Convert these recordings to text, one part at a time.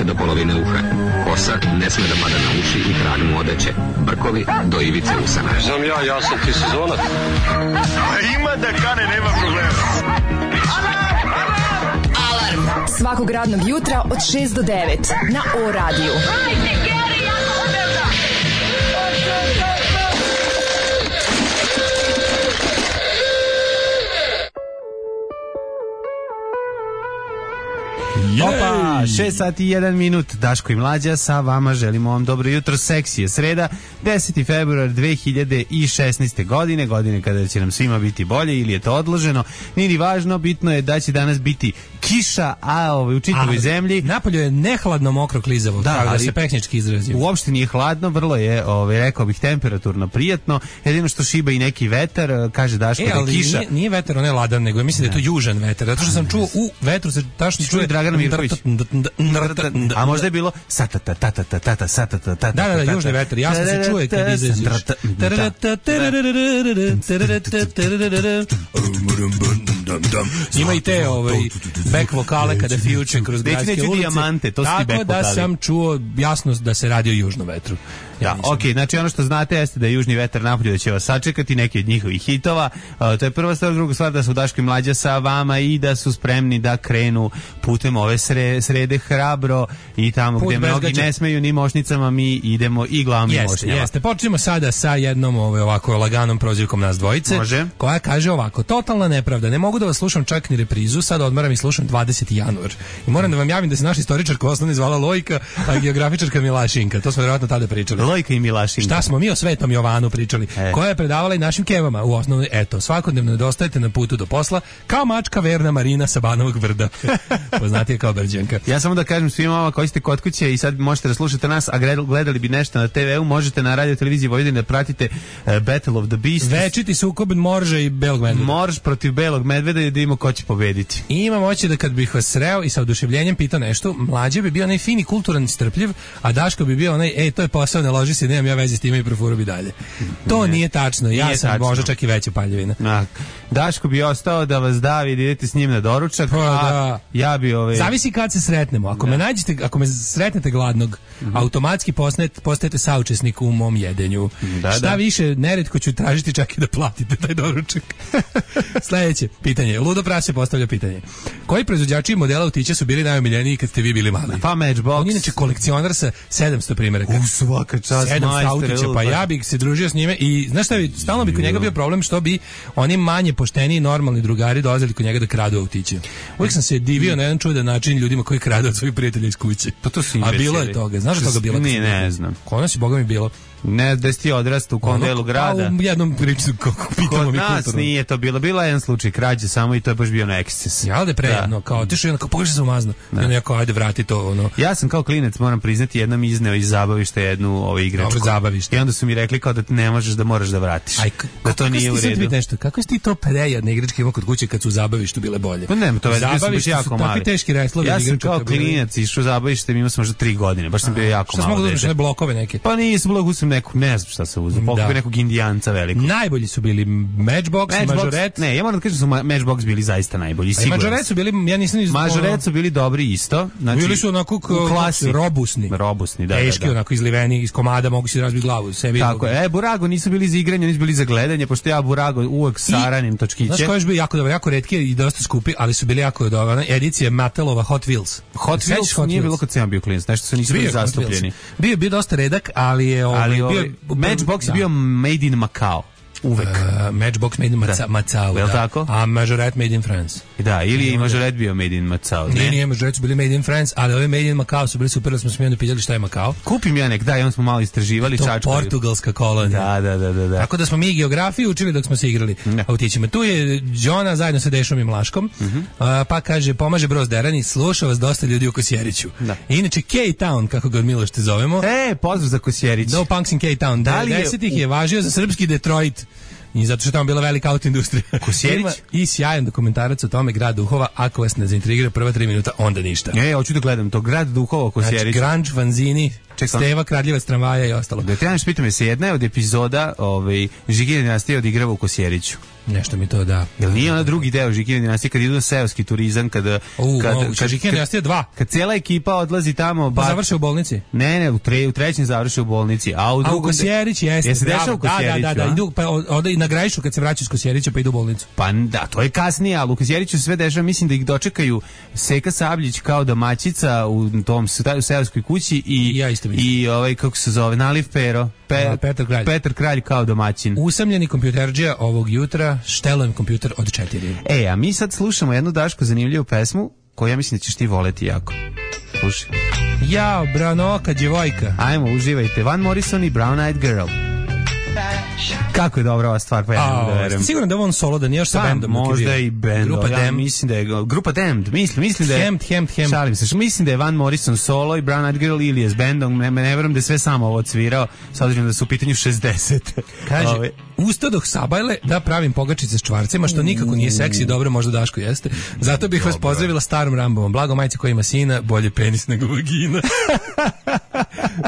do polovine uha. Kosa ne sme da pada na uši i trag mu odeće. Brkovi do ivice usana. Znam ja sam ti sezonac. Ima da kane, nema problema. Alarm svakog radnog jutra od 6 do 9 na O-radiju. Opa, 6 sati i 1 minut, Daško i Mlađa sa vama, želimo vam dobro jutro, seksi je sreda, 10. februar 2016. godine kada će nam svima biti bolje ili je to odloženo, nije ni važno, bitno je da će danas biti kiša, a u čitavoj zemlji. Napolju je nehladno, mokro, klizavo, tako da se pehnički izrazim. Uopšte nije hladno, vrlo je, rekao bih, temperaturno prijatno, jedino što šiba i neki vetar, kaže Daško da je kiša. Nije vetar, on je ladan, nego mislim da je to južan vetar, zato što sam čuo u vetru se tačno čuje Dragana Mirković. A možda je bilo Da, južni vetar, jasno se čuje kad izađeš. Ima i te back vokale kada fijuče kroz gradske ulice. Dijamante, to tako da sam čuo jasno da se radi o južnom vetru. Ja, okej, znači ono što znate jeste da je južni vetar napolju da će vas sačekati, neki od njihovih hitova. To je prva stvar, druga stvar da su Daško i Mlađa sa vama i da su spremni da krenu putem ove srede hrabro i tamo gde mnogi ne smeju ni mošnicama, mi idemo i glavnim mošnjama. Jeste, počnemo sada sa jednom ovako laganom prozivkom nas dvojice. Može. Koja kaže ovako: totalna nepravda, ne mogu da vas slušam čak ni reprizu, sad odmaram i slušam 20. januar. I moram da vam javim da se naša istoričarka osnovno zvala Lojka, a geografičarka Milašinka. To smo verovatno tada pričali. Lojka i Milašinka. Šta smo mi o Svetom Jovanu pričali, koja je predavala i našim kevama u osnovnoj, eto, svakodnevno nedostajete na putu do posla, kao mačka verna Marina sa Banovog Brda. Poznatije kao Brđanka. Ja samo da kažem svima vama koji ste kod kuće i sad možete da slušate nas, a gledali bi nešto na TV-u, možete na radio televiziji Vojvodine da pratite Battle of the Beasts. Večiti sukob Morža i Belog medveda. Morž protiv Belog medveda i da vidimo ko će pobediti. I imam oće da kad bih vas sreo i sa oduševljenjem pitao nešto, Mlađe bi bio onaj fini, kulturan i strpljiv, a Daško bi bio onaj, to je posao, ne loži se, nemam ja veze s time i profuru bi dalje. To nije tačno, ja sam možda čak i veća paljevina. Daško bi ostao da vas davi, da idete s njim na doručak, ja bi Zavisi kad se sretnemo. Ako me nađete, ako me sretnete gladnog, automatski postajete saučesnik u mom jedenju. Šta više, neretko ću tražiti čak i da platite taj doručak. Sljedeće pitanje. Ludo Prase postavlja pitanje. Koji proizvođači modela autića su bili najomiljeniji kad ste vi bili mali? Pa Matchbox. On je inače kolekcionar sa 700 primjeraka. Svaka čast, 700 autića, pa ja bih se družio s njime i znaš šta, stalno bi kod njega bio problem što bi oni manje pošteni normalni drugari dolazili kod njega da kradu autiće. Uvijek sam se divio na jedan čudan način ljudima koji kradu od svojih prijatelja iz kuće. Pa to su a bilo je toga. Znaš da toga bilo? Ne znam. Kod nas je, boga mi, bilo. Ne, da si ti odrasta u kom delu grada. U jednom priču, kako pitamo mi kulturno. Kod nas nije to bilo. Bila je jedan slučaj krađe samo i to je baš bio na eksces. Ja, ali prejedno, kao tišu jedno, kao pogledaj se umazno. I ono jako, ajde vrati to, ono. Ja sam kao klinec, moram priznati, jednom izneo iz zabavišta jednu igračku. Dobro, zabavište. I onda su mi rekli kao da ne možeš, da moraš da vratiš. Da to nije u redu. Kako si ti to prejedne igračke imao kod kuće kad su u zabavištu bile bolje? Pa ne, to je baš jako mali. Teški reslovi. Ja sam kao klinac išao u zabavište, imao sam možda 3 godine, baš sam bio jako malo. Šta smo uzeli blokove neke? Pa nisam blok, uzem neku, ne znam šta se uzeo, pokupio nekog indijanca velikog. Najbolji su bili Matchbox, Majorette. Ne, ja moram da kažem da su Matchbox bili zaista najbolji. I Majorette su bili, ja nisam Majorette su bili dobri isto. Znači, bili su onako robusni. Robusni, da. Teški, onako izliveni, iz komada, mogu si razbiti glavu. Tako je. Burago nisu bili za igranje, nisu bili za gledanje, pošto ja Burago uvek saranim točkiće. Znaš koji je bio jako dobar, jako retki i dosta skupi, ali su bili jako dobro. Edicija Mattelova Hot Wheels. Hot Wheels nije bilo kad sam bio klinac, nešto su nisu bili zastupljeni. Bio dosta redak, ali je Matchbox je bio made in Macau. Uvek. Matchbox made in Macau, da. Tako? A Majorette made in France. Da, ili je i Majorette bio made in Macau. Nije, Majorette su bili made in France, ali ove made in Macau su bili super, da smo se mi onda pitali šta je Macau. Kupim ja nek, da, i on smo malo istraživali. To portugalska kolonija. Da. Tako da smo mi geografiju učili dok smo se igrali autićima. Tu je Đona zajedno sa Dešom i Mlaškom, pa kaže, pomaže Broz Derani, sluša vas dosta ljudi u Kosjeriću. Inače, K-Town, kako ga od Milošte zovemo. Pozdrav za Kosjerić. No Punks in K-Town. 10-ih je važio za srpski Detroit. I zato što je tamo bila velika autoindustrija. Kosjerić? Ima i sjajan dokumentarac o tome Grad duhova, ako vas ne zaintrigira prva 3 minuta, onda ništa. Hoću da gledam to, Grad duhova Kosjerić. Znači, grunge, fanzini, Steva, Kradljivac tramvaja i ostalo. Da te pitam je se jedna je od epizoda Žikine dinastije odigrava u Kosjeriću. Nešto mi to da. Jel nije ona drugi deo Žikine dinastije kad idu na seoski turizam, kad Žikine dinastije 2. Kad cijela ekipa odlazi tamo, završe u bolnici. Ne, u trećem završe u bolnici, a u drugom Kosjerić jeste. Se dešava u Kosjeriću. Da, idu pa onda i na Grajišu kad se vraćaju iz Kosjerića pa idu u bolnicu. Pa da, to je kasnije, ali u Kosjeriću sve dešava, mislim da ih dočekaju Seka Sabljić kao domaćica u tom seoskoj kući i kako se zove, Naliv Pero. Petar Kralj kao domaćin. Usamljeni kompjuterđija ovog jutra, štelujem kompjuter od 4. A mi sad slušamo jednu Daško zanimljivu pesmu koju ja mislim da ćeš ti voleti jako. Slušaj. Jao, branoka djevojka. Ajmo, uživajte. Van Morrison i Brown Eyed Girl. Kako je dobra ova stvar, pa ja ne da verujem. Sigurno da je on solo, da nije još sa bendom. Možda i bend. Ja mislim da je Grupa Damned. Mislim da je Hemd. Šalim se. Mislim da je Van Morrison solo i Brown Eyed Girl ili je s bendom. Ne verujem da je sve samo ovo odsvirao, s obzirom da su u pitanju 60. Kaže, ustadoh sabajle da pravim pogačice s čvarcima, što nikako nije seksi, dobro možda Daško jeste. Zato bih vas pozdravila starom Rambovom. Blago majci koja ima sina, bolje penis nego vagina.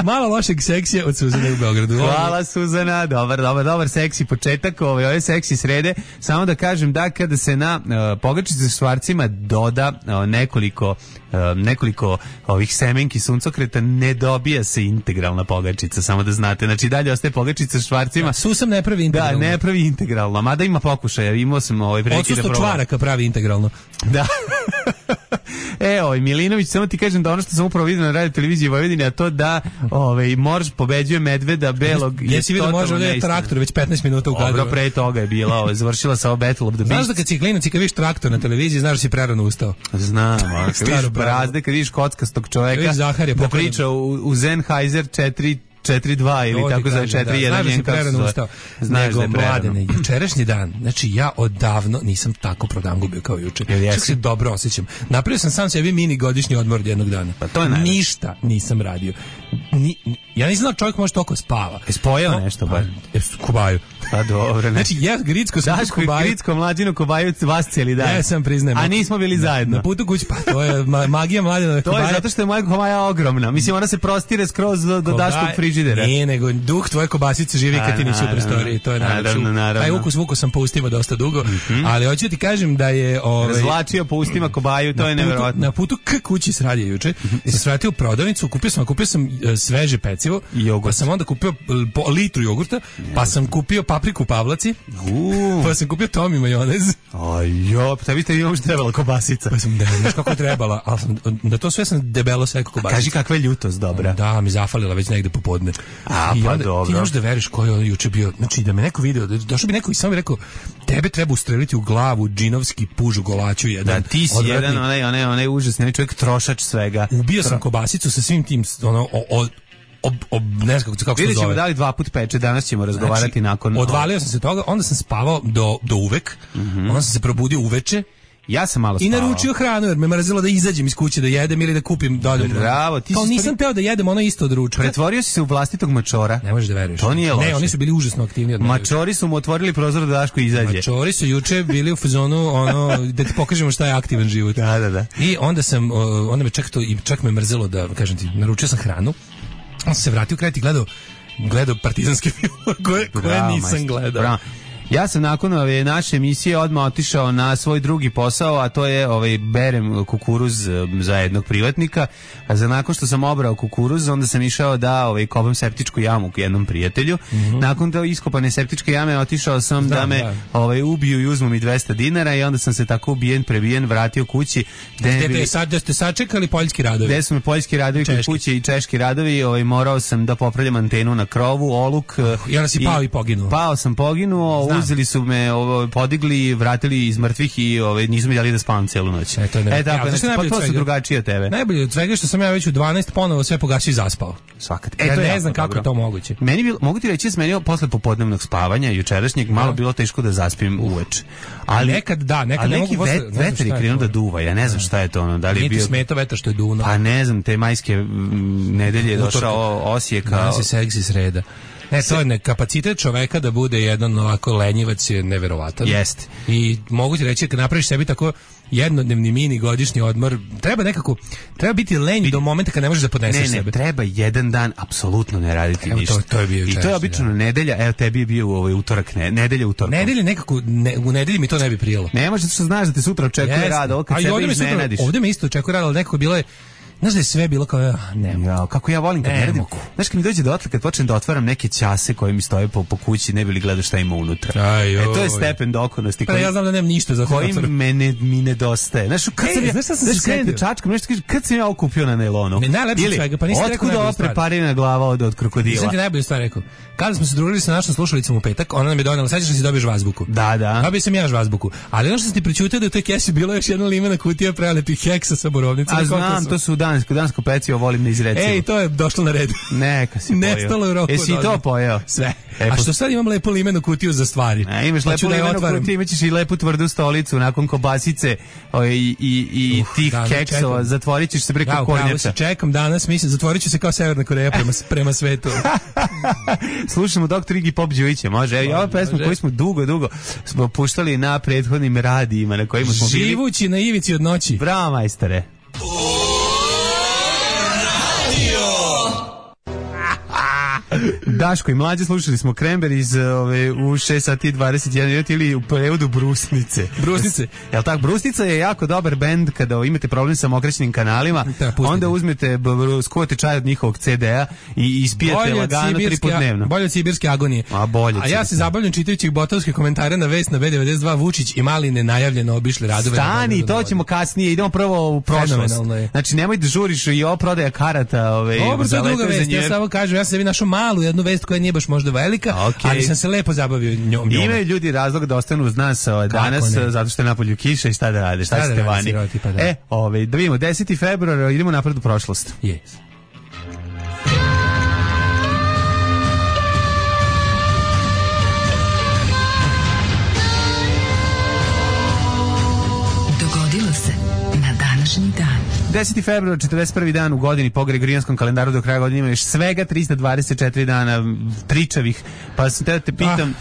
Malo lošeg seksija od Suzane u Beogradu. Hvala Suzana, dobar seksi početak ove seksi srede. Samo da kažem da kada se na pogačice s čvarcima doda nekoliko ovih semenki suncokreta, ne dobija se integralna pogačica, samo da znate. Znači dalje ostaje pogačica s čvarcima. Susam ne pravi integralno. Da, ne pravi integralno, mada ima pokušaja. Imao sam prilike da probam. Odsustvo čvaraka pravi integralno. Da. Milinović, samo ti kažem da ono što sam upravo vidio na radio televiziji Vojvodine, a to da Morž pobeđuje medveda belog. Jesi vidio može ovdje traktor već 15 minuta u kadru. Dobro, pre toga je bila, završila sa Battle of the Beasts. Znaš da kad si klinac i kad vidiš traktor na televiziji, znaš da si prerano ustao. Znam, kad vidiš brazde, kad vidiš kockastog čoveka, da priča u Sennheiser 4.2 ili tako za 4.1. Znaš da je Mladene, jučerašnji dan, znači ja odavno nisam tako prodan gubio kao juče. Čak se dobro osjećam. Napravio sam sam sebi mini godišnji odmor jednog dana. Pa to je ništa nisam radio. Ja nisam znao čovjek može toliko spava. Spojao nešto bar? Kubaju. Pa dobro. Znači ja Gricko sam Daško i Gricko mlađinu Kubaju vas cijeli dan. Ja sam priznajem. A nismo bili zajedno. Na putu kući, pa to je magija Mladena Kubaja. To je zato što je moja Kubaja ogromna. Mislim ona se prostire skroz do Daškog frižidera. Nije, nego duh tvoje kobasice živi kad ti nisi u prostoriji. To je naravno. Taj ukus sam po ustima dosta dugo, ali hoću ti kažem da je razvlačio po ustima Kobaju, to je neverovatno. Na putu k kući s radija juče, sam se vratio u prodavnicu, kupio sam sveže pecivo, pa sam onda kupio litru jogurta, pa sam kupio papriku Pavlaci, pa sam kupio Tomi majonez. Ajo, pa tebi imamo što trebala kobasica. Pa sam znaš kako je trebala, ali da to sve sam debelo seko kobasica. Kaži kakva je ljutost, dobra. Da, mi zafalila već negde popodne. I pa onda, dobro. Ti možeš da veriš ko je on juče bio, znači da me neko video, došao bi neko i samo bi rekao, tebe treba ustreliti u glavu džinovski puž u golaču jedan. Da, ti si jedan onaj užasni čovjek, trošač svega. Ubio sam kobasicu sa svim tim, ne znam kako se zove. Ćemo dali 2 puta peče, danas ćemo razgovarati nakon. Odvalio sam se toga, onda sam spavao do uvek, onda sam se probudio uveče. Ja sam malo spavao. I naručio hranu jer me mrzelo da izađem iz kuće da jedem ili da kupim dođem. Bravo, ti kao nisam teo da jedem ono isto od ručka. Pretvorio si se u vlastitog mačora. Ne možeš da veruješ. To nije loše. Ne, oni su bili užasno aktivni od mene. Mačori su mu otvorili prozor da Daško izađe. Mačori su juče bili u fazonu da ti pokažemo šta je aktivan život. Da. I onda me čak me mrzelo da kažem ti, naručio sam hranu. On se vratio kraj i gledao partizanske filmove koje nisam gledao. Bravo. Ja sam nakon ove naše emisije odmah otišao na svoj drugi posao, a to je berem kukuruz za jednog privatnika, a nakon što sam obrao kukuruz, onda sam išao da kopam septičku jamu jednom prijatelju. Nakon te iskopane septičke jame otišao sam da me ubiju i uzmu mi 200 dinara i onda sam se tako prebijen vratio kući. Da ste sačekali poljski radovi? Gde su me poljski radovi kod kuće i češki radovi, morao sam da popravljam antenu na krovu, oluk. I onda si pao i poginuo. Pao sam poginuo, uzeli su me, podigli, vratili iz mrtvih i nisu mi dali da spavam celu noć. To su drugačije od tebe. Najbolje od svega što sam ja već u 12 ponovo sve pogasio i zaspao. Svakat. Ja ne znam kako je to moguće. Mogu ti reći da sam meni posle popodnevnog spavanja jučerašnjeg malo bilo teško da zaspim uveče. Ali nekad ne mogu posle. Vetar je krenuo da duva, ja ne znam šta je to da li je bio. Niti smeta vetar što je duno. Pa ne znam, te majske nedelje je došao Osijeka. Danas je seksi sreda. Ne, to je kapacitet čoveka da bude jedan ovako lenjivac je neverovatan. Jeste. I mogu ti reći, kad napraviš sebi tako jednodnevni mini godišnji odmor, treba biti lenj do momenta kad ne možeš da podneseš sebe. Ne, treba jedan dan apsolutno ne raditi ništa. To je bio i to je obično nedelja, evo tebi je bio utorak, nedelja utorkom. Nedelja nekako, u nedelji mi to ne bi prijelo. Ne može, što znaš da te sutra očekuje rad, ovo kad sebe iznenadiš. Ovde me isto očekuje rad, ali nekako bilo je, znaš da je sve bilo kao, kako ja volim kad ne radim. Znaš kad mi dođe dotle, kad počnem da otvaram neke ćase koje mi stoje po kući, ne bi li gledao šta ima unutra. To je stepen dokonosti. Pa ja znam da nemam ništa za koji mi nedostaje. Znaš, kad sam da čačkam, nešto kaže, kad sam ja okupio na nailonu? Najlepše svega, pa nisi rekao otkud ova preparina glava od krokodila? Nisam ti najbolju stvar rekao. Kada smo se družili sa našom slušalicom u petak, ona nam je donela, sećaš da si dobiješ azbuku. Da. Dobio sam ja azbuku. Ali ono što sam ti prećutao da u toj kesi bilo još jedna limena kutija prelepih heksa sa borovnicom. A znam, to su dansko pecivo, volim ne izrecivo. Ej, to je došlo na red. Neka si pojeo. Nestalo u roku. Jesi to pojeo? Sve. A što sad imam lepu limenu kutiju za stvari? Imaš lepu limenu kutiju, imaćeš i lepu tvrdu stolicu nakon kobasice i tih keksova. Zatvorit ćeš se preko kornjača. Čekam danas, mislim, zatvorit ću se kao Severna Koreja prema svetu. Slušamo Dr. Iggy Pop Đujića, može. I ova pesma koju smo dugo smo puštali na prethodnim radijima na kojima smo bili. Živući na ivici od noći. Bravo, majstore. Daško i Mlađe, slušali smo Cranberries u 6 sati 21 minut ili u prevodu Brusnice. Jel tako? Brusnica je jako dobar bend kada imate problem sa mokrećnim kanalima, onda uzmete, skuvate čaj od njihovog CD-a i ispijete lagano 3 puta dnevno. Bolje od sibirske agonije. A ja se zabavljam čitajući botovske komentare na vest na B92 Vučić i mali nenajavljeno obišli radove. Stani, to ćemo kasnije, idemo prvo u prošlost. Znači nemoj da žuriš i ovo prodaja karata. Dobro, to je druga vest, ja samo kažem, ja sam sebi našao malu jednu vest koja nije baš možda velika, ali sam se lepo zabavio njom. Imaju ljudi razlog da ostanu uz nas danas, zato što je napolju kiša i šta da rade, šta ćete vani. Da vidimo, 10. februar, idemo napred u prošlost. Yes. Dogodilo se na današnji dan. 10. februar, 41. dan u godini po Gregorijanskom kalendaru, do kraja godine ima još svega 324 dana tričavih, pa sam te pitam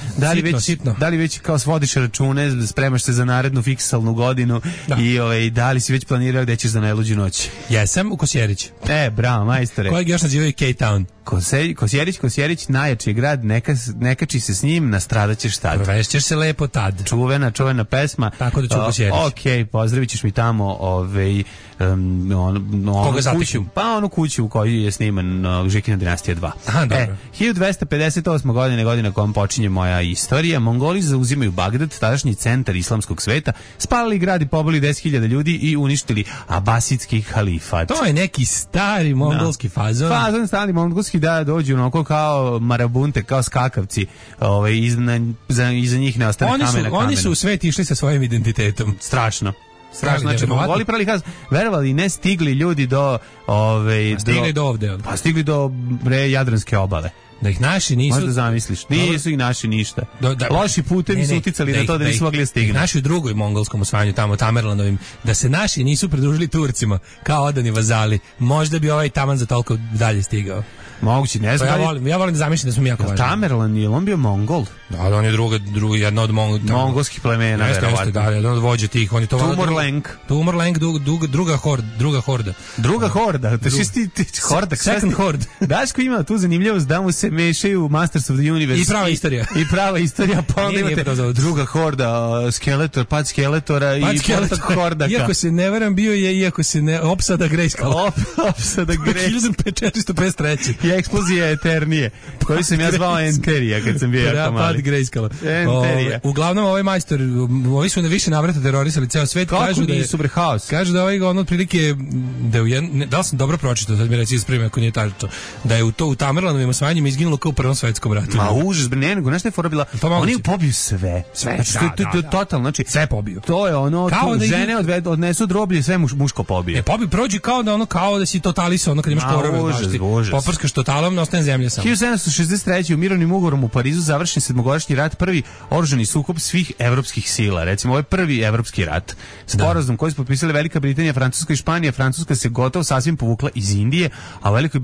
da li već kao svodiš račune, spremaš se za narednu fiksalnu godinu i da li si već planirao gde ćeš za najluđu noć? Jesam u Kosjerić. Bravo, majstore. Kojeg još nazivaju K-Town. Kosjerić, najjači grad, nekači se s njim, nastradaćeš tad. Provešćeš se lepo tad. Čuvena pesma. Tako da ću Kosjerić. Pozdravit ćeš mi tamo kuću? Pa onu kuću u kojoj je sniman Žikina dinastija 2. Aha, dobro. 1258. godina kojom počinje moja istorija. Mongoli zauzimaju Bagdad, tadašnji centar islamskog sveta, spalili grad i pobili 10.000 ljudi i uništili abasidski halifat. To je neki stari mongolski fazon. Fazon stari mongolski, da dođu onako kao marabunte, kao skakavci. Iza njih ne ostane kamen na kamenu. Oni su u svet išli sa svojim identitetom. Strašno. Znači, Mongoli prali verovali ne stigli ljudi do stigli do ovde. Pa stigli do Jadranske obale. Da ih naši nisu... Možda zamisliš, nisu ih naši ništa. Loši putevi su uticali na to da nisu mogli stignuti. Naši u drugoj mongolskom osvajanju, tamo Tamerlanovim, da se naši nisu pridružili Turcima kao odani vazali, možda bi ovaj taman za toliko dalje stigao. Moguće, ne znam. Ja volim da zamišljam da smo mi jako važni. Tamerlan, je on bio Mongol? Da, on je jedna od mongolskih plemena, verovatno. Da, jedan od vođa tih. Tumorlenk, druga horda. Druga horda? Horda? Second horde. Daško ima tu zanimljivost da mu se mešaju Masters of the Universe. I prava istorija. Pa onda imate druga horda, Skeletor, pad Skeletora i portak Hordaka. Iako se ne varam, bio je, opsada Grejskala. Opsada Grejskala. 1553. I eksplozija Eternije, koju sam ja zvao Enterija kad sam bio jako mali. Pad Grejskala. Enterija. Uglavnom, ovaj majstor, ovi su na više navrata terorisali ceo svet. Kako nisu bre haos? Kažu da ovaj otprilike, da li sam dobro pročitao, sad mi reći ispravim ako nije tačno, da je u Tamerlanovim osvajanjima izginulo kao u Prvom svetskom ratu. Ma užas, bre, nego, znaš šta je fora bila? Oni pobiju sve. Znači, to je totalno, znači, sve pobiju. To je ono, žene odnesu droblje, sve muško pobije. Prođi kao da si totalisao, ono kad imaš korove. Užas. Poprskaš totalom ostaje zemlja samo. 1763. u mirovnim ugovorom u Parizu završen 7-godišnji rat, prvi oružani sukob svih evropskih sila. Recimo, ovo je prvi evropski rat. Sporazum koji su potpisali Velika Britanija, Francuska i Španija. Francuska se gotovo sasvim povukla iz Indije, a u Velikoj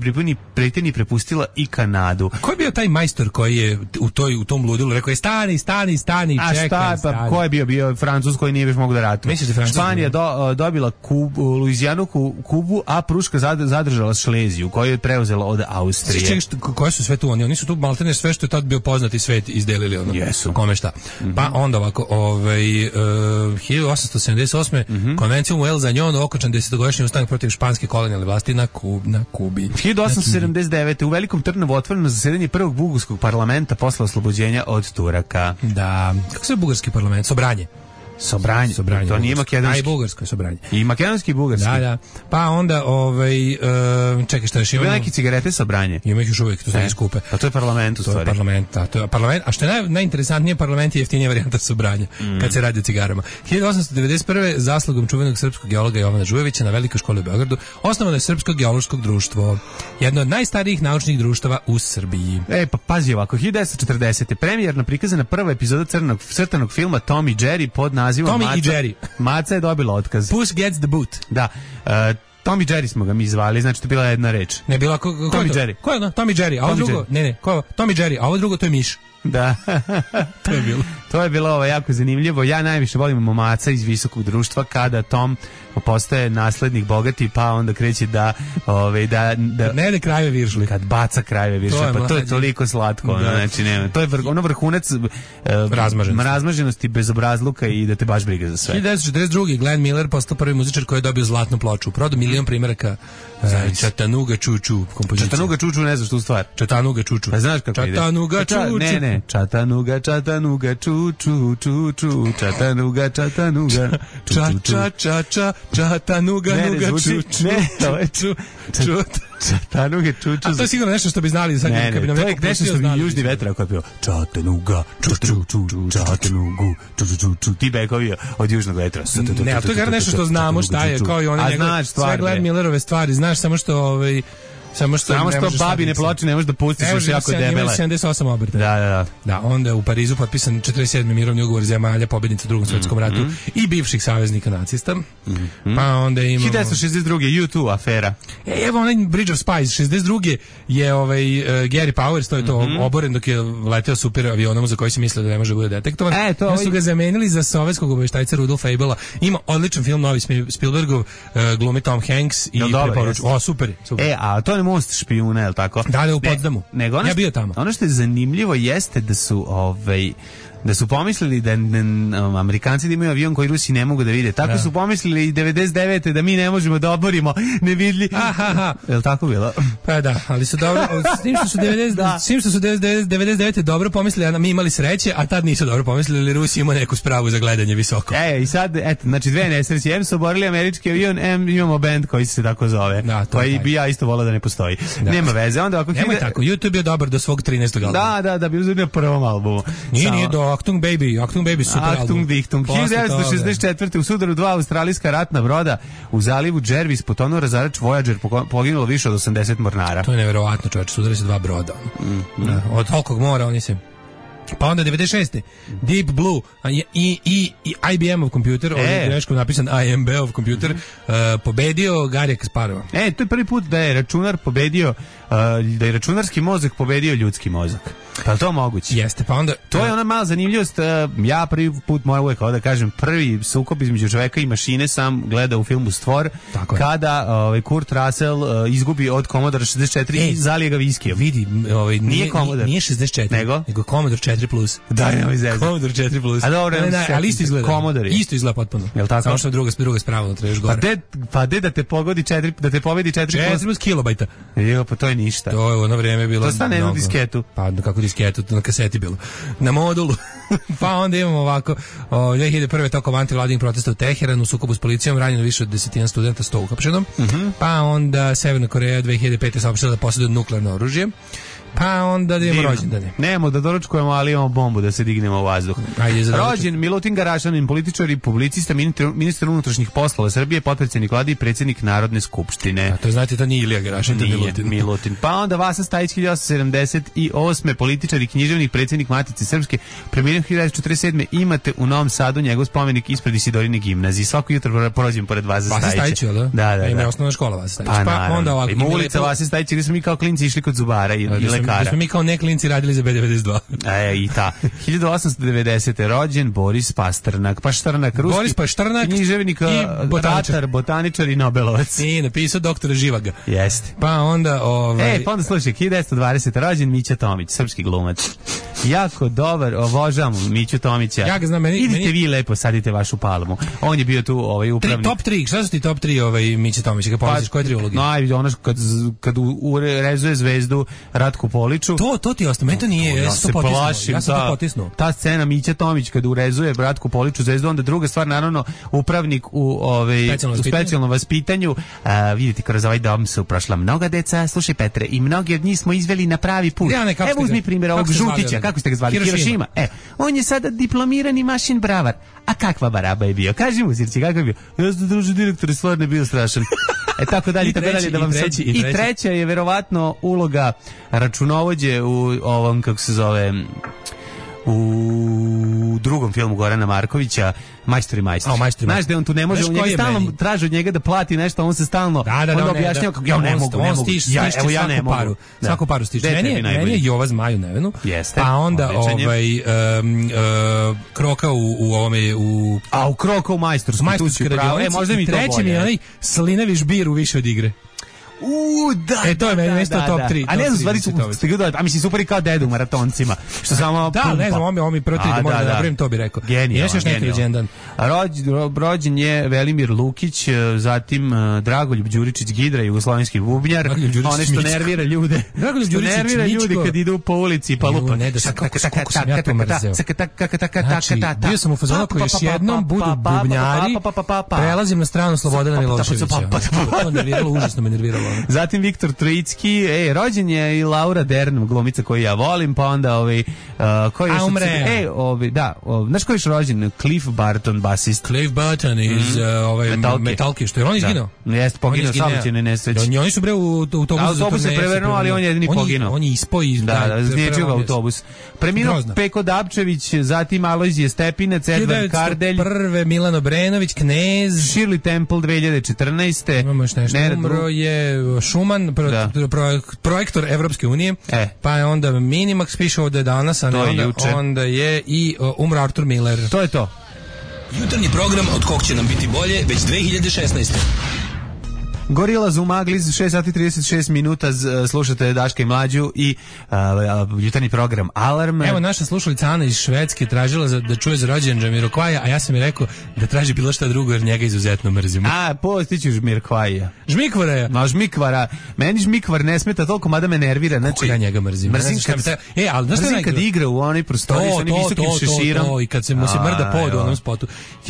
Britaniji prepustila i Kanadu. A ko je bio taj majstor koji je u tom ludilu rekao je stani, čekaj, pa ko je bio Francuz koji nije više mogu da ratuje? Misliš da Francuska Španija dobila Luizijanu, Kubu, a Pruška zadržala Šleziju, koju je preuzela od Austrije. Koje su sve tu oni su tu maltene sve što je tad bio poznati svet izdelili ono. Jesu. Kome šta. Pa onda ovako, 1878. Konvencijom u El Zagnon okončan 10-godišnji ustanak protiv španske kolonijalne vlasti na Kubi. 1879. u Velikom Trnovu otvoreno zasedanje prvog bugarskog parlamenta posle oslobođenja od Turaka. Da. Kako se bugarski parlament? Sobranje. To nije makedonski. A i bugarsko je sobranje. I makedonski i bugarski. Da. Pa onda, čekaj, šta još imamo? Ima neke cigarete sobranje. Ima ih još uvijek, to se ne skupe. Pa to je parlament u stvari. To je parlament. A što je najinteresantnije, parlament je jeftinija varijanta sobranja, kad se radi o cigarama. 1891. zaslugom čuvenog srpskog geologa Jovana Žujevića na Velikoj školi u Beogradu osnovano je Srpsko geološko društvo. Jedno od najstarijih naučnih društava u Srbiji. Pa pazi ovako, 1940. premijerno prikazana prva epizoda crtanog filma Tom i Jerry pod nazivom Tommy i Jerry. Maca je dobila otkaz. Puss gets the boot. Da. Tom i Jerry smo ga mi zvali, znači to je bila jedna reč. Ne, bila Tom i Jerry. Ko je ono? Tom i Jerry, a ovo drugo? Ne, ko je Tom i Jerry, a ovo drugo to je miš. Da. To je bilo jako zanimljivo. Ja najviše volim Maca iz visokog društva kada Tom postaje naslednik bogati, pa onda kreće da ne ide krajeve viršli. Kad baca krajeve viršli, pa to je toliko slatko. Znači, nema. To je vrhunac razmaženosti, bezobrazluka i da te baš briga za sve. 1942. Glenn Miller postao prvi muzičar koji je dobio zlatnu ploču. Prodao 1.000.000 primjeraka Chattanooga Choo kompozicija. Chattanooga Choo ne znaš tu stvar. Chattanooga Choo. Pa znaš kako ide? Chattanooga Choo. Ne. Chattanooga Choo. Chattanooga. Chattanooga Choo. Ne, to je Choo. Chattanooga Choo. A to je sigurno nešto što bi znali sad. Ne, to je nešto što bi Južni vetar ako je bio Chattanooga Choo. Ti bekovi od Južnog vetra. Ne, a to je nešto što znamo šta je, kao i one njegove sve Glenn Millerove stvari. Znaš samo što Samo što babine ploče ne možeš da pustiš, još jako debele. Ima 78 obrta. Da, onda u Parizu potpisan 47. mirovni ugovor zemalja pobednica u Drugom svetskom ratu i bivših saveznika nacista. Pa onda imamo 1962. U2 afera. Evo onaj Bridge of Spies 62. je Gary Powers, to je to oboren dok je leteo super avionom za koji se mislio da ne može bude detektovan. Onda su ga zamenili za sovjetskog obaveštajca Rudolfa Abela. Ima odličan film novi Spielbergov, glumi Tom Hanks i preporučujem. Super. A to je most špijuna, je li tako? Da, u Potsdamu. Ja bio tamo. Ono što je zanimljivo jeste da su pomislili da Amerikanci da imaju avion koji Rusi ne mogu da vide. Tako su pomislili i 99. da mi ne možemo da oborimo nevidljiv. Je li tako bilo? Pa da, ali su dobro, s tim što su 99. dobro pomislili, a mi imali sreće, a tad nisu dobro pomislili, Rusi imaju neku spravu za gledanje visoko. I sad, znači dve nesreće, M su oborili američki avion, M imamo band koji se tako zove. Koji bi ja isto volao da ne postoji. Nema veze. Onda ako nemoj tako, YouTube je dobar do svog 13. albuma. Da, bi uzeli na prvom albumu. Nije do Achtung Baby, super album. Achtung Dichtung. 1964. u sudaru 2 australijska ratna broda u zalivu Jervis potonuo razarač Voyager, poginulo više od 80 mornara. To je neverovatno, čoveče, sudari se 2 broda. Od tolikog mora oni se... Pa onda 96. Deep Blue i IBM-ov kompjuter, ovdje greškom napisan IMB-ov kompjuter, pobedio Garija Kasparova. To je prvi put da je računar pobedio, da je računarski mozak pobedio ljudski mozak. Pa je to moguće? Jeste, pa onda... To je ona mala zanimljivost. Ja prvi put moram uvijek da kažem, prvi sukob između čoveka i mašine sam gledao u filmu Stvor, kada Kurt Russell izgubi od Commodore 64 i zalije ga viskijom. Vidi, nije Commodore. Nije 64, nego Commodore 4+. Da, nemoj zezati. Commodore 4+. A dobro, ali isto izgleda. Commodore. Isto izgleda potpuno. Jel tako? Samo što druga sprava unutra još gore. Pa de da te pogodi 4, da te pobedi 4+ kilobajta. Pa to je ništa. To je u ono vrijeme bilo. To stane na disketu. Pa kako disketu, na kaseti bilo. Na modulu. Pa onda imamo ovako, 2001. tokom antivladinih protesta u Teheranu, u sukobu s policijom ranjeno više od 10 studenta, 100 uhapšeno. Pa onda Severna Koreja 2005. saopštila da posjeduje nuklearno oružje. Pa onda da imamo rođendane. Nemamo da doručkujemo, ali imamo bombu da se dignemo u vazduh. Rođen Milutin Garašanin, političar i publicista, ministar unutrašnjih poslova Srbije, potpredsjednik vlade i predsjednik Narodne skupštine. A to znate da nije Ilija Garašanin, to je Milutin. Pa onda Vasa Stajić 1878. političar i književnik, predsjednik Matice Srpske, preminuo 1947. Imate u Novom Sadu njegov spomenik ispred Isidorine gimnazije. Svako jutro prođem pored Vasa Stajića. Vasa Stajić, da? Da. Ima osnovna škola Vasa Stajić. Pa onda ovako. Ima ulica Vasa Stajića, gdje smo mi kao klinci išli kod zubara i lekara. Da smo mi kao ne klinci radili za B92. I ta. 1890. rođen Boris Pasternak. Ruski Boris Pasternak, književnik, botaničar i Nobelovac. I napisao doktora Živaga. Jeste. Pa onda... pa onda slušaj, 1920. rođen Mića Tomić, srpski glumac. Jako dobar, obožavam Miću Tomića. Ja ga znam, idite vi lepo, sadite vašu palmu. On je bio tu upravnik. Top 3, šta su ti top 3 Mića Tomića? Kad pomisliš, koje 3 uloge? Ono kad urezuje zvezdu Ratku Poliču. To ti ostane, meni to nije, ja sam to potisnuo. Ta scena Mića Tomić kad urezuje Ratku Poliču zvezdu, onda druga stvar, naravno, upravnik u specijalnom vaspitanju. Vidite, kroz ovaj dom su prošla mnoga deca, slušaj Petre, i mnogi od njih smo izveli na pravi put. Evo uzmi primjer ovog Žutića, kako ste ga zvali? Hirošima. On je sada diplomirani mašin bravar. A kakva baraba je bio? Kaži mu, Sirci, kako je bio? Ja sam druži direktor i stvarno je bio strašan. Tako dalje, da vam sad... I treća je verovatno uloga računovođe u ovom, kako se zove... u drugom filmu Gorana Markovića, Majstor i majstor. Znaš da on tu ne može, on njega stalno traži od njega da plati nešto, on se stalno onda objašnjava kako ja ne mogu. Ja ne mogu. Svaku paru stiže. Meni je Jova Zmaju Nevenu. Pa onda Kroka u ovome... u Kroka u Majstorsku. Možda mi to bolje. Treći mi je onaj Slinavi žbir u više od igre. Da. To je meni mesto top 3. A ne znam, stvari su stigli, a mislim super i kao dedu u maratoncima. Što samo da, ne znam, on mi proti da možda napravim, to bi rekao. Genijalno. Još neki legendan. Rođen je Velimir Lukić, zatim Dragoljub Đuričić Gidra, jugoslovenski bubnjar. One što nervira ljude. Dragoljub Đuričić nervira ljude kad idu po ulici pa lupa. Ne da se kako sam ja to mrzeo. Bio sam u fazonu koji još jednom budu bubnjari, prelazim na stranu Slobodana Miloševića. To nerviralo, užasno me nerviralo. Zatim Viktor Trojicki, rođen je i Laura Dern, glumica koju ja volim, pa onda koji je znaš koji je rođen? Cliff Barton, basist. Cliff Barton iz Metalke, što je on izginuo? Jeste, poginuo saobraćajnoj nesreći. Oni su bre u autobusu. Autobus se prevrnuo, ali on je jedini poginuo. On je ispao iz... Da, zniječio ga autobus. Preminuo Peko Dapčević, zatim Alojzije Stepinac, Edvard Kardelj, prve Milan Obrenović, Knez, Shirley Temple 2014. Imamo još nešto. Umro je Šuman, projektor Evropske unije, pa je onda Minimax, piše ovdje danas, a onda je i umro Arthur Miller. To je to. Jutarnji program od kog će nam biti bolje već 2016. Gorillaz u magli, 6 sati 36 minuta, slušate Daška i Mlađu i jutarnji program Alarm. Evo, naša slušalica Ana iz Švedske tražila da čuje za rođendan Jamiroquaija, a ja sam mi rekao da traži bilo šta drugo jer njega izuzetno mrzimo. Postiću Jamiroquaija. Žmikvara je. No, Žmikvara. Meni Žmikvar ne smeta toliko, mada me nervira. Znači, ja njega mrzim. Mrzim kad igra u onoj prostoriji sa onim visokim šeširom. I kad se mu se mrda pod u onom spotu.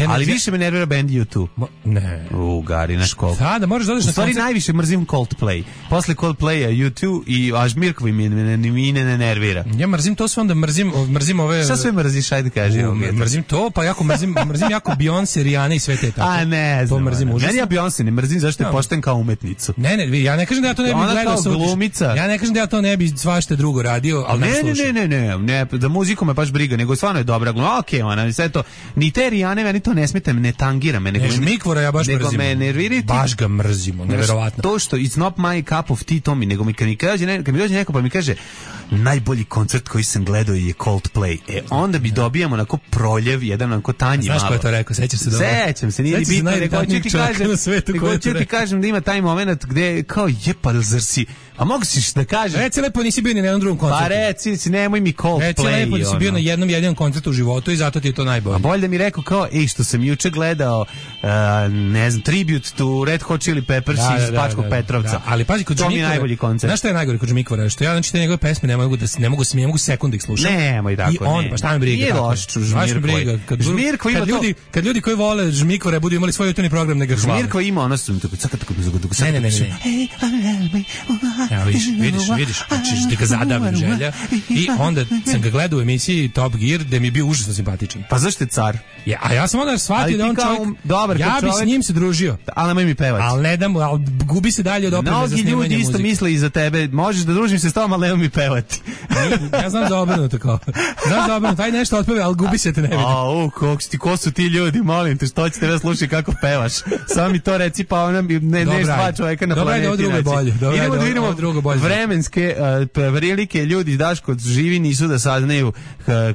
Ali više me nervira band U2. Ne. Gari, naš koliko. Da, možeš da u stvari najviše mrzim Coldplay. Posle Coldplaya U2 i Žmirkovi mi ne nervira. Ja mrzim to sve, onda mrzim ove... Šta sve mrziš, ajde kaži. Mrzim to, pa mrzim jako Beyoncé, Rihanna i sve te tako. A ne znam. To mrzim užasno. Meni ja Beyoncé ne mrzim zašto je pošten kao umetnicu. Ne, ja ne kažem da ja to ne bi gledao sa glumica. Ja ne kažem da ja to ne bi svašta drugo radio, ali ne, da muziku me baš briga, nego stvarno je dobra gluma. Okej, ona, sve to. Ni te Rihanne, meni to ne smeta, ne tangira me, nego Žmikvora ja baš mrzim. Baš ga mrzimo, neverovatno. To što it's not my cup of tea, to mi, nego kad mi dođe neko pa mi kaže najbolji koncert koji sam gledao je Coldplay. Onda bi dobijamo onako proljev, jedan onako tanji malo. Znaš ko je to rekao? Sećaš se dobro? Sećam se, nije ni bitno, nego ću ti kažem da ima taj moment gde kao zar si, a mogu si da kažeš? Reci lepo, nisi bio ni na jednom drugom koncertu. Pa reci, nemoj mi Coldplay. Reci lepo da si bio na jednom jedinom koncertu u životu i zato ti je to najbolje. A bolje da mi rekao kao, što sam juče gledao, ne znam, tribute to Red Hot Chili Peppers prsi iz Bačkog Petrovca. Ali pazi, kod to mi je najbolji koncept. Znaš šta je najgore kod Žmikvora? Što ja znači te njegove pesme ne mogu sekunde ih slušati. Nemoj tako. I on pa šta me briga. Nije loš Žmirkoj. Žmirkoj ima kad ljudi koji vole Žmikvora budu imali svoj jutarnji program, nego hvale. Žmirkoj ima ono su Ne. Ja vidiš, znači da ga zadavim želja. I onda sam ga gledao u emisiji Top Gear, gde mi je bio užasno simpatičan. Pa zašto je car? Ja, a ja sam onda shvatio da on čovjek dobar, ja bi s njim se družio. Ali nemoj mi pevati. Ali ne dam, ali gubi se dalje od opreme za snimanje muzike. Mnogi ljudi isto misle i za tebe, možeš da družim se s tobom, ali nemoj mi pevati. Ja znam da obrnuto kao. Znam da obrnuto, taj nešto otpeve, ali gubi se te ne vidi. Ko su ti ljudi, molim te, što će tebe slušati kako pevaš? Samo mi to reci, pa ona ne dva čoveka na planeti. Idemo da vidimo vremenske prilike, ljudi Daško živi nisu da saznaju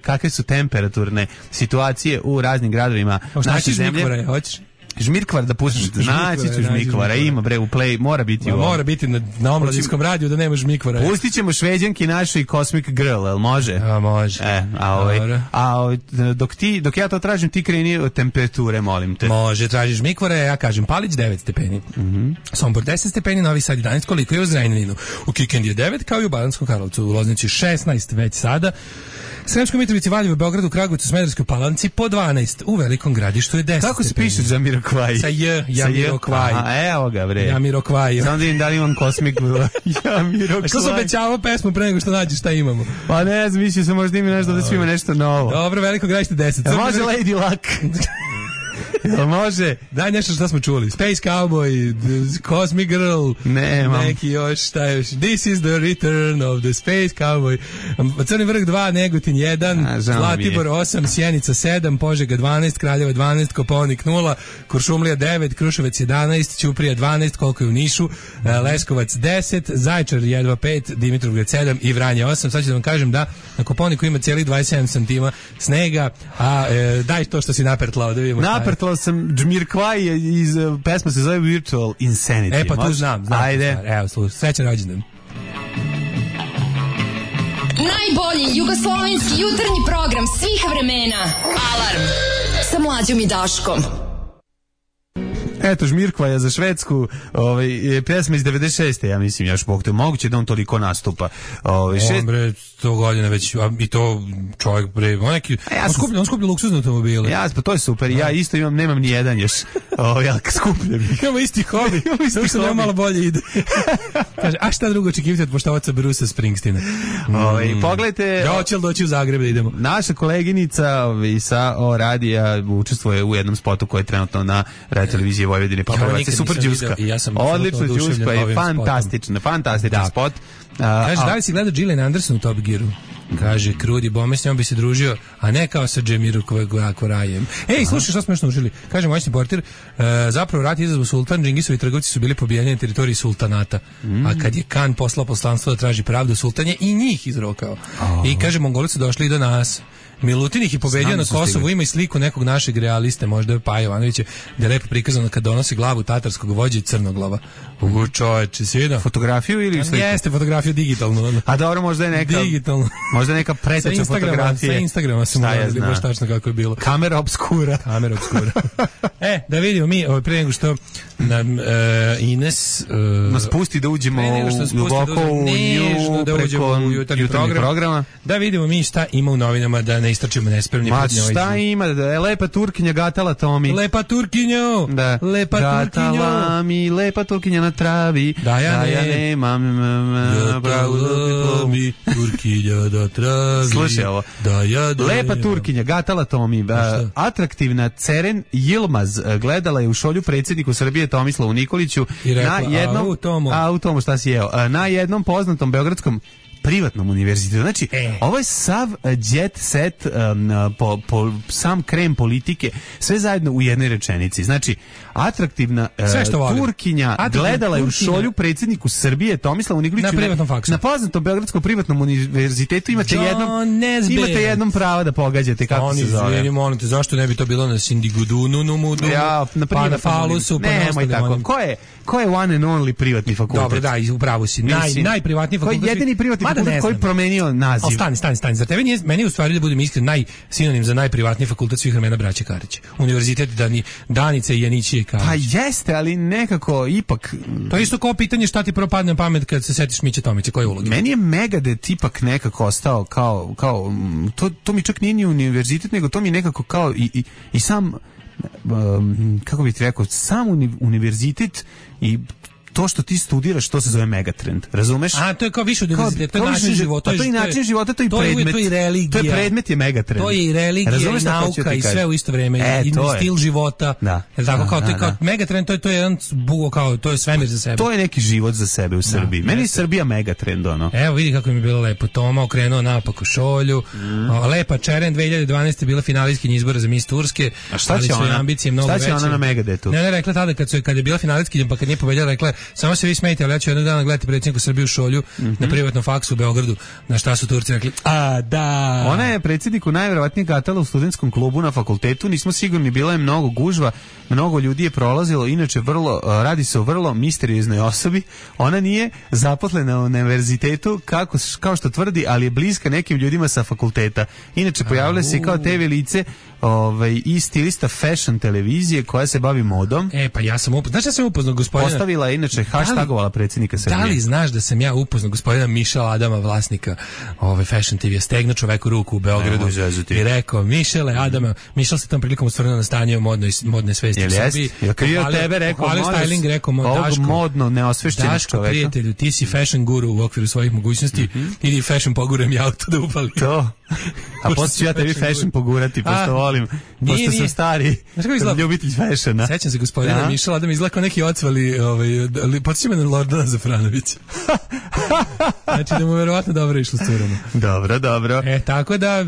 kakve su temperaturne situacije u raznim gradovima naše zemlje. Žmirkvar da pustiš, naći ću Žmirkvara, ima bre u play, mora biti u ovom. Mora biti na omladinskom radiju da nema Žmirkvara. Pustit ćemo Šveđanki našoj Cosmic Girl, jel može? A može. Dok ja to tražim, ti kreni od temperature, molim te. Može, tražiš Žmirkvara, ja kažem Palić 9 stepeni. Sombor 10 stepeni, Novi Sad 11, koliko je u Zrenjaninu. U Kikindi je 9, kao i u Bananskom Karlovcu, u Loznici 16 već sada. Sremskoj Mitrovici, Valjevu, Beogradu, Kragujevcu, Smederevskoj Palanci po 12, u Velikom Gradištu je 10. Kako se piše Jamiroquai? Sa Jamiroquai. Aha, evo ga bre. Jamiroquai. Samo da im da li imam Cosmic Jamiroquai. A što se obećavao pesmu pre nego što nađeš šta imamo? Pa ne znam, mislio sam možda ima nešto da svima nešto novo. Dobro, Veliko Gradište 10. Može Lady Luck. Jel može? Daj nešto što smo čuli. Space Cowboy, Cosmic Girl. Nemam. Neki još, šta još? This is the return of the Space Cowboy. Crni vrh 2, Negotin 1, Zlatibor 8, Sjenica 7, Požega 12, Kraljeva 12, Kopaonik 0, Kuršumlija 9, Kruševac 11, Ćuprija 12, koliko je u Nišu, Leskovac 10, Zaječar jedva 5, Dimitrovgrad 7 i Vranje 8. Sad ću da vam kažem da na Kopaoniku ima cijelih 27 santima snega, a daj to što si napertlao da vidimo. Napertlao sam Jamiroquai iz pesma se zove Virtual Insanity. Pa tu znam. Ajde. Evo, slušaj, srećan rođendan. Najbolji jugoslovenski jutarnji program svih vremena. Alarm sa Mlađom i Daškom. Eto, Žmirkvaja za Švedsku, pesma iz 96. ja mislim, još bog te moguće da on toliko nastupa. On bre, 100 godina već, i to čovjek bre, on skuplja luksuzne automobile. Ja, pa to je super, ja isto nemam ni jedan još, ja skupljam ih. Imamo isti hobi, što nema malo bolje ide. Kaže, a šta drugo očekivati od poštovaca Brusa Springsteena? Pogledajte... Ja hoće li doći u Zagreb da idemo? Naša koleginica sa radija učestvuje u jednom spotu koji je trenutno na televiziji Vojvodine, pa je super džuska. Odlično džuska i fantastičan spot. Kaže, da li si gledao Gillian Anderson u Top Gearu? Kaže, Krudi Bome, s njom bi se družio, a ne kao sa Jamiroquaijem. Ej, slušaj, što smo još naučili? Kaže moćni portir, zapravo rat izazvao sultan, Džingisovi trgovci su bili pobijeni na teritoriji sultanata. A kad je Kan poslao poslanstvo da traži pravdu, sultan je i njih izrokao. I kaže, Mongoli su došli i do nas. Milutin ih je pobedio na Kosovu, ima i sliku nekog našeg realiste, možda je Paja Jovanovića, gdje je lepo prikazano kad donosi glavu tatarskog vođe i crnoglava. Čoveče, sviđa. Fotografiju ili sliku? Jeste, fotografiju digitalno. A dobro, možda je neka... Digitalno. Možda je neka preteča fotografije. Sa Instagrama sam uradili, baš tačno kako je bilo. Kamera obskura. Da vidimo mi, pre nego što nam Ines... nas pusti da uđemo duboko u nju preko jutarnjeg programa. Da vidimo mi šta ima u novinama, da ne istračimo nespremni. Ma šta ima, da je lepa Turkinja gatala Tomi. Lepa Turkinjo! Da. Lepa Gatala mi lepa Turkinja na travi. Da ja nemam gatala mi Turkinja na travi. Slušaj ovo. Lepa Turkinja gatala Tomi. Atraktivna Ceren Yilmaz gledala je u šolju predsjedniku Srbije Tomislavu Nikoliću na jednom u tomu šta si jeo. Na jednom poznatom beogradskom privatnom univerzitetu. Znači, ovo je sav jet set, sam krem politike, sve zajedno u jednoj rečenici. Znači, atraktivna Turkinja gledala je u šolju predsjedniku Srbije Tomislavu Nikoliću na privatnom faksu. Na poznatom beogradskom privatnom univerzitetu imate jednom prava da pogađate kako se zove. Izvini, molim te, zašto ne bi to bilo na Sindigudunu, Numudu, pa na Falusu, pa na nemoj tako. ko je one and only privatni fakultet? Dobro, da, upravo si. Najprivatniji fakultet. Koji je jedini privatni fakultet koji promenio naziv? Stani. Zar tebe nije, meni je u stvari da budem iskren sinonim za najprivatniji fakultet svih vremena braće Karić. Univerzitet Danice i Janićije Karić. Pa jeste, ali nekako ipak... To je isto kao pitanje šta ti prvo padne na pamet kad se setiš Miće Tomića, koje uloge? Meni je Megadeth ipak nekako ostao kao to mi čak nije ni univerzitet, nego to mi je nekako kao i sam, kako bih ti rekao, sam univerzitet i to što ti studiraš, to se zove Megatrend. Razumeš? A, to je kao više od univerziteta, to je način života. To je način života, to je predmet. To je religija. To je predmet je Megatrend. To je i religija, i nauka, i sve u isto vreme. I stil života. Da. Tako kao, to je kao Megatrend, to je jedan bugo kao, to je svemir za sebe. To je neki život za sebe u Srbiji. Meni je Srbija Megatrend, ono. Evo, vidi kako mi je bilo lepo. Toma okrenuo napak u šolju. Lepa Čeren, 2012. bila finalistkinja izbora za Miss Turske. A šta će ona? Šta će ona na Megadethu? Ne, rekla tada kad je bila finalistkinja, pa kad nije pobedila, rekla samo se vi smejte, ali ja ću jednog dana gledati predsjedniku Srbiju šolju na privatnom faksu u Beogradu, na šta su Turci rekli, a da. Ona je predsjedniku najverovatnije gatala u studentskom klubu na fakultetu, nismo sigurni, bilo je mnogo gužva, mnogo ljudi je prolazilo, inače radi se o vrlo misterioznoj osobi, ona nije zaposlena u univerzitetu, kao što tvrdi, ali je bliska nekim ljudima sa fakulteta. Inače, pojavila se kao TV lice i stilista fashion televizije koja se bavi modom. Pa ja sam upoznao, znaš da sam upoznao gospodina? Postavila je inače hashtagovala predsjednika Srbije. Da li znaš da sam ja upoznao gospodina Mišela Adama, vlasnika fashion TV, stegnuo čoveku ruku u Beogradu i rekao, Mišele Adama, Mišel se tom prilikom osvrnuo na stanje modne svesti u Srbiji. Jel krio tebe, rekao, styling, rekao, ovog modno neosvešćenog čoveka. Daško, prijatelju, ti si fashion guru u okviru svojih mogućnosti, idi fashion pogurem ja auto da upali. To. A posle ću ja tebi fashion pogurati, pošto volim, pošto sam stari ljubitelj fashiona. Sećam se gospodina Mišela Adama, izgleda kao neki ocvali, podsjeća me na Lordana Zafranovića. Znači da mu verovatno dobro išlo s curama. Dobro. Tako da,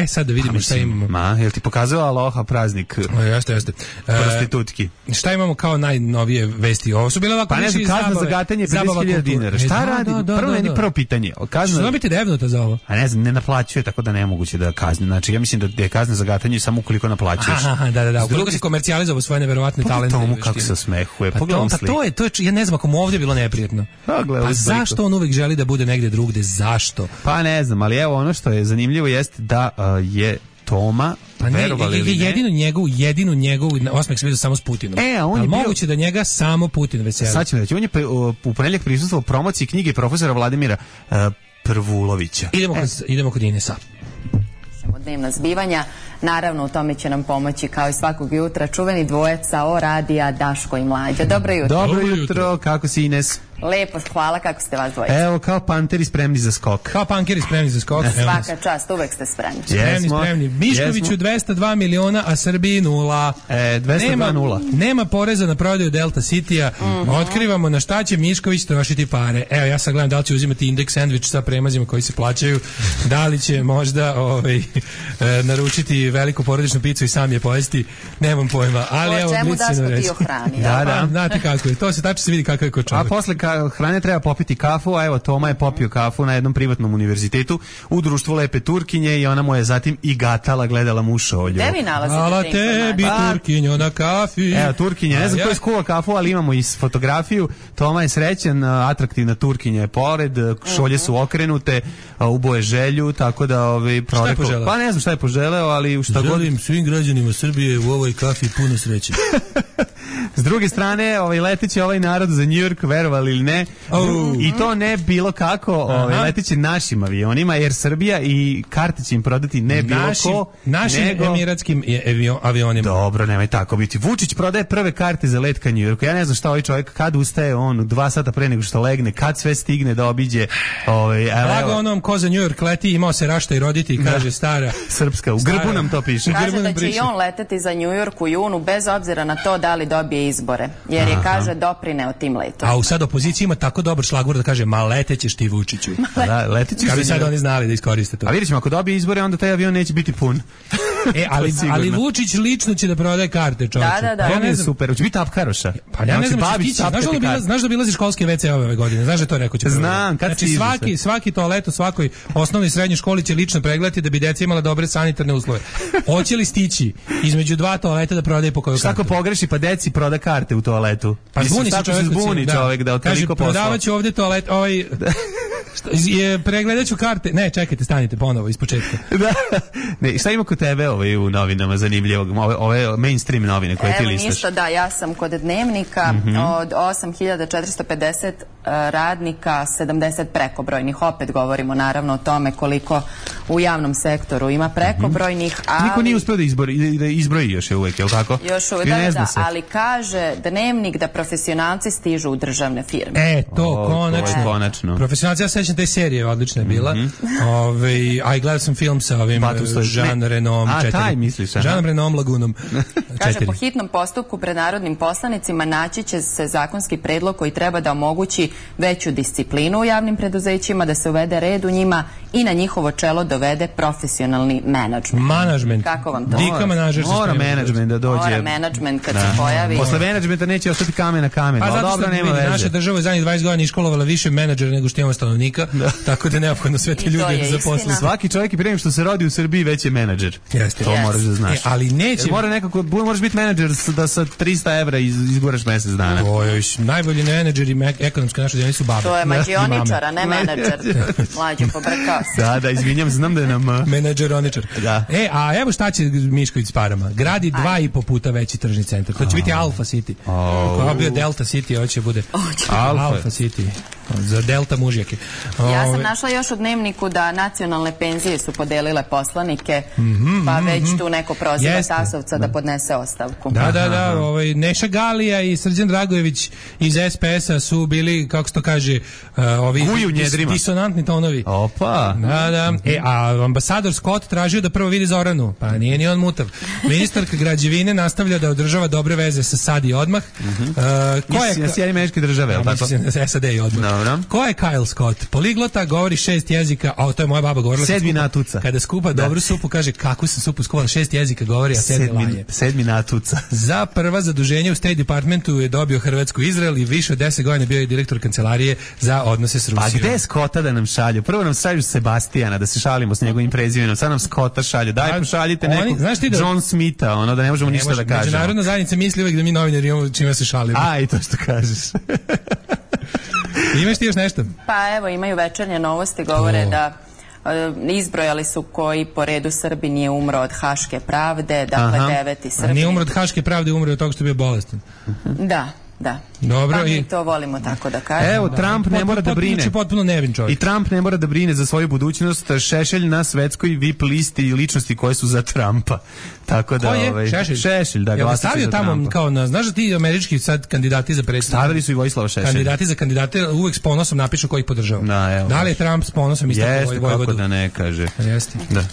sad da vidimo šta imamo. Jel ti pokazao Aloha praznik? Jeste. Prostitutki. Šta imamo kao najnovije vesti? Ovo su bile ovako više zabave. Kazna za gatanje 50.000 dinara. Šta radi? Prvo pitanje. Što biti devnuta za ovo? A ne znam, ne naplaćuje, tako da nemoguće da kazni. Znači, ja mislim da je kazna za gatanje samo ukoliko naplaćuješ. Da. Ukoliko si komercijalizovao svoje neverovatne talente. Tomu kako se osmehuje. Pogledam sliku. To je, ja ne znam ako mu ovdje bilo neprijatno. Pa zašto on uvek želi da bude negdje drugde? Zašto? Pa ne znam, ali evo ono što je zanimljivo jeste da je Toma, jedinu njegovu osmeh se vidio samo s Putinom. On je moguće da njega samo Putin veseli. Sad ćemo reći, on je u ponedjeljak prisustvovao promociji knjige profesora Vladimira Prvulovića. Idemo kod Inesa. Dnevna zbivanja, naravno u tome će nam pomoći kao i svakog jutra čuveni dvojeca o radija Daško i Mlađa. Dobro jutro. Dobro jutro, kako si Ines? Lepo, hvala, kako ste vas dvojica? Evo, kao panteri spremni za skok. Svaka čast, uvek ste spremni. Spremni. Miškoviću 202 miliona, a Srbiji 0. 202 Nema poreza na prodaju Delta City-a. Otkrivamo na šta će Mišković trošiti pare. Evo, ja sad gledam da li će uzimati indeks sandvič sa premazima koji se plaćaju, da li će možda naručiti veliku porodičnu picu i sam je pojesti, nemam pojma. Ali evo, čemu Daško ti ohrani? Da. Znate kako je, to se tačno se vidi kako je ko čovjek. A posle hrane treba popiti kafu, a evo Toma je popio kafu na jednom privatnom univerzitetu u društvu lepe Turkinje i ona mu je zatim i gatala, gledala mu u šolju. Gde vi nalazite hvala tebi Turkinjo na kafi. Evo Turkinja, ne znam ko je skuva kafu, ali imamo i fotografiju. Toma je srećan, atraktivna Turkinja je pored, šolje su okrenute, uboje želju, tako da šta je poželeo? Pa ne znam šta je poželeo, ali šta god. Želim svim građanima Srbije u ovoj kafi puno sreće. S druge strane, leteće ovaj narod za New York, verovali ili ne, i to ne bilo kako, leteće našim avionima, jer Srbija i karte će im prodati ne bilo ko, našim emiratskim avionima. Dobro, nemoj tako biti. Vučić prodaje prve karte za let ka New Yorku. Ja ne znam šta ovaj čovjek, kad ustaje on 2 sata pre nego što legne, kad sve stigne da obiđe. Blago onom ko za New York leti, imao se rašta i roditi, kaže stara srpska, u grbu nam to piše. Kaže da će i on leteti za New York u junu, bez obzira na to da li dobije izbore, jer je, kaže, doprineo tim letom. A u sad opoziciji ima tako dobar šlagvor da kaže, ma letećeš ti Vučiću. Da, letećeš. Kad bi sad oni znali da iskoriste to. A vidjet ćemo, ako dobije izbore, onda taj avion neće biti pun. ali Vučić lično će da prodaje karte, čoveče. Da. Ja ne znam, super, hoće biti apkaroša. Pa ja ne znam, znaš da obilazi školske WC ove godine, znaš da to rekao će. Znam, kad znači svaki toalet u svakoj osnovnoj i srednjoj školi će lično pregledati da bi deca imala dobre sanitarne uslove. Hoće li stići između dva toaleta da prodaje po koju kartu? Svako pogreši pa deci proda karte u toaletu. Pa zbuni se čovjek da od toliko posla. Prodavaću ovde toalet, pregledat ću karte. Ne, čekajte, stanite ponovo iz početka. Ne, šta ima kod tebe u novinama zanimljivog? Ove mainstream novine koje ti listaš? Evo ništa, da, ja sam kod Dnevnika od 8450 radnika, 70 prekobrojnih. Opet govorimo naravno o tome koliko u javnom sektoru ima prekobrojnih, ali... Niko nije uspio da izbroji još je uvek, je li tako? Još uvek, da, ali kaže Dnevnik da profesionalci stižu u državne firme. To konačno. Profesionalci, ja sećam te serije, odlična je bila. A i gledao sam film sa ovim Jean Renom 4. Taj misliš, Jean Renom Lagunom. Kaže, po hitnom postupku pred narodnim poslanicima naći će se zakonski predlog koji treba da omogući veću disciplinu u javnim preduzećima, da se uvede red u njima i na njihovo čelo dovede profesionalni menadžment. Kako vam to? Dika menadžer se mora menadžment da dođe. Mora menadžment kad se pojavi. Posle menadžmenta neće ostati kamen na kamenu. Pa zato što nema veze. Naša država je zadnjih 20 godina iškolovala više menadžera nego što imamo stanovnika, tako da je neophodno sve te ljude da zaposle. Svaki čovjek i prije što se rodi u Srbiji već je menadžer. To moraš da znaš. Ali neće. Moraš biti menadžer da sa 300 evra izguraš mesec dana. Najbolji menadžeri ekonomske naše zemlje su babe. To je mađioničar, a ne menadžer. Mlađe pobrkao se. Da, izvinjam, znam da je nam... Menadžeroničar. Da. A evo šta će Mišković s parama. Gradi 2,5 puta veći tržni centar. To će biti Alfa City. Ako je bio Delta City, ovo će bude Alfa City. Za Delta mužjake. Ja sam našla još u Dnevniku da nacionalne penzije su podelile poslanike, pa već tu neko proziva Tasovca da podnese ostavku. Da. Neša Galija i Srđan Dragojević iz SPS-a su bili, kako se to kaže, ovi disonantni tonovi. Opa! Da. A ambasador Scott tražio da prvo vidi Zoranu, pa nije ni on mutav. Ministarka građevine nastavlja da održava dobre veze sa SAD i odmah. Sjedinjene Američke Države, je li tako? SAD i odmah. Ko je Kyle Scott? Poliglota, govori 6 jezika, a to je moja baba govorila. 7 natuca. Kada skupa dobru supu, kaže kakvu sam supu skuvala, 6 jezika govori, a 7 lanje. 7 natuca. Za prva zaduženje u State Departmentu je dobio Hrvatsku i Izrael i više od 10 godina bio je direktor kancelarije za odnose s Rusijom. A gde je Scotta da nam šalju? Prvo nam šalju Sebastijana da se šalimo s njegovim prezimenom, sad nam Scotta šalju. Daj pošaljite nekog John Smitha, da ne možemo ništa da kažemo. Međunarodna zajednica misli uvek da mi novinari imamo čime se šalimo. I to što kažeš. Imaš ti još nešto? Pa evo, imaju Večernje novosti, govore da izbrojali su koji po redu Srbi nije umro od haške pravde, dakle 9. Srbi. Nije umro od haške pravde, umro od toga što je bio bolestan. Da. Dobro, pa mi to volimo tako da kažemo. Evo, Trump ne mora da brine. Potpuno nevin čovjek. I Trump ne mora da brine za svoju budućnost. Šešelj na svetskoj VIP listi i ličnosti koje su za Trumpa. Tako da, Šešelj, da glasa stavio za tamo Trumpa. kao znaš da ti američki sad kandidati za predsjednika. Stavili su i Vojislava Šešelja. Kandidati za kandidate uvek s ponosom napišu ko ih podržava. Da li je Trump s ponosom istakao Vojvodu? Jeste, kako da ne kaže. Jeste. Da.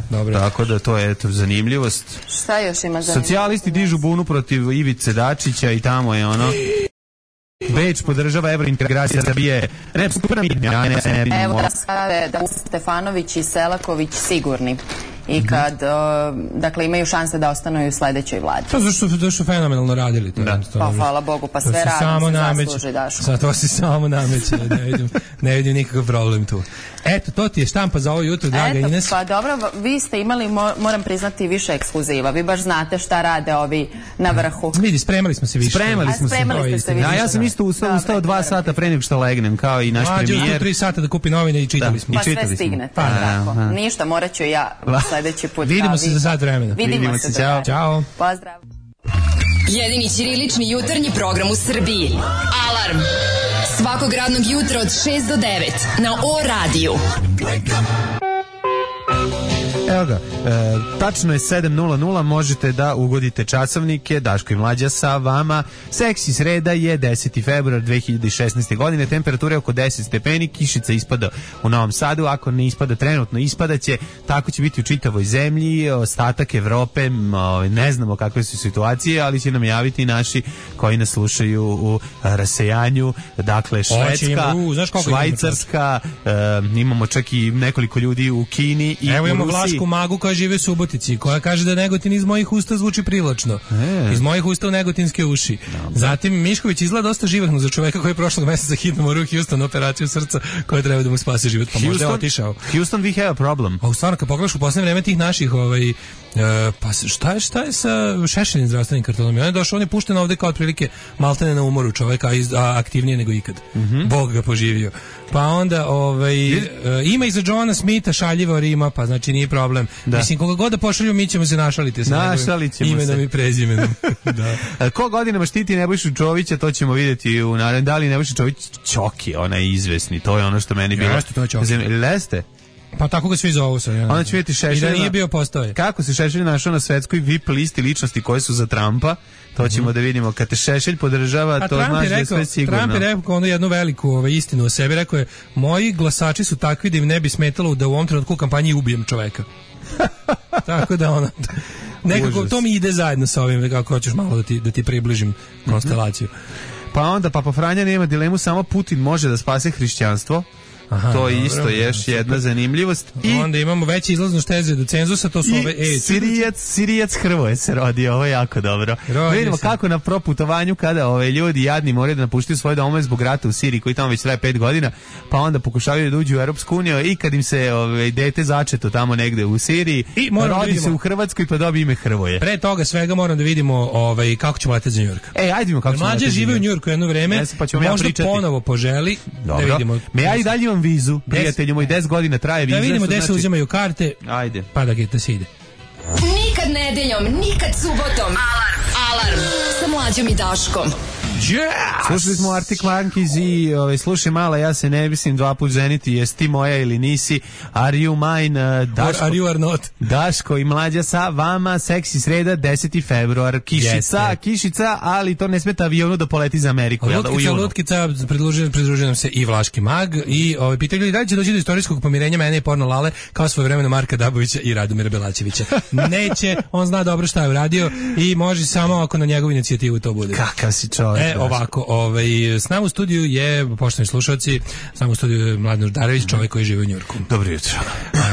Dobro. Tako da to je zanimljivost. Šta još ima zanimljivost? Socijalisti dižu bunu protiv Ivice Dačića i tamo je Beč podržava evrointegracija Srbije. Evo da skave da Stefanović i Selaković sigurni. I kad, dakle, imaju šanse da ostanu i u sledećoj vladi. To zašto su fenomenalno radili. Pa hvala Bogu, pa sve radim se zasluži, Daško. Sad to se samo nameće, ne vidim nikakav problem tu. Eto, to ti je štampa za ovo jutro, draga Ines. Pa dobro, vi ste imali, moram priznati, više ekskluziva. Vi baš znate šta rade ovi na vrhu. Vidi, spremali smo se više. Spremali ste više. Ja sam isto ustao 2 sata pre nego što legnem, kao i naš premijer. 3 sata da kupi novine i čitali smo. Pa sve stignete, tako. Ništa, morat ću ja sledeći put. Vidimo se za sat vremena. Vidimo se. Ćao. Pozdrav. Jedini ćirilični jutarnji program u Srbiji. Alarm. Svakog radnog jutra od 6 do 9 na O-radiju. Evo ga, tačno je 7:00, možete da ugodite časovnike, Daško i Mlađa sa vama. Seksi sreda je 10. februar 2016. godine, temperatura je oko 10 stepeni, kišica ispada u Novom Sadu, ako ne ispada trenutno, ispadaće, tako će biti u čitavoj zemlji, ostatak Evrope, ne znamo kakve su situacije, ali će nam javiti naši koji nas slušaju u rasejanju, dakle Švedska, Švajcarska, imamo čak i nekoliko ljudi u Kini i u Rusiji. Dašku Magu koja žive u Subotici, koja kaže da Negotin iz mojih usta zvuči privlačno. Iz mojih usta u negotinske uši. Zatim Mišković izgleda dosta živahno za čoveka koji je prošlog meseca hitno morao u Houston operaciju srca koja treba da mu spasi život. Pa možda je otišao. Houston, we have a problem. A u stvarno, kad pogledaš u poslednje vreme tih naših pa šta je sa Šešeljem zdravstvenim kartonom? On je došao, on je pušten ovde kao otprilike maltene na umoru čoveka, a aktivnije nego ikad. Bog ga poživio. Pa onda ima i za Johna Smitha šaljivo Rima, pa znači nije problem. Mislim, koga god da pošalju, mi ćemo se našaliti sa njegovim imenom i prezimenom. Ko godinama štiti Nebojšu Čovića, to ćemo vidjeti u narednom. Da li Nebojša Čović Čoki, ona je izvesni, to je ono što meni bilo. Jeste, to je Čoki. Leste? Pa tako ga svi zovu sad. Onda će vidjeti Šešelj. I da nije bio postoje. Kako se Šešelj našao na svetskoj VIP listi ličnosti koje su za Trumpa, to ćemo da vidimo. Kad te Šešelj podržava, to znači da je sve sigurno. Trump je rekao onu jednu veliku istinu o sebi. Rekao je, moji glasači su takvi da im ne bi smetalo da u ovom trenutku u kampanji ubijem čoveka. Tako da nekako to mi ide zajedno sa ovim, kako hoćeš malo da ti približim konstelaciju. Pa onda Papa Franja nema dilemu, samo Putin može da spase hrišćanstvo. Aha, to je isto još jedna zanimljivost. I onda imamo veće izlaznost teze do cenzusa, to su ove Sirijac Hrvoje se rodi, ovo je jako dobro. Vidimo kako na proputovanju kada ljudi jadni moraju da napuštaju svoje domove zbog rata u Siriji koji tamo već traje 5 godina, pa onda pokušavaju da uđu u Europsku uniju i kad im se dete začeto tamo negde u Siriji, rodi se u Hrvatskoj pa dobije ime Hrvoje. Pre toga svega moram da vidimo kako ćemo leteti za Njujork. Ajde vidimo kako ćemo leteti. Mlađe žive u Njujorku jedno vreme, možda ponovo poželi, da vidimo. Ja i dalje vizu, prijatelju moj, 10 godina traje viza. Da vidimo gde se uzimaju karte. Ajde. Pa da se ide. Nikad nedeljom, nikad subotom. Alarm sa Mlađom i Daškom. Yes! Slušali smo Arctic Monkeys i slušaj mala, ja se ne mislim 2 put ženiti, jesi ti moja ili nisi, are you mine, Daško, or are you are not. Daško i Mlađa sa vama, seksi sreda, 10. februar, kišica, ali to ne smeta avionu da poleti za Ameriku. Lutkica, pridružuje nam se i Vlaški mag i pitaju ljudi da li će doći do istorijskog pomirenja mene i Porno Lale kao svojevremeno Marka Dabovića i Radomira Belačevića. Neće, on zna dobro šta je uradio i može samo ako na njegovu inicijativu to bude. Kakav si čovjek. Ovako, s nama u studiju je, poštovani slušalci, s nama u studiju je Mladen Urdarević, čovjek koji živi u Njujorku. Dobro jutro.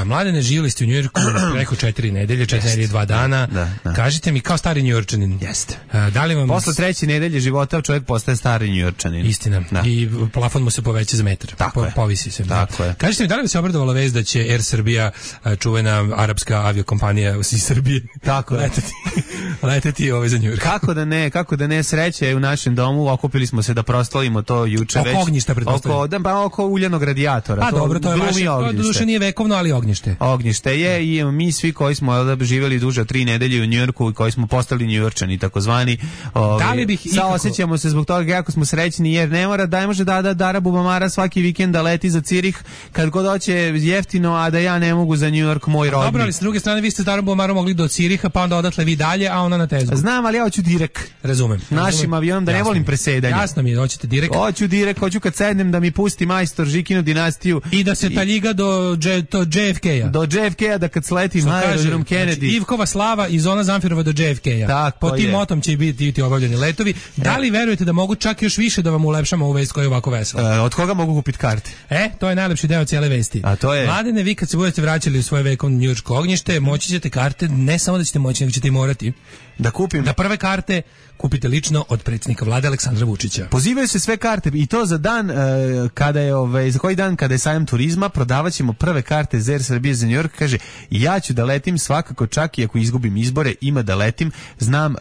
Mladene, živjeli ste u Njujorku preko 4 nedelje, 4 nedelje, 2 dana. Da. Kažite mi, kao stari Njujorčanin. Jeste. Da li vam... Posle 3. nedelje života čovjek postaje stari Njujorčanin. Istina. Da. I plafon mu se poveća za metar. Tako je. Povisi se. Tako je. Kažite mi, da li bi se obradovala vest da će Air Srbija, čuvena arapska aviokompanija iz Srbije, tako leteti za Njujork? Kako da ne, sreće je u našem domu, okupili smo se da proslavimo to juče već. Oko ognjišta pretpostavljam. Oko uljanog radijatora. Pa dobro, to je vaše, to duše nije vekovno, ali ognjište. Ognjište je i mi svi koji smo živjeli duže od 3 nedelje u Njujorku i koji smo postali Njujorčani, takozvani. Osjećamo se zbog toga jako smo srećni jer ne može da Dara Bubamara svaki vikend da leti za Cirih kad god hoće jeftino, a da ja ne mogu za Njujork, moj rodni. Dobro, ali s druge strane vi ste s Darom Bubamarom mogli do Ciriha, pa onda odatle vi dalje, a ona na Tezgu. Znam, ali ja hoću direkt. Razumem. Našim avionom da ne volim presedanje. Jasno mi je, hoćete direkt. Hoću kad sednem da mi pusti majstor Žikinu dinastiju. I da se taljiga do JFK-a. Do JFK-a da kad sletim aerodrom Kennedy. Znači, Ivkova slava iz Zona Zamfirova do JFK-a. Po tim motom će biti obavljeni letovi. Da li verujete da mogu čak još više da vam ulepšamo ovu vest koja je ovako vesela? Od koga mogu kupiti karte? To je najlepši deo cijele vesti. A to je... Mladene, vi kad se budete vraćali u svoje vekovno njujorško ognjište, moći ćete karte, ne samo da ćete moći, nego ćete i morati da kupim. Da prve karte kupite lično od predsjednika vlade Aleksandra Vučića. Pozivaju se sve karte i to za dan kada je za koji dan kada je sajam turizma, prodavaćemo prve karte za Air Srbije za New York. Kaže, ja ću da letim svakako, čak i ako izgubim izbore, ima da letim. Znam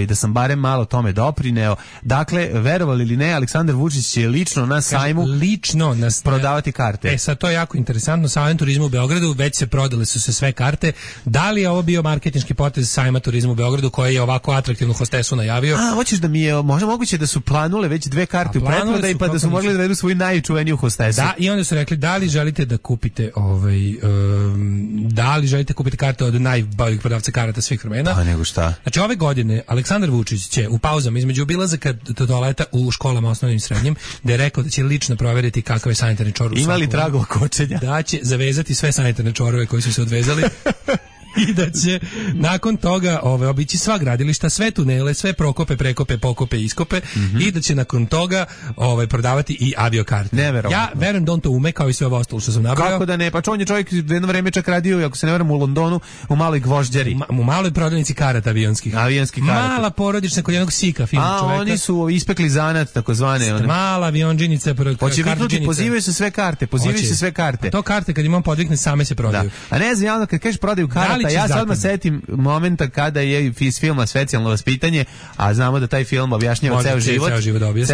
da sam barem malo tome doprineo. Dakle, verovali ili ne, Aleksandar Vučić će lično na sajmu prodavati karte. Sad to je jako interesantno. Sajam turizma u Beogradu, već se prodale su se sve karte. Da li je ovo bio marketinški potez sajma turizma u Beogradu koji je ovako atraktivnu hostesu najavio? Hoćeš da mi je možda moguće da su planule već 2 karte u pretprodaji pa da su mogli da vedu svoju najučuveniju hostesu. Da, i onda su rekli da li želite da kupite karte od najboljih prodavca karata svih vremena. Pa nego šta? Znači ove godine Aleksandar Vučić će u pauzama između obilazaka do toaleta u školama osnovnim i srednjim, da je rekao da će lično provjeriti kakav je sanitarni čvor. Ima li tragova kočenja? Da će zavezati sve sanitarne čvorove koji su se odvezali. i da će nakon toga obići sva gradilišta, sve tunele, sve prokope, prekope, pokope, iskope i da će nakon toga prodavati i aviokarte. Ja verujem da on to ume kao i sve ovo ostalo što sam nabrao. Kako da ne? Pa on je čovjek jedno vreme čak radio, ako se ne varam, u Londonu, u maloj gvožđeri. U maloj prodavnici karata avionskih. Mala porodična kod jednog sika fina čovjeka. Oni su ispekli zanat, takozvane. Mala avionđinica. Hoće viknuti, pozivaju se sve karte. To karte kad imam podvikne same se prodaju. Da. A ne znam, onda kad kažeš prodaju karata, ja se odmah setim momenta kada je iz filma Specijalno vaspitanje, a znamo da taj film objašnjava ceo život. Ceo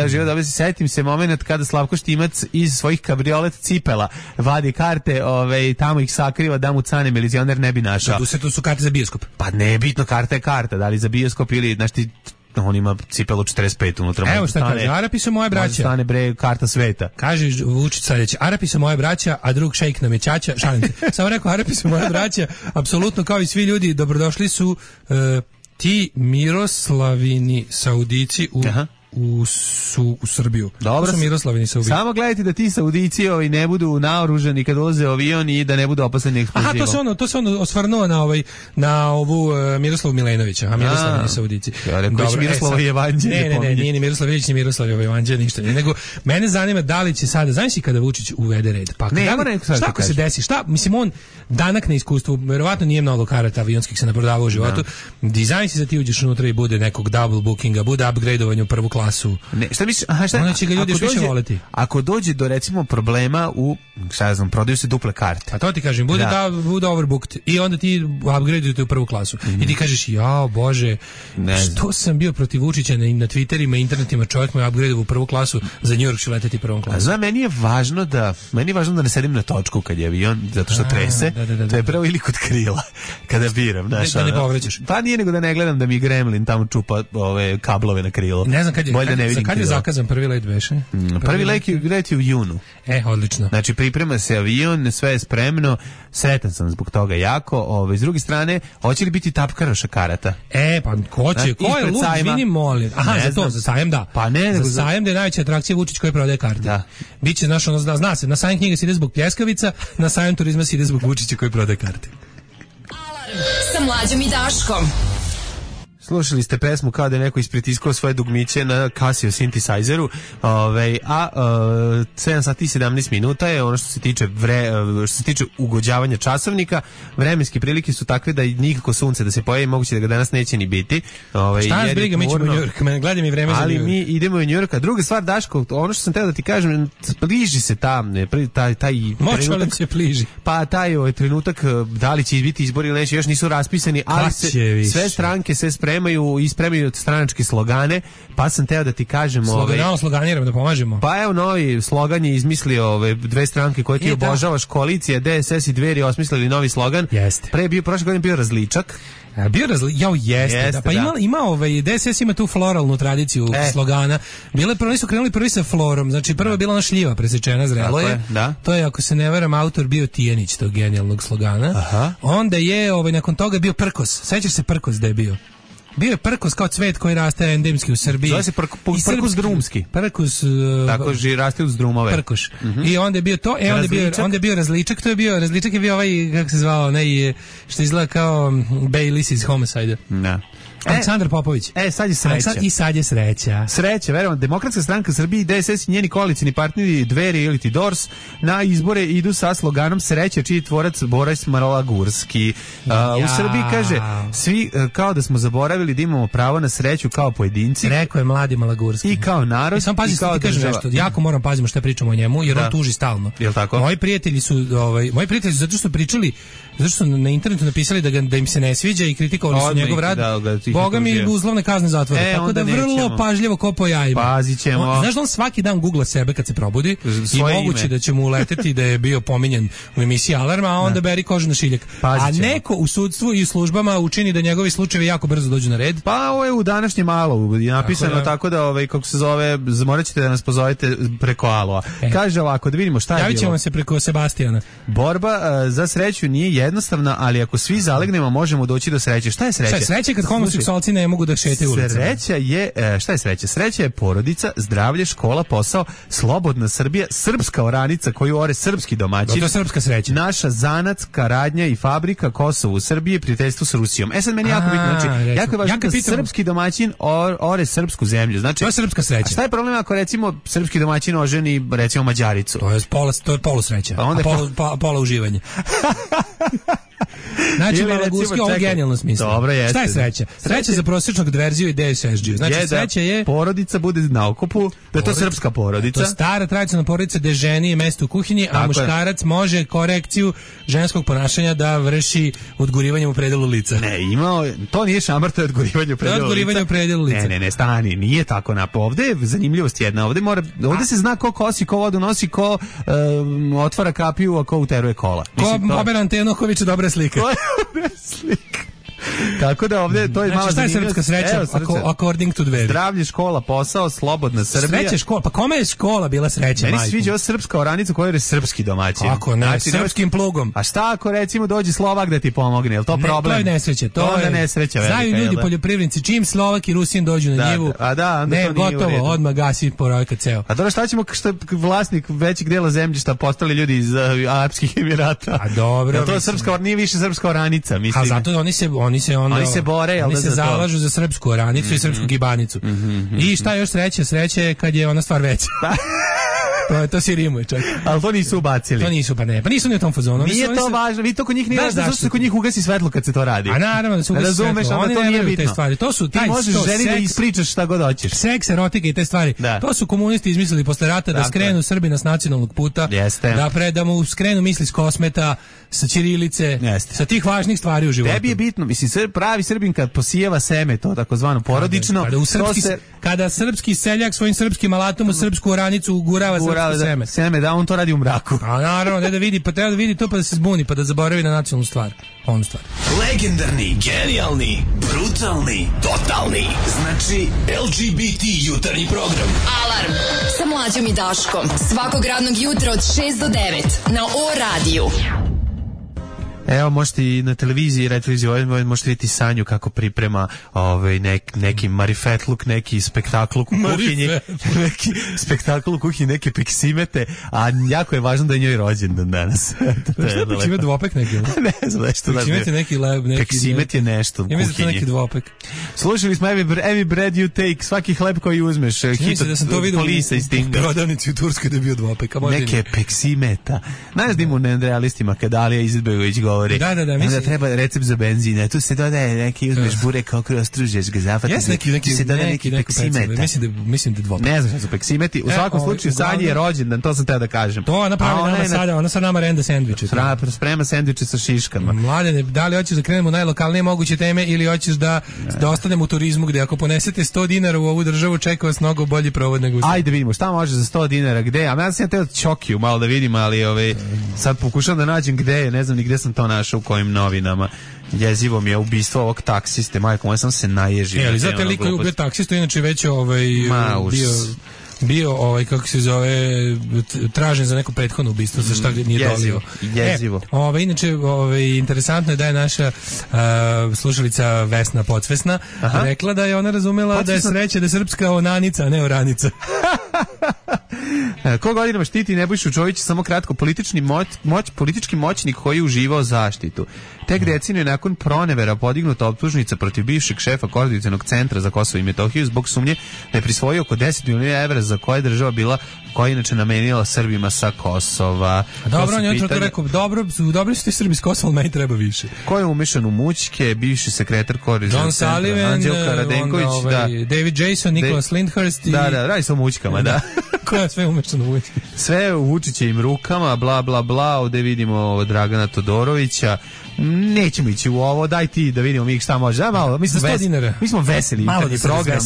život dobije se. Setim se moment kada Slavko Štimac iz svojih kabriolet cipela vadi karte, tamo ih sakriva da mu cane milicioner ne bi našao. To su karte za bioskop. Pa nebitno, karta je karta, da li za bioskop ili, znaš ti, on ima cipelu 45 unutra. Evo šta kaže, Arapi su moje braća. Stane bre, karta sveta. Kaže Vučić sledeće, Arapi su moje braća, a drug šejk nam je ćaća. Šalim se. Samo rekao, Arapi su moje braća, apsolutno kao i svi ljudi, dobrodošli su ti Miroslavini Saudici u Srbiju. Dobro, su Miroslavini Saudici. Samo gledajte da ti Saudici ne budu naoružani kad ulaze u avion i da ne budu opasani eksplozivom. Aha, to se on osvrnuo na ovu Miroslavu Milenovića, a Miroslavini Saudici. Ja rekao Miroslava Jevanđelje. Ne, nije Miroslav Ilić, ni Miroslav Jevanđelje, ništa. Nego mene zanima da li će sada, znaš li kada Vučić uvede red? Pa šta ako se desi? Mislim, on danak na iskustvu, verovatno nije mnogo karata avionskih se naprodavao u životu. Dizajn si za ti uđeš unutra i bude nekog double bookinga, bude upgradeovanje u prvu klasu. Ne, šta misliš? Onda će ga ljudi više voleti. Ako dođe do recimo problema u, prodaju se duple karte. A to ti kažem, bude overbooked i onda ti upgradeujete u prvu klasu. I ti kažeš, jao Bože, što sam bio protiv Vučića na Twitterima, internetima, čovjek me upgradeuje u prvu klasu, za New York ću leteti prvom klasu. Znam, meni je važno da ne sedim na točku kad je avion, zato što trese. To je pravo ili kod krila, kada biram. Da ne povrećeš. Pa nije nego da ne gledam da mi Gremlin tamo čupa kablove na krilo. Ne znam kad je zakazan prvi let beše? Prvi let je u junu. Odlično. Znači priprema se avion, sve je spremno, sretan sam zbog toga jako. S druge strane, hoće li biti tapkaroša karata? Pa ko će? Ko je lud? Izvini, molim. Za sajam da. Pa ne, nego za sajam da je najveća atrakcija Vučić koji prodaje karte. Da. Biće, zna se, na sajam knjiga se ide zbog pljeskavica, na sajam turizma se ide zbog Vučića koji prodaje karte. Alarm sa Mlađom i Daškom. Slušali ste pesmu kao da je neko ispritiskao svoje dugmiće na Casio synthesizeru, 7 sati i 17 minuta je ono što se tiče ugođavanja časovnika. Vremenske prilike su takve da nikako sunce da se pojavi, moguće da ga danas neće ni biti. Šta nas briga, mi ćemo u New York, gledaj mi vreme za New York. Ali mi idemo u New York. A druga stvar, Daško, ono što sam teo da ti kažem, bliži se tam, taj trenutak se bliži. Pa taj trenutak, da li će biti izbori ili neće, još nisu raspisani, ali sve stranke se spremaju stranačke slogane, pa sam teo da ti kažem... Sloganiramo, da pomažemo. Pa evo, novi slogan je izmislio dve stranke koje ti obožavaš, koalicija, DSS i Dveri osmislili novi slogan. Jeste. Prošle godine bio različak. Jeste. Pa ima DSS ima tu floralnu tradiciju slogana. Oni su krenuli prvi sa florom, znači prvo je bila ona šljiva presečena, zrelo je. To je, ako se ne varam, autor bio Tijanić tog genijalnog slogana. Aha. Onda je nakon toga bio prkos. Sećaš se prkos da je bio? Bio je prkos kao cvet koji raste endemski u Srbiji. Zove se prkus drumski. Prkus... Tako raste uz drumove. Prkoš. I onda je bio to, onda je bio različak, različak je bio kako se zvao, onaj što izgleda kao Baylis iz Homicide. Da. Aleksandar Popović. Sad je sreća. I sad je sreća. Sreća, verujem. Demokratska stranka Srbije, DSS i njeni koalicioni partneri Dveri ili ti DORS na izbore idu sa sloganom Sreća, čiji tvorac Boris Malagurski. U Srbiji kaže, svi kao da smo zaboravili da imamo pravo na sreću kao pojedinci. Rekao je mladi Malagurski. I kao narod. Samo pazi, ti kažeš nešto. Jako moram pazimo šta pričamo o njemu, jer on tuži stalno. Jel tako? Moji prijatelji su zato što pričali, zato što na internetu napisali da im se ne sviđa i kritikovali su njegov rad. Boga mi uslovne kazne zatvore. Tako da vrlo pažljivo ko po jajima. Pazit ćemo. Znaš da on svaki dan googla sebe kad se probudi i moguće da će mu uleteti da je bio pominjan u emisiji Alarma, a onda beri kožu na šiljak. A neko u sudstvu i u službama učini da njegovi slučajevi jako brzo dođu na red. Pa ovo je u današnjem Alovu napisano tako da kako se zove, morat ćete da nas pozovete preko Alova. Kaže ovako, da vidimo šta je bilo. Javit ćemo se preko Sebastijana. Borba za sreću nije jednostavna, ali ako svi zalegnemo možemo doći do sreće. Šta je sreća? Sreća je kad homoseksualci ne mogu da šetaju ulicama. Sreća je, šta je sreća? Sreća je porodica, zdravlje, škola, posao, slobodna Srbija, srpska oranica koju ore srpski domaćin. To je srpska sreća. Naša zanatska radnja i fabrika Kosovo u Srbiji, prijateljstvo s Rusijom. Sad meni jako bitno, znači, jako je važno da srpski domaćin ore srpsku zemlju. Znači, to je srpska sreća. A šta je problem ako recimo srpski domaćin oženi recimo Mađaricu? To je polusreća, pola uživanje. Znači, Malaguski, ovo je genijalno smisla. Dobro, jeste. Šta je sreća? Sreća za prosječnog verziju i DSSG. Znači, sreća je... porodica bude na okupu, da je to srpska porodica. To je stara tradicionalna porodica gde ženi je mesto u kuhinji, a muškarac može korekciju ženskog ponašanja da vrši odgurivanjem u predelu lica. Ne, to nije šamar, to je odgurivanje u predelu lica. Ne, stani, nije tako napo. Ovde je zanimljivost jedna. Ovde se zna ko kosi, ko vodu nosi, ko otvara kapiju, a ko uteruje kola. Ko Ober Antenohović, dobra slika. Tako da ovdje to je mala zanimljivost. Šta je srpska sreća? According to Dveri. Zdravlje, škola, posao, slobodna Srbija. Sreća škola. Pa kome je škola bila sreća, majku? Meni sviđa ova srpska oranica koja je srpski domaćin. Kako ne, znači, srpskim plugom. A šta ako recimo dođe Slovak da ti pomogne? Je li to problem? To je nesreća. To je nesreća. Znaju ljudi poljoprivrednici, čim Slovak i Rusin dođu na njivu. Ne, gotovo, odmah gasi projekat ceo. A dobro, šta ćemo što je vlasnik većeg dela zemljišta postali ljudi iz Arapskih Emirata? A dobro. To je srpska, nije više srpska oranica, mislim. A zato oni se bore, oni se zalažu za srpsku oranicu i srpsku gibanicu. I šta još sreće? Sreće je kad je ona stvar veća. To si rimuje, čak. Ali to nisu ubacili. To nisu, pa nisu ni u tom fazonu. Nije to važno, vi to kod njih nije važno, zato se kod njih ugasi svetlo kad se to radi. A naravno da se ugasi svetlo, oni ne veruju te stvari. To su ti možeš ženi da ispričaš šta god hoćeš. Seks, erotika i te stvari. To su komunisti izmislili posle rata da skrenu Srbina s nacionalnog puta, da mu skrenu misli s Kosmeta, sa ćirilice, sa tih važnih stvari u životu. Tebi je bitno, mislim, pravi Srbin kad posijeva seme, to takozvano porodično, kada srpski seljak svojim srpskim alatom u srpsku oranicu ugurava srpsko seme. Da, on to radi u mraku. A naravno, da vidi, pa treba da vidi to pa da se zbuni, pa da zaboravi na nacionalnu stvar. Onu stvar. Legendarni, genijalni, brutalni, totalni. Znači, LGBT jutarnji program. Alarm sa Mlađom i Daškom. Svakog radnog jutra od 6 do 9 na O-radiju. Evo, možete i na televiziji, možete vidjeti Sanju kako priprema neki marifetluk, neki spektakl u kuhinji, neki spektakl u kuhinji, neke peksimete, a jako je važno da je njoj rođendan danas. Peksimet dvopek neki? Ne znam, nešto. Peksimet je neki Peksimet je nešto u kuhinji. Ja mislim da je neki dvopek. Slušali smo Every bread you take, svaki hleb koji uzmeš. Činjenica da sam to vidio u prodavnici u Turskoj da je bio dvopek. Neke peksimeta. Znaš da ima u nerealistima kada Alija Izetbegović govori. Da, mislim. Da treba recept za benzin, tu se dodaje neki, uzmeš burek, ostružeš ga, zafatiš. Neki se dodaje neki peksimeta. Mislim da dvopek. Ne znam šta su peksimeti. U svakom slučaju Sanji je rođendan, to sam teo da kažem. To ona pravi nama sada, ona sad nama renda sendviče. Sprema sendviče sa šiškama. Mladene, da li hoćeš da krenemo u najlokalnije moguće teme ili hoćeš da ostanemo u turizmu gde ako ponesete 100 dinara u ovu državu čeka vas mnogo bolji provod nego u Srbiji. Ajde vidimo šta može za 100 dinara, gde? A ja sam teo Čokiju malo da vidim, ali sad pokušam da nađem gde je, ne znam ni gde sam to našao, u kojim novinama. Jezivo mi je ubistvo ovog taksiste, majko, moja sam se naježio. Ali zato liko je ubio taksistu, inače već bio kako se zove, tražen za neko prethodno ubistvo, za šta nije dolio. Jezivo. Inače, interesantno je da je naša slušalica Vesna Podsvesna rekla da je ona razumela da je sreća da je srpska onanica, a ne oranica. Ko godinama štiti Nebojšu Čovića samo kratko, politički moćnik koji je uživao zaštitu. Tek deceniju nakon pronevera podignuta optužnica protiv bivšeg šefa Koordinacionog centra za Kosovo i Metohiju zbog sumnje da je prisvojio oko 10 miliona evra za koje država bila, koja je inače namenila Srbima sa Kosova. Dobro, on je to rekao, dobri su ti Srbi s Kosova, meni treba više. Ko je umešan u mućke, bivši sekretar Koordinacionog centra, Sullivan, Anđelka Radenković, David Jason, Nicholas Lindhurst i... Da, radi se o mućkama, da. Ko je sve umešan u mućke? Sve u Vučićevim rukama, bla, bla, bla, ovde vidimo Dragana Todorovića, Nećemo ići u ovo, daj ti da vidimo mi šta može. Ja, malo, mi smo veseli. Malo da program.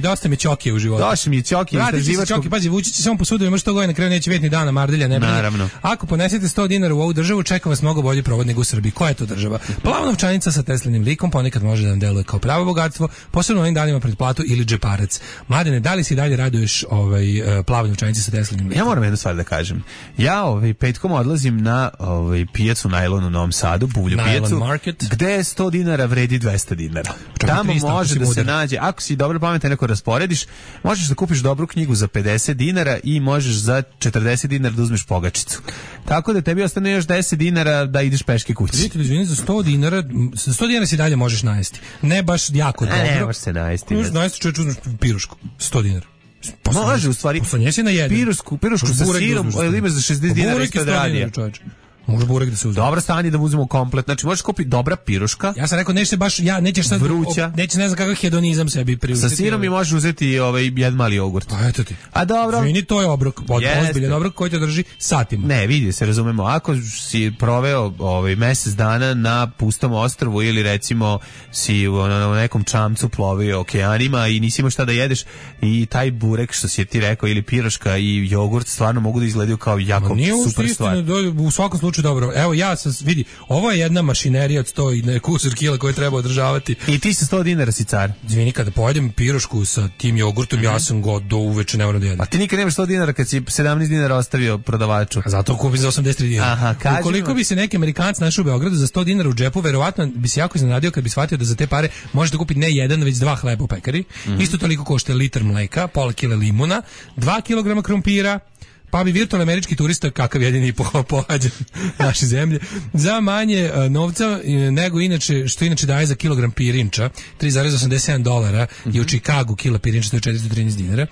Dosta mi Ćokije u životu. Dosta mi Ćokije. Ćoki, pazi, vući će samo po sudu, ima što goje, na kraju neće vidjeti ni dana mardelja, ne brini. Naravno. Ako ponesete 100 dinara u ovu državu, čeka vas mnogo bolji provod nego u Srbiji. Koja je to država? Plava novčanica sa Teslinim likom ponekad može da nam deluje kao pravo bogatstvo, posebno ovim danima pred platu ili džeparac. Mladene, da li si dalje raduješ plave novčanice sa Teslinim likom? Ja moram jednu stvar da kažem. Ja petkom odlazim na pijacu Najlon u Novom Sadu, buvlju pijacu, Market, gde 100 dinara vredi 200 dinara. Tamo može da se nađe, ako si dobro pametan, neko rasporediš, možeš da kupiš dobru knjigu za 50 dinara i možeš za 40 dinara da uzmeš pogačicu. Tako da tebi ostane još 10 dinara da ideš peške kući. Vidite, izvini, za 100 dinara si dalje možeš najesti. Ne baš jako dobro. Ne možeš se najesti. Najesti čovječ, uzmeš pirušku, 100 dinara. Može, u stvari, poslanjesi na jedan. Pirušku sa sirom, ali imaš za 60 dinara isto da radija. Može burek da se uzme. Dobro stanje da uzmemo komplet. Znači možeš kupiti dobra piruška. Ja sam rekao neće baš nećeš sad vruća. Neće ne znam kakav hedonizam sebi priuštiti. Sa sirom i možeš uzeti jedan mali jogurt. Pa eto ti. A dobro. Vini, to je obrok, ozbiljan obrok koji te drži satima. Ne, vidi se, razumemo. Ako si proveo mjesec dana na pustom ostrvu ili recimo si u nekom čamcu plovio okeanima i nisi imao šta da jedeš i taj burek što si ti rekao ili piroška i jogurt stvarno mogu da izgledaju kao jako super stvar. U svakom slučaju dobro. Evo ja sam vidi, ovo je jedna mašinerija od 100 i nekusur kila koju treba održavati. I ti sa 100 dinara si car. Izvini, kada pojedem pirošku sa tim jogurtom, ja sam do uveče ne moram da jedem. A ti nikad nemaš 100 dinara kad si 17 dinara ostavio prodavaču. A zato kupim za 83 dinara. Aha, kaži. Ukoliko bi se neki Amerikanac našao u Beogradu za 100 dinara u džepu, verovatno bi se jako iznenadio kad bi shvatio da za te pare možete kupiti ne jedan, već dva hleba u pekari. Isto toliko košta liter mleka, pola kile limuna, 2 kilograma krompira, pa bi virtualni američki turista, kakav jedini pohađa naše zemlje, za manje novca nego inače, što inače daje za kilogram pirinča, $3,87 je u Chicagu kila pirinča, to je 413 dinara.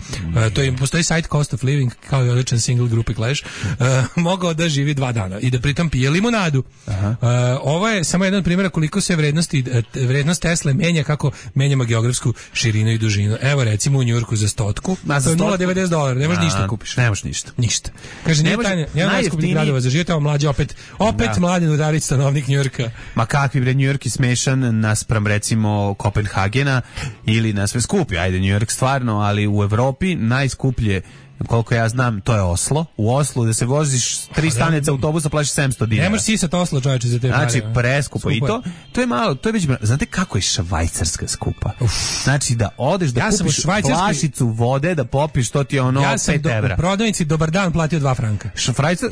To je, postoji site Cost of Living, kao i odličan single grupe Clash, mogao da živi 2 dana i da pritom pije limunadu. Ovo je samo jedan primjer koliko se vrednost Tesle menja, kako menjamo geografsku širinu i dužinu. Evo recimo u Njujorku za 100, to je $0,90, ne možeš ništa kupiš. Ne možeš ništa. Ništa. Kaže, nije tajne, jedan najskupnijih gradova za život, evo mlađe opet Mladen Udarić, stanovnik Njujorka. Ma kakvi bre, Njujork je smešan naspram recimo Kopenhagena ili na sve skupi, ajde Njujork stvarno, ali u Evropi najskuplje, koliko ja znam, to je Oslo. U Oslu da se voziš 3 stanice autobusa plaćaš 700 dinara. Ne možeš sisat Oslo, čovječe, za te pare. Znači, preskupo. I to je malo, to je već, znate kako je Švajcarska skupa? Znači, da odeš da kupiš flašicu vode, da popiš, to ti je ono 5 evra. Ja sam u prodavnici Dobar dan platio 2 franka.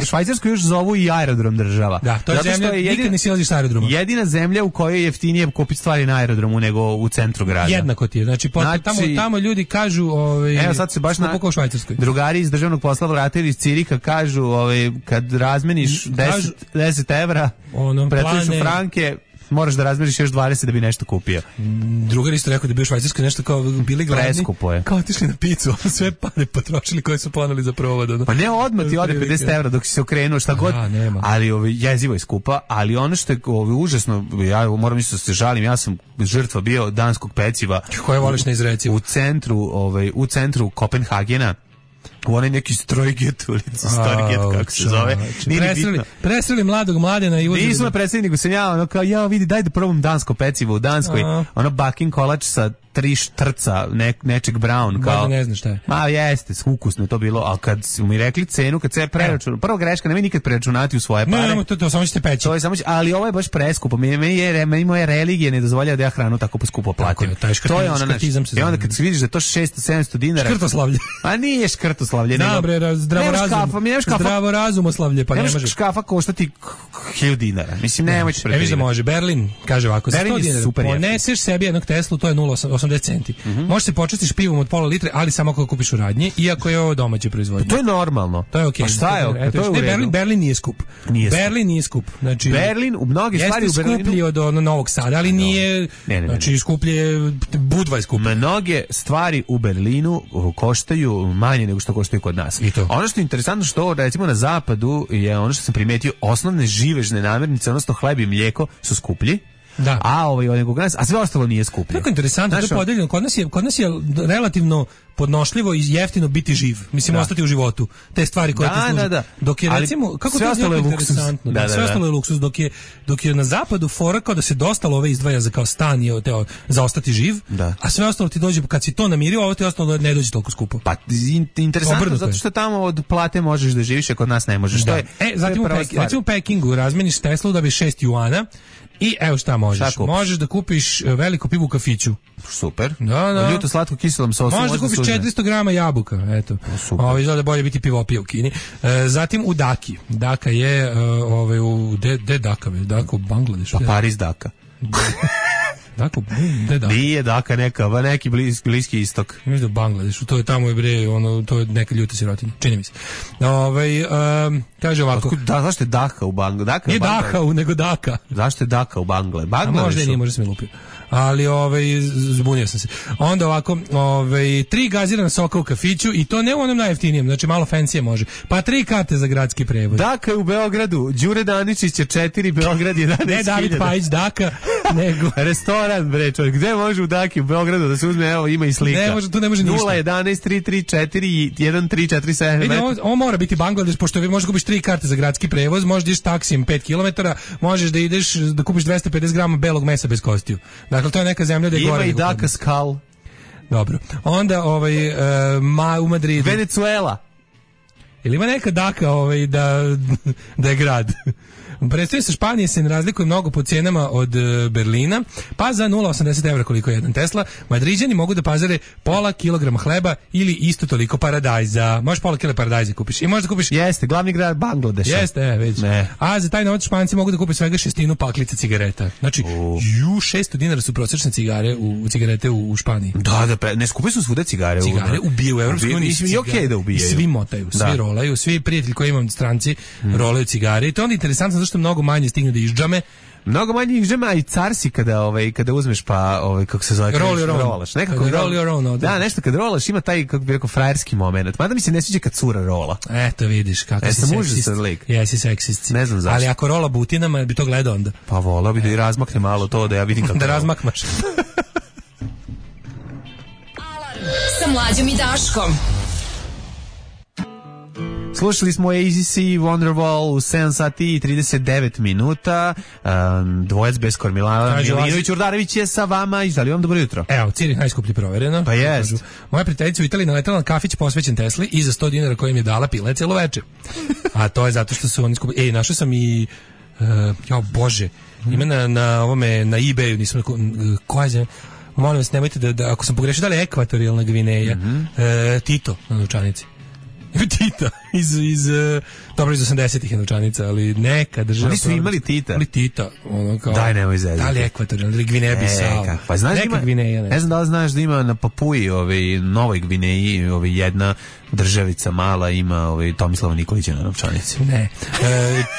Švajcarsku još zovu i aerodrom država. Da, to je zemlja, nikad ne silaziš s aerodroma. Jedina zemlja u kojoj je jeftinije kupiti stvari na aerodromu nego u centru grada. Jednako ti je. Znači, tamo ljudi kažu, evo sad se baš u Švajcarskoj. Drugari iz državnog posla vratili iz Ciriha kažu, kad razmeniš 10 evra, pretvojiš u franke, moraš da razmeniš još 20 da bi nešto kupio. Drugar isto rekao da bi u Švajcarskoj nešto kao bili gladni. Preskupo je. Kao otišli na picu, sve pare potrošili koje su planuli za provod. Pa ne, odmah ti ode 50 evra dok si se okrenuo šta god. Ali jezivo je skupa, ali ono što je užasno, ja moram isto da se žalim, ja sam žrtva bio danskog peciva. Koje voliš na izreci? U centru Kopenhagena. U onaj neki Strojget ulici, Storget, kako se zove. Presreli mladog Mladena i uzeli. Nisu me presreli, nego sam ja, ono kao, ja vidi, daj da probam dansko pecivo u Danskoj. Ono bakin kolač sa 3 štrca nečeg brown. Kao, ne znaš šta je. Ma jeste, ukusno je to bilo, ali kad su mi rekli cenu, kad se preračunao, prva greška, nemoj nikad preračunati u svoje pare. Ne, to samo ćete peći. To je samo, ali ovo je baš preskupo. Meni moja religija ne dozvoljava da ja hranu tako poskupo platim. To je ono, i onda kad se vidiš da je to 600-700 dinara. Škrtoslavlje. A nije škrtoslavlje. Dobre, zdravorazumoslavlje, pa ne može. Škafa koštati 1000 dinara. Mislim, nemoj ti preferirati. Evo može, Berlin, kaže ovako, za 100 dinara poneseš sebi jednog Teslu, to je 0,80 centi. Možeš se počestiš pivom od pola litre, ali samo ako kupiš u radnji, iako je ovo domaće proizvodnje. To je normalno. To je okej. Pa šta je okej? Berlin nije skup. Berlin nije skup. Znači, Berlin u mnoge stvari u Berlinu jeste skuplji od Novog Sada, ali nije, znači skuplje, Budva je skuplje. Mnoge stvari u Berlinu koštaju manje nego što koštaju kod nas. Ono što je interesantno što recimo na zapadu je ono što sam primetio, osnovne živežne namirnice, odnosno hleb i mlijeko su skuplji, Da. A sve ostalo nije skuplje. Tako interesantno, to je podeljeno. Kod nas je relativno podnošljivo i jeftino biti živ. Mislim, ostati u životu. Te stvari koje te služe. Da. Dok je, recimo, kako sve to ostalo je luksuz. Sve ostalo je luksuz. Dok je na zapadu fora kao da se dosta love izdvaja za kao stan i za ostati živ, a sve ostalo ti dođe, kad si to namirio, ovo ti ostalo ne dođe toliko skupo. Pa, interesantno, zato što tamo od plate možeš da živiš, a kod nas ne možeš. Zatim recimo u Pekingu razmeniš Teslu da bi 6 juana i evo šta možeš. Možeš da kupiš veliku pivu u kafiću. Super. Da. Ljuto slatko kiselom sosu. Možeš da kupiš 400 grama jabuka, eto. Super. Izgleda bolje biti pivopija u Kini. Zatim u Daki. Daka je gde Daka? Daka u Bangladešu. Pa Pariz Daka. Daka, gde Daka? Nije Daka neki bliski istok. Mislim da u Bangladešu, to je tamo to je neka ljuta sirotinja, čini mi se. Kaže ovako. Zašto je Daka u Bangladešu? Nije Daka, nego Daka. Zašto je Daka u Bangladešu? Možda nije, možda sam je lupio. Ali zbunio sam se. Onda ovako, 3 gazirana soka u kafiću i to ne u onom najjeftinijem, znači malo fancyje može. Pa 3 karte za gradski prevoz. Daka je u Beogradu, Đure Daničić je 4, Beograd 11.000. Ne David Pajić Daka, nego restoran, bre, čovjek, gde može u Daki u Beogradu da se uzme, evo ima i slika. Ne može, tu ne može ništa. 011 334 1347. Vidi, ovo mora biti Bangladeš, pošto vi možeš kupiš 3 karte za gradski prevoz, možeš da ideš taksijem 5 km, možeš da ideš da kupiš 250 grama belog mesa bez kostiju. Dakle, to je neka zemlja da je gore. Ima i Daka Skal. Dobro. Onda u Madridu. Venezuela. Ili ima neka Daka da je grad? Predstavlja se Španije se ne razlikuje mnogo po cijenama od Berlina, pa za 0,80 evra koliko je jedan Tesla, Madriđani mogu da pazare pola kilograma hleba ili isto toliko paradajza. Možeš pola kila paradajza kupiš i možda kupiš... Jeste, glavni grad Bangladeša. Jeste, već. Ne. A za taj novac Španci mogu da kupe svega 6 paklica cigareta. Znači, 600 dinara su prosječne cigarete u Španiji. Da, ne skupi su svuda cigare. Cigare ubijaju u Evropskoj uniji. I okej da ubijaju. Svi motaju, svi rolaju, svi prijatelji koji imam stranci rolaju cigare i to je onda interesantno zašto mnogo manje stigne da izđame. Mnogo manje izđame, a i carsi kada uzmeš pa kako se zove, rolaš. Nekako da, nešto kad rolaš ima taj, kako bi rekao, frajerski moment. Mada mi se ne sviđa kad cura rola. Eto vidiš kako si seksist. Jesi seksist. Ne znam zašto. Ali ako rola butinama, bi to gledao onda. Pa volao bi da i razmakne malo to, da ja vidim kako da razmakmaš. Sa Mlađom i Daškom. Slušali smo ACC Wonderwall u 7 sati i 39 minuta. Dvojac bez kormilana. Milinović Urdarević je sa vama i želim vam dobro jutro. Evo, Cirih najskuplji provereno. Pa jest. Moja prijateljica u Italiji naletala na kafić posvećen Tesli i za 100 dinara koji im je dala pila cijelo veče. A to je zato što su oni skupili. Našao sam i Bože, ima na eBayu, nisam koja je, molim vas, nemojte da ako sam pogrešio, da li je ekvatorijalna Gvineja, Tito na novčanici. Tita iz 80-ih je novčanica, ali neka država. Oni su imali Tita. Ali Tita, kao. Daj, nemoj zezati. Da li ekvatorijalna ili Gvineja Bisao? Pa znaš neka Gvineja, ne znam da li znaš da ima na Papuji, Novoj Gvineji, jedna državica mala ima Tomislava Nikolića na novčanici. Ne.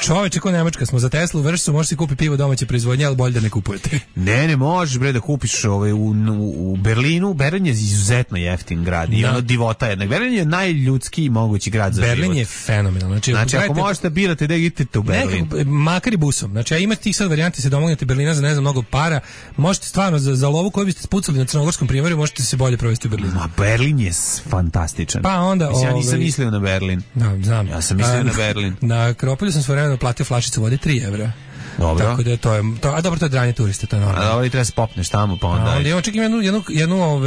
Čoveče, ko Nemačka smo za Teslu, vršcu, možeš si kupi pivo domaće proizvodnje, ali bolje da ne kupujete. Ne, možeš bre da kupiš u Berlinu. Berlin je izuzetno jeftin grad i ono divota jednak. Berlin je najljudskiji mogući grad za Berlin život. Berlin je fenomenalno. Znači ako možete birate da idete u Berlin. Makar i busom. Znači ja imate tih sad varijanti se domognete Berlina za ne znam mnogo para. Možete stvarno za lovu koju biste spucali na Crnogorskom primorju, možete se bolje provesti u Berlinu. Ma Berlin je fantastičan. Pa onda ja nisam mislio na Berlin. Da, znam. Ja sam mislio na Berlin. Na Akropolju sam svojevremeno platio flašicu vode 3 evra. Dobro. Tako da to je a dobro, to je dranje turiste, to je normalno. A dobro, i treba se popneš tamo pa onda. Ja očekujem jednu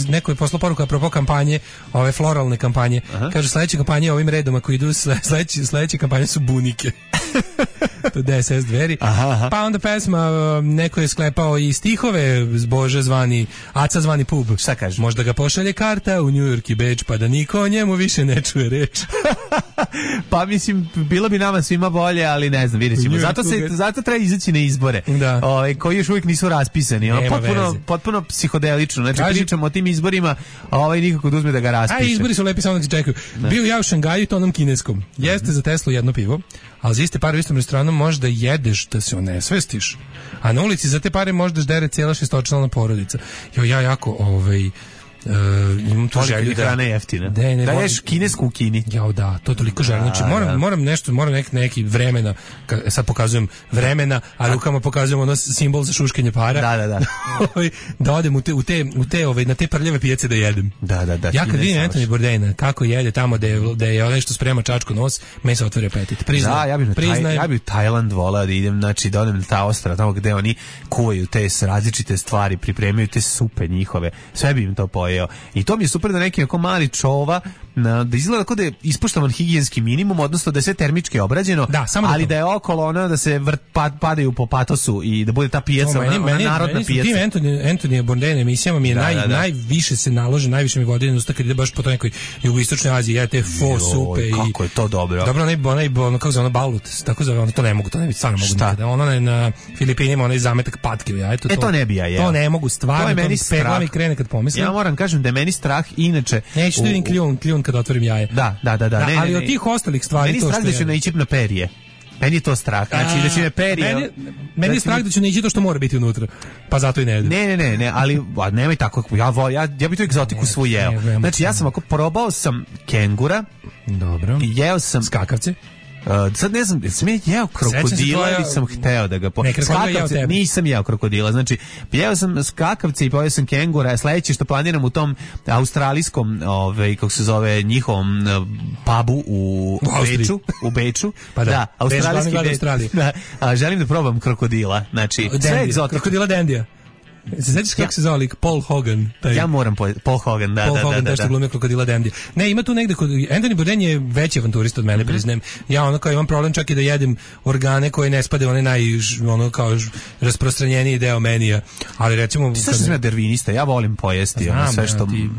neko je poslao poruku apropo kampanje, ove floralne kampanje. Kaže sledeće kampanje ovim redom ako idu sledeće kampanje su bunike. To DSS dveri. Pa onda pesma, neko je sklepao i stihove Bože zvani, Aca zvani pub. Šta kaže? Možda ga pošalje karta u New York i Beč, pa da niko o njemu više ne čuje reč. Pa mislim, bilo bi nama svima bolje, ali ne znam, vidjet ćemo. Zato treba izaći na izbore, koji još uvijek nisu raspisani. Potpuno psihodelično. Znači, pričamo o tim izborima, a nikako da uzme da ga raspiše. A izbori su lepi, samo da se čekaju. Bio ja u Šangaju to onom kineskom. Jeste za Teslu jedno pivo, ali za iste pare u istom restoranu možda jedeš da se onesvestiš. A na ulici za te pare možda ždere cijela šestočlana porodica. Ja jako imam tu želju da hrana je jeftina. Da ješ kinesku u Kini. Jao da, to toliko želim. Znači moram neki vremena, sad pokazujem vremena, a rukama pokazujem ono simbol za šuškenje para. Da odem u te na te prljave pijace da jedem. Da. Ja kad vidim Anthony Bourdaina kako jede tamo da je onaj što sprema čačku nos, meni se otvori apetit. Ja bih Tajland volao da idem, znači da odem na ta ostrva tamo gde oni kuvaju te različite stvari, pripremaju te supe njihove. Sve bi im to pojeo. I to mi je super da neki ako mali čova da izgleda kao da je ispoštovan higijenski minimum, odnosno da je sve termički obrađeno, ali da je okolo ono da se padaju po patosu i da bude ta pijaca, narodna pijaca. Anthony Bourdain emisijama mi je najviše se nalože, najviše mi vodi na usta kad ide baš po toj nekoj jugoistočnoj Aziji, ja te fo supe i kako je to dobro. Dobro, onaj kako zove, balut, tako zove, to ne mogu, to ne bi stvarno mogu nikada. Ono na Filipinima, onaj zametak patke, ja to ne bi ja jeo. To ne mogu stvarno, to meni pegla mi krene kad pomislim. Ja moram kažem da je meni strah inače. Neću da vidim kljun kad otvorim jaje. Da. Ali od tih ostalih stvari meni to što da ću naići na perje. Meni je to strah. Znači da će me perje. Meni je strah da će naići to što mora biti unutra. Pa zato i ne jedem. Ne, ali nemoj tako. Ja bih tu egzotiku svu jeo. Znači ja sam ako probao sam kengura. Dobro. I jeo sam skakavce. Sad ne znam, sam jeo krokodila ili sam hteo da ga skakavce, nisam jeo krokodila, znači jeo sam skakavce i pojeo sam kengura. Sledeće što planiram u tom australijskom kako se zove njihovom pubu u Beču pa da, australijski želim da probam krokodila, znači sve egzotično. Krokodila Dandija. Se sećaš kako se zove lik Paul Hogan? Ja moram Paul Hogan, da. Paul Hogan, taj što glumio krokodila Dandija. Ne, ima tu negde kod Anthony Bourdain je veći avanturista od mene, priznajem. Ja ono kao imam problem čak i da jedem organe koje ne spade onaj kao rasprostranjeniji deo menija. Ali recimo ti sam dervinista, ja volim pojesti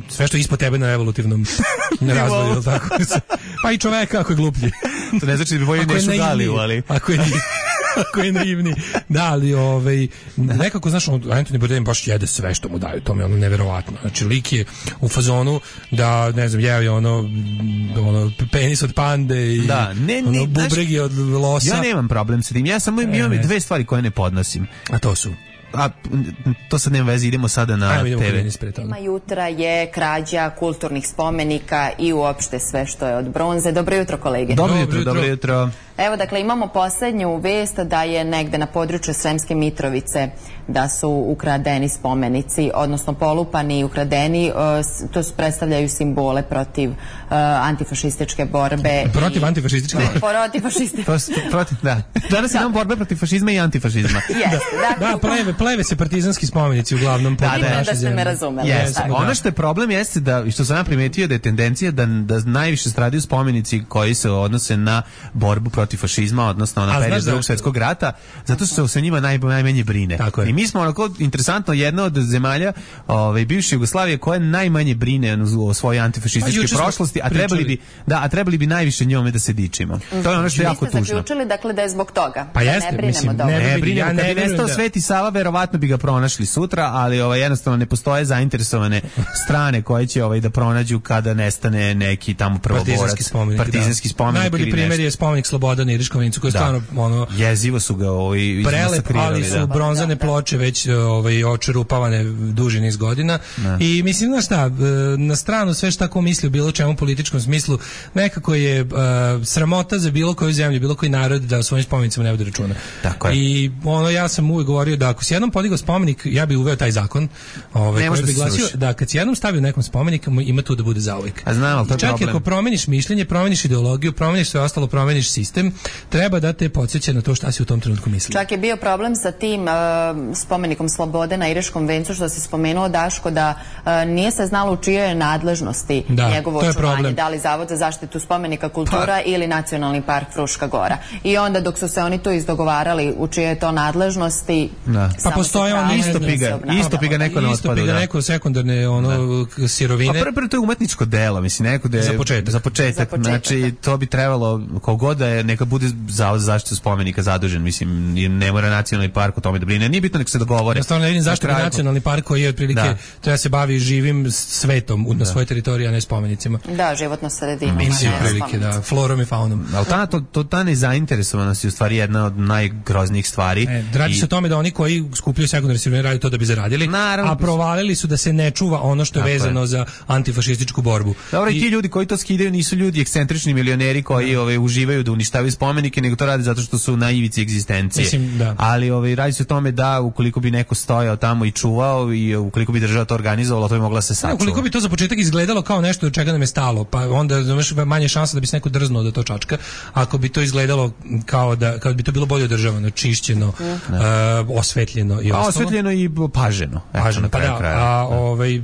sve što ispod tebe na evolutivnom razvoju, tako. Pa i čoveka ako je gluplji. To ne znači da bi voljeli nešu galiju, ali ako je naivni. Da, ali nekako, znaš, Anthony Bourdain baš jede sve što mu daju, to mi je ono neverovatno. Znači, lik je u fazonu da, ne znam, jeo je ono penis od pande i bubregi od losa. Ja nemam problem sa tim, ja samo imam dve stvari koje ne podnosim. A to su? To sad nema veze, idemo sada na TV. Tema jutra je krađa kulturnih spomenika i uopšte sve što je od bronze. Dobro jutro, kolege. Dobro jutro. Evo, dakle, imamo poslednju vest da je negde na području Sremske Mitrovice da su ukradeni spomenici, odnosno polupani i ukradeni. To predstavljaju simbole protiv antifašističke borbe. Protiv antifašističke borbe? Protiv fašističke. Da. Danas imamo borbe protiv fašizma i antifašizma. Da, pleve se partizanski spomenici uglavnom. Da ste me razumeli. Ono što je problem jeste da, što sam ja primetio, da je tendencija da najviše stradaju spomenici koji se odnose na borbu protiv fašizma, odnosno na period Drugog svjetskog rata, zato što se o njima najmanje brine. I mi smo onako, interesantno, jedna od zemalja bivše Jugoslavije koja najmanje brine o svojoj antifašističkoj prošlosti, a trebali bi najviše njome da se dičimo. To je ono što je jako tužno. Vi ste zaključili, dakle, da je zbog toga. Pa jeste, mislim, ne brinemo. Kad bi nestao Sveti Sava, verovatno bi ga pronašli sutra, ali jednostavno ne postoje zainteresovane strane koje će da pronađu kada nestane neki tamo prvoborac, partizanski spomenik. Najbolji primjer je spomenik Slobodan na Iriškom vencu, koji je stvarno jezivo su ga prelep, ali su bronzane ploče već očerupavane duži niz godina. I mislim, znaš šta, na stranu sve što tako misli u bilo čemu političkom smislu, nekako je sramota za bilo koju zemlju, bilo koji narod da o svojim spomenicama ne vodi računa. I ja sam uvijek govorio da ako si jednom podigao spomenik, ja bih uveo taj zakon koji bi glasio da kad si jednom stavio nekom spomenik, ima tu da bude zauvijek. Čak i ako promeniš mišljenje, promeniš ideologiju, promeniš sve ostalo, promeniš sistem, treba da te podsjeća na to šta si u tom trenutku mislio. Čak je bio problem sa tim spomenikom Slobode na Iriškom vencu, što se spomenuo, Daško, da nije se znalo u čijoj je nadležnosti njegovo očuvanje, da li Zavod za zaštitu spomenika kultura ili Nacionalni park Fruška Gora. I onda dok su se oni tu izdogovarali u čije je to nadležnosti, pa postoje on isto piga neko na otpadu. Isto piga neko sekundarne sirovine. Pa prvo to je umetničko delo, mislim, neko da je za početak. Znači, to bi trebalo, kogod da je neka bude Zavod za zaštitu spomenika zadužen, mislim, ne mora nacionalni park o tome da brine, nije bitno nek se dogovore. Ja stvarno ne vidim zašto nacionalni park koji je otprilike treba se bavi živim svetom na svojoj teritoriji, a ne spomenicima. Da, životna sredina. Mislim, prilike, da, florom i faunom. Ali ta nezainteresovanost je u stvari jedna od najgroznijih stvari. Radi se o tome da oni koji skupljaju sekundarne sirovine radi to da bi zaradili, a provalili su da se ne čuva ono što je vezano za antifašističku borbu. Dobro, i ti ljudi koji to skidaju nisu ljudi ekscentrični milioneri koji uživaju da uništavaju spomenike, nego to radi zato što su na ivici egzistencije. Mislim, da. Ali radi se o tome da ukoliko bi neko stojao tamo i čuvao i ukoliko bi država to organizovala, to bi mogla se sačuvati. Ukoliko bi to za početak izgledalo kao nešto od čega nam je stalo, pa onda imaš manje šanse da bi se neko drznuo da to čačka. Ako bi to izgledalo kao da bi to bilo bolje održavano, čišćeno, osvetljeno i ostalo. Osvetljeno i paženo. Pa da,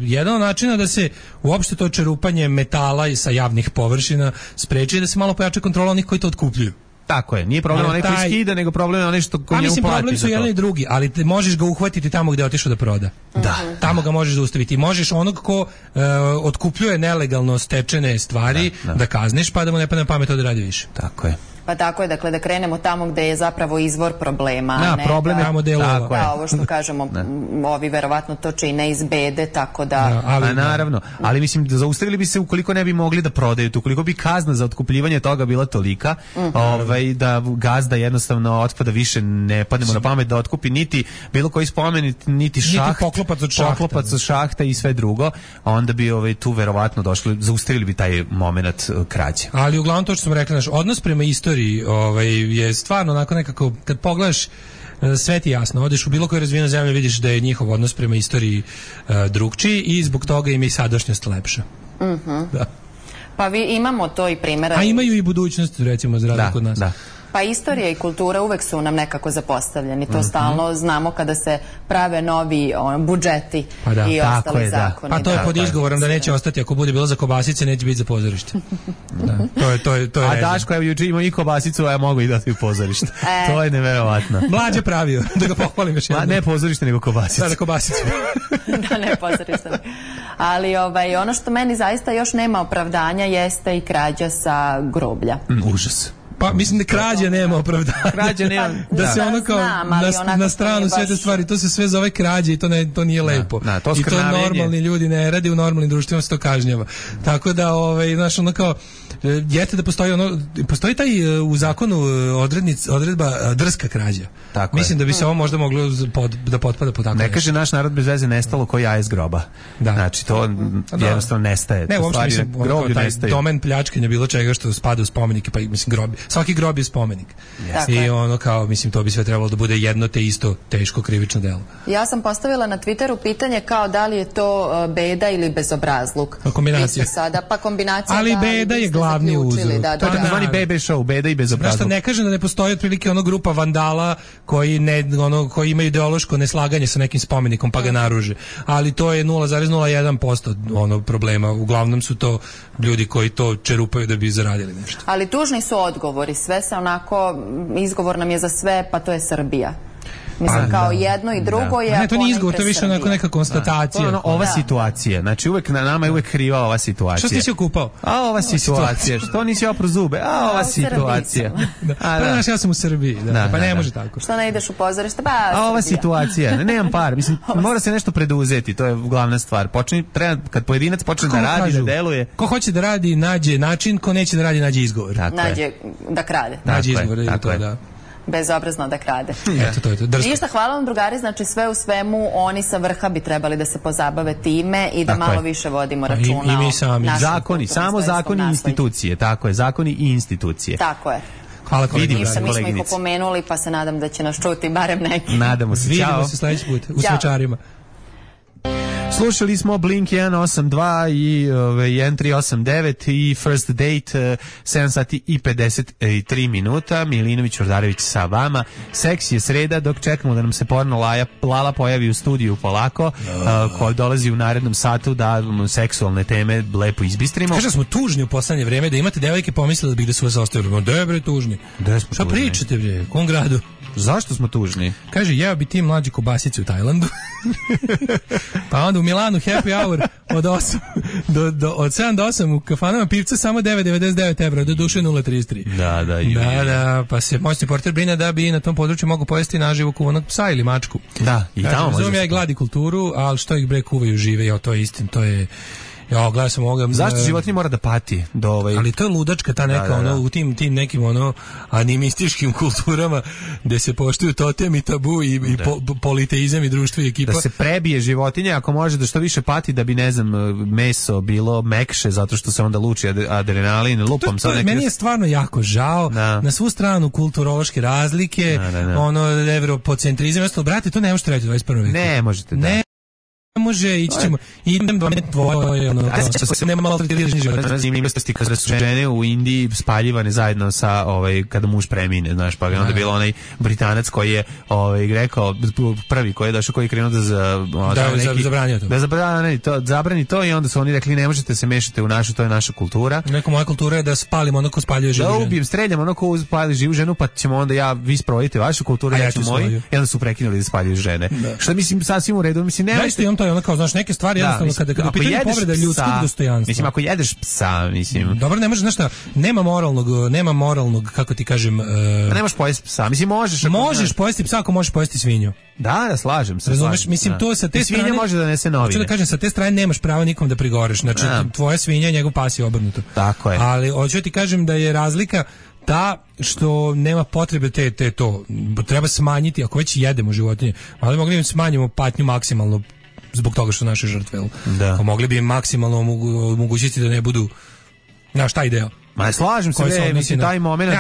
jedan od načina da se uopšte to čerupanje metala i sa javnih površina spreči da se malo pojača kontrola onih koji to otkupljuju. Tako je, nije problem onaj koji skida, nego problem onaj što ko njemu plati. Problem su jedan i drugi, ali možeš ga uhvatiti tamo gde je otišao da proda. Da. Tamo ga možeš zaustaviti. Možeš onog ko otkupljuje nelegalno stečene stvari da kazniš, pa da mu ne padne na pamet da radi više. Tako je. Pa tako je, dakle, da krenemo tamo gde je zapravo izvor problema. Problem je tamo gde je lova. Da, ovo što kažemo, ovi verovatno to čine iz bede, tako da... Naravno, ali mislim, zaustavili bi se ukoliko ne bi mogli da prodaju, ukoliko bi kazna za otkupljivanje toga bila tolika, da gazda jednostavno otpada više, ne padnemo na pamet da otkupi niti bilo koji spomenik, niti šaht, poklopac od šahta i sve drugo, onda bi tu verovatno došli, zaustavili bi taj moment krađe. Ali uglavnom to što sam rekla, naš odnos prema istoriji je stvarno onako nekako, kad pogledaš sve ti jasno, odeš u bilo koju razvijenu zemlju, vidiš da je njihov odnos prema istoriji drugčiji i zbog toga im je i sadašnjost lepša. Da. Pa imamo to i primjera. A imaju i budućnost, recimo, za razliku kod nas. Da. Pa istorija i kultura uvek su nam nekako zapostavljeni. To stalno znamo kada se prave novi budžeti i ostali zakoni. Pa to je pod izgovorom da neće ostati, ako bude bilo za kobasice, neće biti za pozorište. To je a Daško, evo juče imao i kobasicu, a ja mogu i dati u pozorište. To je neverovatno. Mlađe pravio, da ga pohvalim još jednom. Ne pozorište, nego kobasicu. Da, kobasicu. Da, ne pozorište. Ali ono što meni zaista još nema opravdanja jeste i krađa sa groblja. Užas. Pa mislim da krađa nema opravdanja. Krađa nema. Da se ono kao na stranu sve te stvari, to se sve zove krađa i to nije lepo. I to normalni ljudi ne radi, u normalnim društvima se to kažnjava. Tako da znaš, ono kao jeste da postoji taj u zakonu odredba drska krađa. Mislim da bi se ovo možda moglo da potpada po tako. Ne kaže naš narod bez veze nestalo ko jaje iz groba. Znači to jednostavno nestaje. Ne, uopšte mislim, taj domen pljačkanja bilo čega što spada u spomenike, pa mislim grobi. Svaki grob je spomenik. I ono kao, mislim, to bi sve trebalo da bude jedno te isto teško krivično delo. Ja sam postavila na Twitteru pitanje kao da li je to beda ili bezobrazluk. Kombinacija. Pa kombinacija. Ali beda je glavni uzrok. To je takozvani bebe show, beda i bezobrazluk. Znaš, ne kažem da ne postoji otprilike grupa vandala koji imaju ideološko neslaganje sa nekim spomenikom pa ga naruže. Ali to je 0,01% problema. Uglavnom su to ljudi koji to čerupaju da bi zaradili nešto. Ali tužni su odgovori, sve se onako, izgovor nam je za sve, pa to je Srbija. Mislim, kao jedno i drugo je... Ne, to nije izgovor, to je više onako neka konstatacija. Ova situacija, znači uvek na nama je uvek kriva ova situacija. Što si se okupao? A ova situacija, što nisi opro zube? A ova situacija. Pa znaš, ja sam u Srbiji, pa ne može tako. Što ne ideš u pozorište? A ova situacija, nemam par, mislim, mora se nešto preduzeti, to je glavna stvar. Kad pojedinac počne da radi, da deluje... Ko hoće da radi, nađe način, ko neće da radi, nađe izgovor. Nađe da krade. Nađe izgovor, da. Bezobrazno da krade. Eto, ništa, hvala vam drugari, znači sve u svemu oni sa vrha bi trebali da se pozabave time i da malo više vodimo računa. I mi sami. Zakoni, samo zakoni i institucije, tako je, zakoni i institucije. Tako je. Hvala koleginice. Mi smo ih opomenuli pa se nadam da će nas čuti barem neki. Nadamo se, čao. Vidimo se sledeći put u Svečarima. Slušali smo Blink 182 i 1389 i First Date 7 sati i 53 minuta. Milinović Ordarević sa vama. Seks je sreda dok čekamo da nam se porno Lala pojavi u studiju polako, koja dolazi u narednom satu da seksualne teme lepo izbistrimo. Kaže smo tužni u poslednje vreme, da imate devojke pomislili da bih da su vas ostavili. Dobre tužni. Šta pričate bre? U kom gradu? Zašto smo tužni? Kaže, jeo bi ti mlađi kobasice u Tajlandu. Pa onda u Milanu happy hour od 8 od 7 do 8 u kafanama pivca samo 9,99 evra, do duše 0,33. Da, pa se moćni portir brine da bi na tom području mogu pojesti naživo kuvanog psa ili mačku. Da, i tamo može. Razumem ja i gladi kulturu, ali što ih bre kuvaju žive, jo, to je istin, to je... Ja, gledam sam ovoga... Zašto životinje mora da pati? Ali to je ludačka ta neka, ono, u tim nekim, ono, animističkim kulturama gde se poštuju totem i tabu i politeizam i društvo i ekipa. Da se prebije životinje, ako može da što više pati, da bi, ne znam, meso bilo mekše, zato što se onda luči adrenalin, lupom. Meni je stvarno jako žao, na svu stranu kulturološke razlike, ono, evropocentrizam, brate, to ne možete raditi u 21. veku. Ne možete, da. Može, ići ćemo, idem do tvoje, ono, nema malo tretirani život. Zanimljivosti kada su žene u Indiji spaljivane zajedno sa, kada muž premine, znaš, pa je onda bilo onaj Britanac koji je, rekao, prvi koji je došao, koji je krenuo da zabrani to i onda su oni rekli, ne možete se mešati u našu, to je naša kultura. Neko moja kultura je da spalimo ono ko spaljuje živu ženu. Da ubijem, streljam ono ko spalju živu ženu, pa ćemo onda vi sprovodite vašu kulturu, ja ću moju, i onda su prekinuli da spaljuju žene. Što mislim, sasvim u redu, mislim, ono kao, znaš, neke stvari jednostavno kada pitanje povreda ljudskog dostojanstva. Mislim, ako jedeš psa, mislim. Dobro, ne možeš, znaš šta, nema moralnog, kako ti kažem... ne možeš pojesti psa, mislim, možeš... Možeš pojesti psa ako možeš pojesti svinju. Da, slažem se. Razumeš, mislim, to sa te strane... Svinja može da nese novine. Hoću da kažem, sa te strane nemaš pravo nikom da prigoreš, znači, tvoja svinja, njegov pas je obrnuto. Tako je. Ali, hoću ti kažem da je razlika ta što nema potrebe to. Treba smanjiti, ako već jedemo životinje, ali mogli im smanjimo patnju maksimalno zbog toga što naše žrtve. Da. Mogli bi im maksimalno omogućiti da ne budu... Znaš, taj deo. Ma slažem se, mislim, taj moment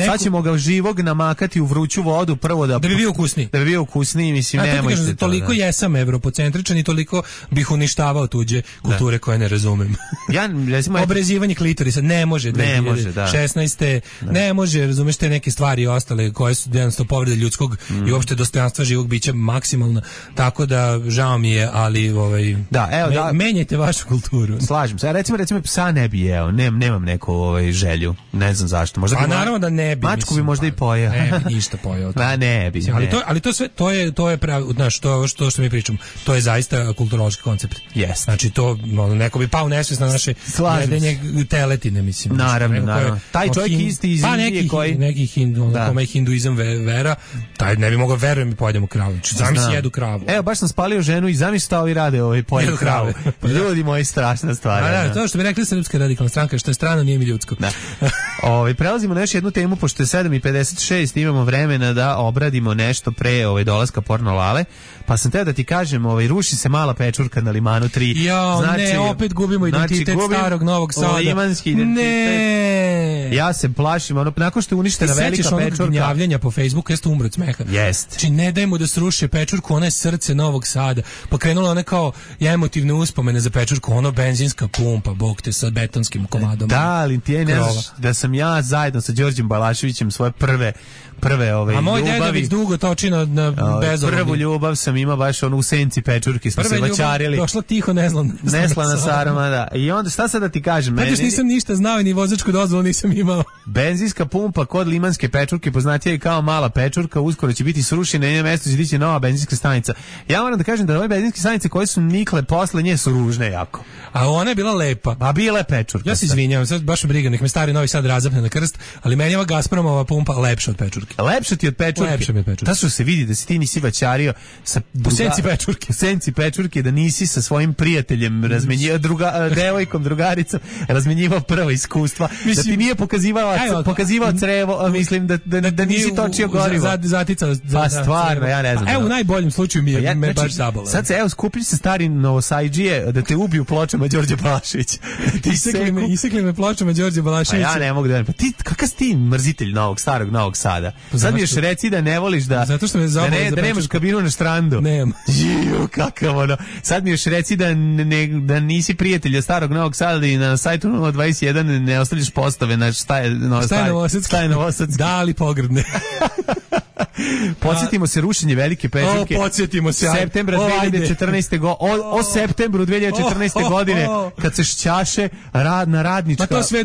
sad ćemo ga živog namakati u vruću vodu prvo da bi bio ukusniji. Da bi bio ukusniji, mislim, nemojte to. Toliko jesam evropocentričan i toliko bih uništavao tuđe kulture koje ne razumem. Ja, recimo... Obrezivanje klitorisa, ne može 2016. Ne može, razumeš, te neke stvari i ostale koje su jednostavno povrede ljudskog i uopšte dostojanstva živog bića maksimalna, tako da žao mi je, ali menjajte vašu kulturu. Slažem se. Recimo psa ne bi jeo, nemam neku želju. Ne znam zašto. Možda bi naravno da ne bi. Mačku bi možda i pojeo. Ne bi ništa pojeo. Ne bi. Ali to sve, to je pravi, znaš, što mi pričamo. To je zaista kulturološki koncept. Jest. Znači to, neko bi pao nesvest na naše jedenje teletine, mislim. Naravno. Taj čovjek isti iz Indije koji... Neki kome je hinduizam vera, taj ne bi mogao, verujem, mi pojedemo kravu. Zamisli jedu kravu. Evo, baš sam spalio ženu i zamisli šta ovi rade, pojedu kravu. Ljudi moji, strašna stvar. To što bi rekli Srpska radikalna stranka, što je strano, nije mi ljudsko. Prelazimo na još jednu temu, pošto je 7:56, imamo vremena da obradimo nešto pre dolaska Porno Lale, pa sam teo da ti kažem, ruši se mala pečurka na Limanu 3. Ne, opet gubimo identitet starog Novog Sada. Limanski identitet. Ne. Ja se plašim, nakon što je uništena velika pečurka. Sećaš onog gnjavljenja po Facebooku, jeste umro od smeha. Jest. Znači, ne dajmo da sruše pečurku, ona je srce Novog Sada. Pa krenula ona kao emotivne uspomene za pečurku, ono benzinska pumpa, bog te, sa betonskim komadom. Da, ali ti ne znaš da sam ja zajedno sa Đorđem Balaševićem svoje prve ljubavi. A moj deda već dugo toči na bezovlju. Prvu ljubav sam imao baš u senci pečurki, smo se vaćarili. Došla tiho neslana sarma, da. I onda šta sad da ti kažem? Još nisam ništa znao, ni vozačku dozvolu nisam imao. Benzinska pumpa kod limanske pečurke, poznatija i kao mala pečurka, uskoro će biti srušena i na njenom mjestu će dići nova benzinska stanica. Ja moram da kažem da ove benzinske stanice koje su nikle posle nje su ružne jako. A ona je bila lepa. A bila je pečurka. Ja se izvinjavam, sad baš briga, nek me stari Novi Sad razapne na krst, ali meni je ova Gazpromova pumpa lepša od pečurke. Lepša ti od pečurke. Lepša mi od pečurke. Ta što se vidi da si ti nisi vaćario sa senci pečurke, da nisi sa svojim prijateljem devojkom, drugaricom razmenjivao prva iskustva, da ti nije pokazivao crevo, mislim da nisi točio gorivo. Pa stvarno, ja ne znam. Evo, u najboljem slučaju me baš zabolo. Sad se, skupi se stari Novosajđije da te ubiju pločama Đorđe Balaševića. Isekli me pločama Đorđe Balaševića. A ja ne mogu da... Pa ti, kakav si ti mrzitelj starog Novog Sada? Sad mi još reci da ne voliš da nemaš kabinu na štrandu. Nemam. Kakav ono. Sad mi još reci da nisi prijatelj starog Novog Sada i na sajtu 021 ne ostavljaš postave na šta je Novosadski. Da, ali pogrdne. Podsjetimo se rušenje Velike Pečurke. Podsjetimo se. Septembra 2014. O septembru 2014. godine, kad se šćaše na radnička. Pa to sve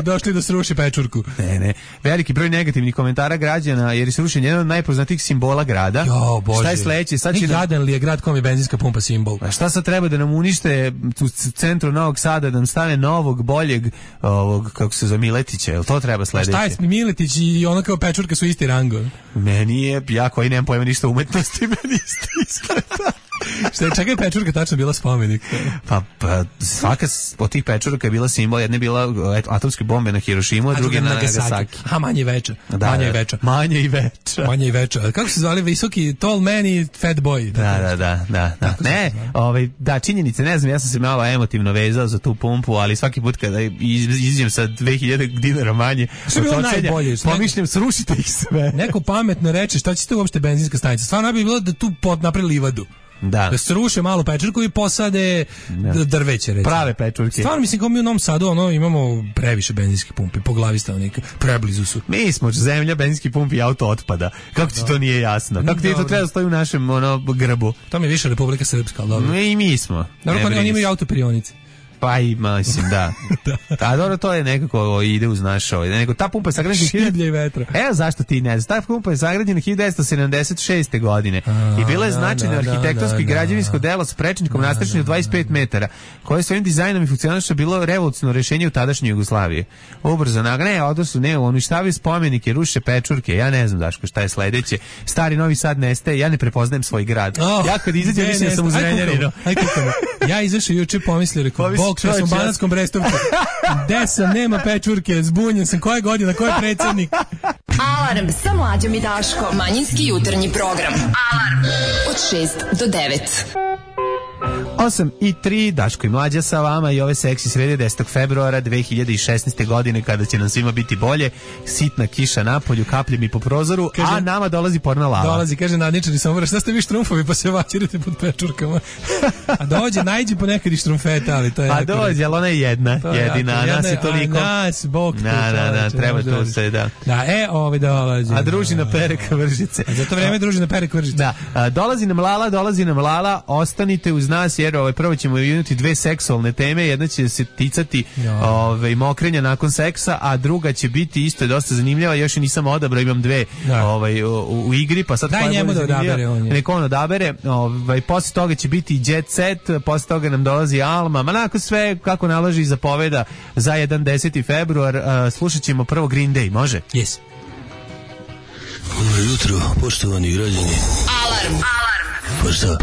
došli da sruši Pečurku. Ne. Veliki broj negativnih komentara građana, jer se rušenje jedan od najpoznatijih simbola grada. Jo, Bože. Šta je sledeće? Sad će gradan li je grad kom je benzinska pumpa simbol? A šta sad treba da nam unište u centru Novog Sada, da nam stane novog, boljeg, kako se zove, Miletića? Jel to treba sledeće? Šta je Miletić i ono kao Pečurka su isti rango? Meni je, ja koji nemam pojma ništa umetnosti, meni isto iskreta. Šta je, čekaj, Pečurka tačno bila spomenik? Pa svaka od tih Pečurka je bila simbol, jedna je bila atomske bombe na Hirošimu, a druga na Nagasaki. A manje i veća. Manje i veća. Kako se zvali visoki tall man i fat boy? Da. Ne, da, činjenice, ne znam, ja sam se malo emotivno vezao za tu pumpu, ali svaki put kada izađem sa 2000 dinara manje, što je bilo najbolje? Pomišljam, srušite ih sve. Neko pametno reče, šta će tu uopšte benzinska stanica? Stvarno bi bilo da tu napravi livadu. Da sruše malo Pečurku i posade drveće, recimo. Prave Pečurke. Stvarno, mislim, kao mi u Novom Sadu imamo previše benzinskih pumpi po glavi stanovnika. Preblizu su. Mi smo zemlja benzinskih pumpi i auto otpada. Kako ti to nije jasno? Kako ti to treba da stoji u našem grbu? To mi je više Republika Srpska, ali dobro. I mi smo. Dobro, pa oni imaju autoprionice. Pa ima, mislim, da. A dobro, to je nekako ide uz naš nego ta pumpa je sagrađena šiblje i vetra. Evo zašto ti ne znaš. Ta pumpa je sagrađena 1976. godine i bila je značajno arhitektonsko i građevinsko delo s prečnikom nastrešenim od 25 metara, koje svojim dizajnom i funkcionalnošću bilo revolucionarno rešenje u tadašnjoj Jugoslaviji. Ubrzo uništavaju spomenike, ruše Pečurke, ja ne znam Daško šta je sledeće. Stari Novi Sad nestaje, ja ne prepoznajem svoj grad. Ja kad izađem mislim da sam u Zrenjaninu. Ja izašao juče pomislio, rekao, bog što sam u Banatskom Brestovcu. Gde sam, nema Pečurke, zbunjen sam, koje godine, ko je predsjednik? Alarm sa Mlađom i Daškom. Manjinski jutarnji program. Alarm od 6 do 9. 8:03, Daško i Mlađa sa vama i ove seksi srede 10. februara 2016. godine, kada će nam svima biti bolje, sitna kiša napolju, kaplje mi po prozoru, kaže, a nama dolazi porna lava. Dolazi, kaže nadničari Sombora, šta ste vi štrumfovi pa se vaćirite pod Pečurkama? A dođe, najđi ponekad i štrumfeta, ali to je... A dođe, ali ona je jedina, nas je toliko... A nas, bog te čoveče. Treba tu se, da. Da, dolazi. A družina pere kvržice. A za to vreme družina pere kvržice. Da, dolazi nam Lala, ostanite uz nas, jer prvo ćemo imati dve seksualne teme, jedna će se ticati mokrenja nakon seksa, a druga će biti isto dosta zanimljiva, još i nisam odabrao, imam dve u igri, pa sad daj njemu da odabere, neko on odabere, posle toga će biti Jet Set, posle toga nam dolazi Alma, manako sve kako nalaži i zapoveda za 10. februar, slušat ćemo prvo Green Day, može? Yes. Dobro jutro, poštovani građani. Alarm. Pa šta?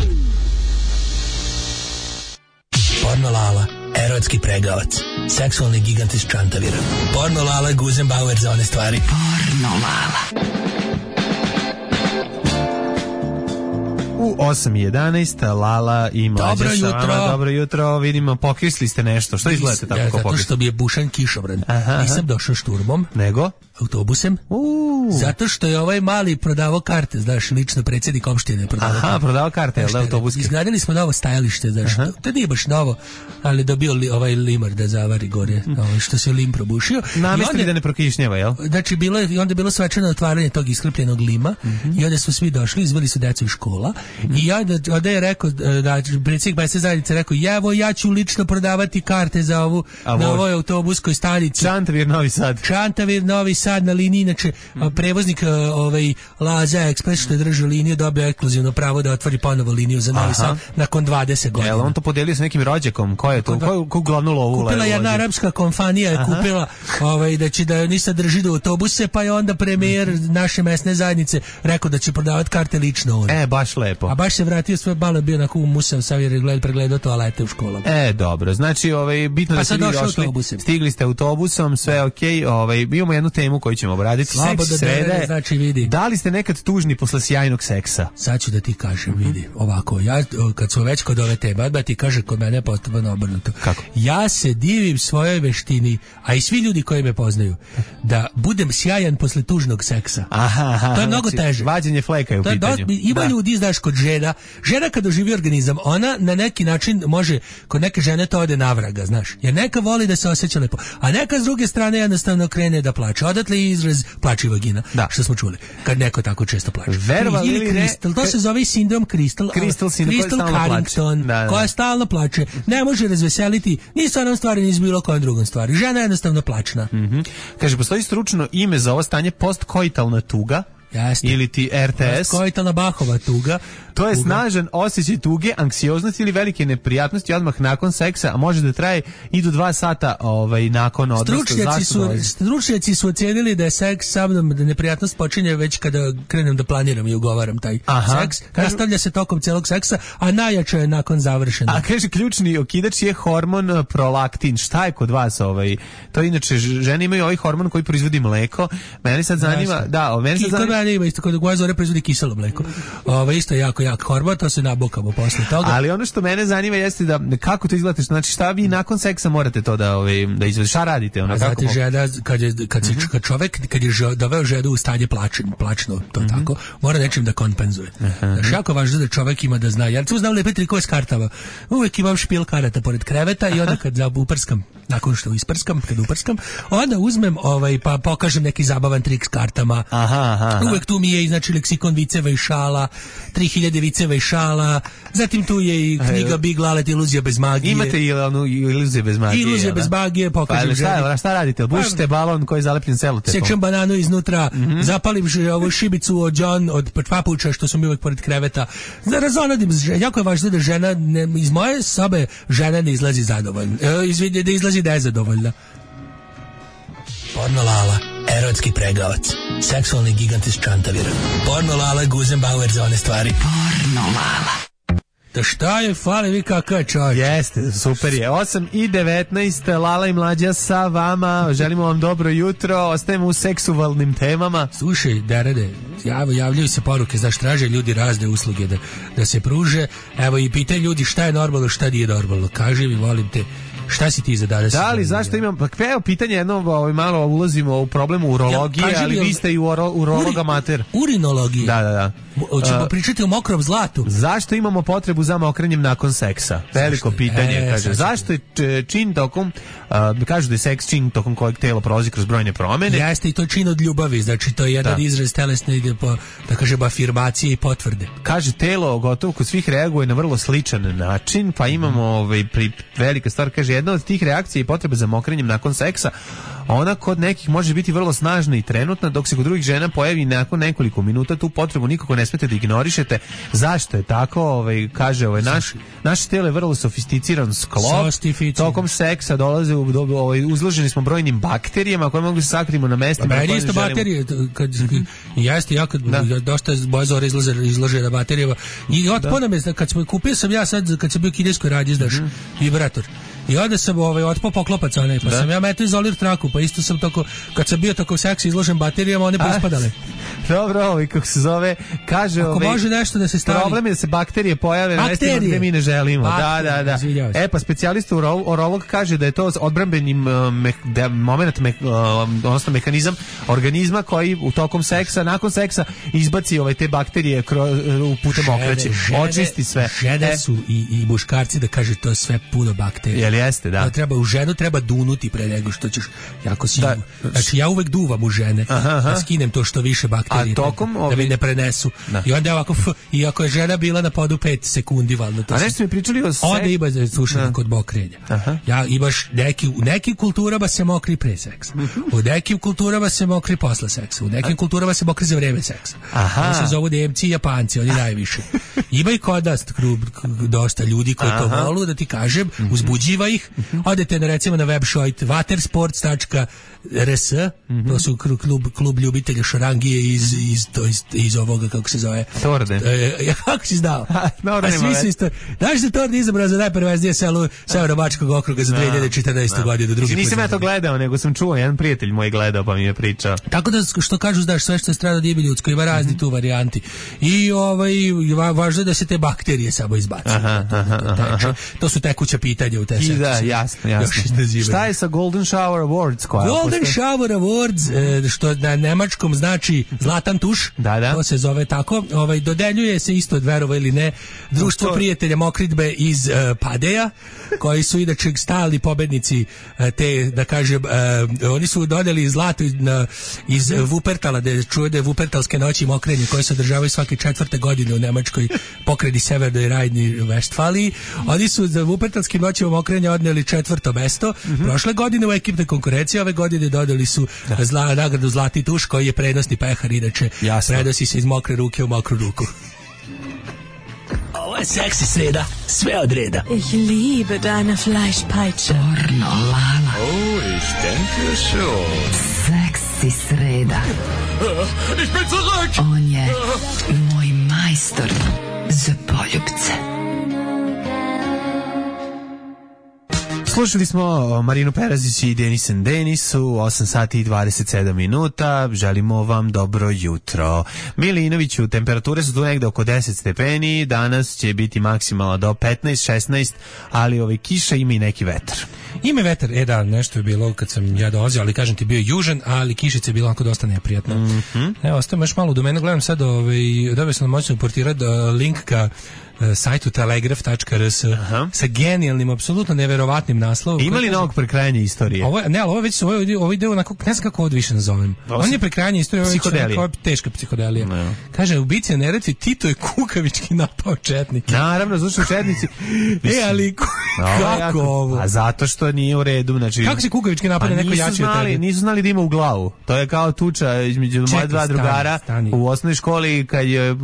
Porno Lala, erotski pregavac, seksualni gigant iz Čantavira. Porno Lala, Guzenbauer za one stvari. Porno Lala. U 8:11 Lala i Mlađa sa vama. Dobro jutro, vidimo, pokisli ste nešto. Što izgledate tako pokisli? Zato što bi je bušan kišobran. Nisam došao šturmom. Nego? Autobusem. Zato što je ovaj mali prodavao karte, znaš, lično predsjednik opštine prodavao karte, jel da, autobuske? Izgradili smo novo stajalište, znaš, to nije baš novo, ali dobio ovaj limar da zavari gore, što se lim probušio. Namestili da ne prokišnjava, jel? Znači, onda je bilo svečano otvaranje tog isklepljenog lima i onda su svi došli, izveli su decu iz škola i onda je rekao, da predsjednik mesne zajednice rekao, ja ću lično prodavati karte za ovu na ovoj autobuskoj stanici. Čantavir Novi Sad na liniji, inače prevoznik Laza Ekspres što je držao liniju dobio ekskluzivno pravo da otvori ponovo liniju za Novi Sad nakon 20 godina. Jel on to podelio sa nekim rođakom? Ko je to? Ko glavnu lovu? Kupila jedna arapska kompanija je kupila da će da ni sad drži do autobuse, pa je onda premijer naše mesne zajednice rekao da će prodavati karte lično on. Baš lepo. A baš se vratio sve malo bio na musav savjer pregledao toalete u školama. Dobro. Znači, bitno da ste vi došli. Stigli ste autobusom, sve okej. Imamo jednu temu koju ćemo obraditi. Seks srede. Znači, vidi. Da li ste nekad tužni posle sjajnog seksa? Sad ću da ti kažem, vidi. Ovako, ja kad smo već kod ove teme, da ti kaže kod mene potpuno obrnuto. Kako? Ja se divim svojoj veštini, a i svi ljudi koji me poznaju, da budem sjajan posle tužnog seksa. To je mnogo teže. Vađenje fleka je u pitanju. Ima ljudi, znaš, kod žena kad doživi organizam, ona na neki način može, kod neke žene to ode navraga, znaš. Jer neka voli da se osjeća lepo, a neka s druge strane jednostavno krene da plače. Onda odatle je izraz plači vagina, što smo čuli, kad neko tako često plače. Ili Crystal, to se zove sindrom Crystal Carrington, koja stalno plače, ne može razveseliti ni sa onom stvari, ni s bilo kojom drugom stvari. Žena je jednostavno plačna. Kaže, postoji stručno ime za ovo stanje postkoitalna tuga. Jasne. Ili ti RTS. Postkoitalna Bachova tuga. To je snažan osjećaj tuge, anksioznosti ili velike neprijatnosti odmah nakon seksa, a može da traje i do 2 sata nakon, odnosno stručnjaci su ocenili da je seks sa mnom, da neprijatnost počinje već kada krenem da planiram i ugovaram taj seks. Nastavlja se tokom celog seksa, a najjače je nakon završenog. A kaže, ključni okidač je hormon prolaktin. Šta je kod vas To inače, žene imaju ovaj hormon koji proizvodi mleko. Mene sad zanima, isto kod koja Zore proizvodi kiselo mleko. Isto je jako jak hormon, to se nabokamo posle toga. Ali ono što mene zanima jeste da kako to izgleda, znači šta vi nakon seksa morate to da izvedete, šta radite? Znate, žena, kad čovek je doveo ženu u stanje plačno, to tako, mora nečim da kompenzuje. Znači, jako važno da čovek ima da zna. Ja tu znam lepe trikove s kartama. Uvek imam špil karata pored kreveta i onda kad uprskam, nakon što kad uprskam, onda uzmem pa pokažem neki zabavan trik s kartama. Uvek tu mi je znači leksikon viceva i šala, 3000 viceva i šala, zatim tu je i knjiga Big Lalet, iluzija bez magije. Imate i iluzije bez magije. Iluzija bez magije, pokažem ženi. Šta radite? Bušite balon koji je zalepljen selotepom. Sečem bananu iznutra, zapalim ovu šibicu od papuča što su mi uvek pored kreveta. Razonadim, jako je važno da žena, iz moje sobe žena ne izlazi zadovoljna. Da izlazi nezadovoljna. Porno Lala, erotski pregavac, seksualni gigant iz Čantavira. Porno Lala, Guzenbauer za one stvari. Porno Lala. Da šta je, fali vi kakav čovjek. Jeste, super je. 8:19, Lala i Mlađa sa vama. Želimo vam dobro jutro. Ostajemo u seksualnim temama. Slušaj, Derede, javljaju se poruke, znaš, traže ljudi razne usluge da se pruže. Evo i pitaju ljudi šta je normalno, šta nije normalno. Kaži mi, volim te, šta si ti za danas? Da li, zašto imam, pa evo pitanje jedno, malo ulazimo u problemu urologije, ali vi ste i urolog amater. Urinologije? Da. Hoćemo pričati o mokrom zlatu. Zašto imamo potrebu za mokrenjem nakon seksa? Veliko pitanje, kaže. Zašto je čin tokom, kažu da je seks čin tokom kojeg telo prolazi kroz brojne promene? Jeste, i to čin od ljubavi, znači to je jedan izraz telesne, ide po, da kažem, afirmacije i potvrde. Kaže, telo gotovo kod svih reaguje na vrlo sličan način, pa imamo velika stvar, kaže, jedna od tih reakcija i potreba za mokrenjem nakon seksa, ona kod nekih može biti vrlo snažna i trenutna, dok se kod drugih žena pojavi nakon nekoliko minuta. Tu potrebu nikako ne smete da ignorišete. Zašto je tako? Kaže, naše telo je vrlo sofisticiran sklop. Tokom seksa dolaze uzloženi smo brojnim bakterijama koje mogu se sakrimo na mestima. Pa isto bakterije, jeste, ja kad dosta boje Zore izlože na baterijama. I otpona me, kad smo kupio sam ja sad, kad sam bio u kineskoj radnji, znaš, vibrator. I onda sam otpao poklopac, pa sam ja metao izolir traku, pa isto sam toko, kad sam bio toko seksa izložen baterijama, one pospadale. Dobro, kako se zove, kaže, ako može nešto da se stavi. Problem je da se bakterije pojave na mestima gde mi ne želimo. Da. Pa specijalista urolog kaže da je to odbrambeni moment, odnosno mehanizam organizma koji u tokom seksa, nakon seksa izbaci te bakterije u putem okreće, očisti sve. Žene su i muškarci, da kaže, to je sve puno bakterija. Jeste, da. U ženu treba dunuti pre nego što ćeš jako si. Znači ja uvek duvam u žene, da skinem to što više bakterije, da mi ne prenesu. I onda ovako, i ako je žena bila na podu 5 sekundi, valjda to. A nešto mi pričali o seksu. Onda ima slušanje kod mokrenja. Ja imaš u nekim kulturama se mokri pre seksa. U nekim kulturama se mokri posle seksa. U nekim kulturama se mokri za vreme seksa. To se zovu Nemci i Japanci, oni najviše. Ima i kod nas dosta ljudi koji to volu, da ti kažem, uzbuđiva ih. Odete recimo na website watersports.rs, to su klub ljubitelja šarangije iz ovoga, kako se zove, Torde. Kako si znao? A svi su isto. Znaš da Torde izabran za najperveznije selo Severno-Bačkog okruga za 2014. godinu. Nisam ja to gledao, nego sam čuo, jedan prijatelj moj gledao pa mi je pričao. Tako da, što kažu, znaš, sve što je strano dijebi ljudsko, ima razni tu varijanti. I važno je da se te bakterije samo izbaci. To su tekuća pitanja u te seksu. Da, jasno. Šta je sa Golden Shower Awards? Golden Shower Awards, što na nemačkom znači zlatan tuš, to se zove tako, dodeljuje se isto, verovo ili ne, društvo prijatelja mokridbe iz Padeja, koji su inače stalni pobednici te, da kažem, oni su dodali zlato iz Wuppertala, da čuje da je Wuppertalske noći mokrenje koje se održavaju svake 4. godine u Nemačkoj pokrajini Severnoj Rajni Vestfaliji. Oni su za Wuppertalske noći mokrenja odneli 4. mesto. Prošle godine u ekipnoj konkurenciji, ove godine dodali su nagradu Zlati tuš, koji je prednosni pehar, inače prenosi se iz mokre ruke u mokru ruku. Ovo je seksi sreda, sve od reda. Ich liebe deine Fleischpeitsche. Pornolala. Oh, ich denke schon. Seksi sreda. Ich bin zurück! On je moj majstor za poljubce. Slušali smo Marinu Perazić i Denis and Denis u 8 sati i 27 minuta. Želimo vam dobro jutro. Milinoviću, temperature su tu negde oko 10 stepeni, danas će biti maksimalno do 15-16, ali kiša ima i neki vetar. Ima vetar, da, nešto je bilo kad sam ja dolazio, ali kažem ti bio južan, ali kišica je bila onako dosta neprijatna. Evo, ostavim još malo do mene, gledam sad, dobio sam moćno portirati link ka sajtu telegraf.rs sa genijalnim, apsolutno neverovatnim naslovom. Ima li novog prekrajanja istorije? Ovo ide onako, ne znam kako ovo više nazovem. On je prekrajanje istorije, ovo je teška psihodelija. No. Kaže, ubica na Neretvi, Tito je kukavički napao četnike. Naravno, zato što četnici... ali kako ovo? A zato što nije u redu. Znači, kako se kukavički napade neko jači od tebe? Nisu znali da ima u glavu. To je kao tuča između moje dva drugara u osnovnoj školi, kad je,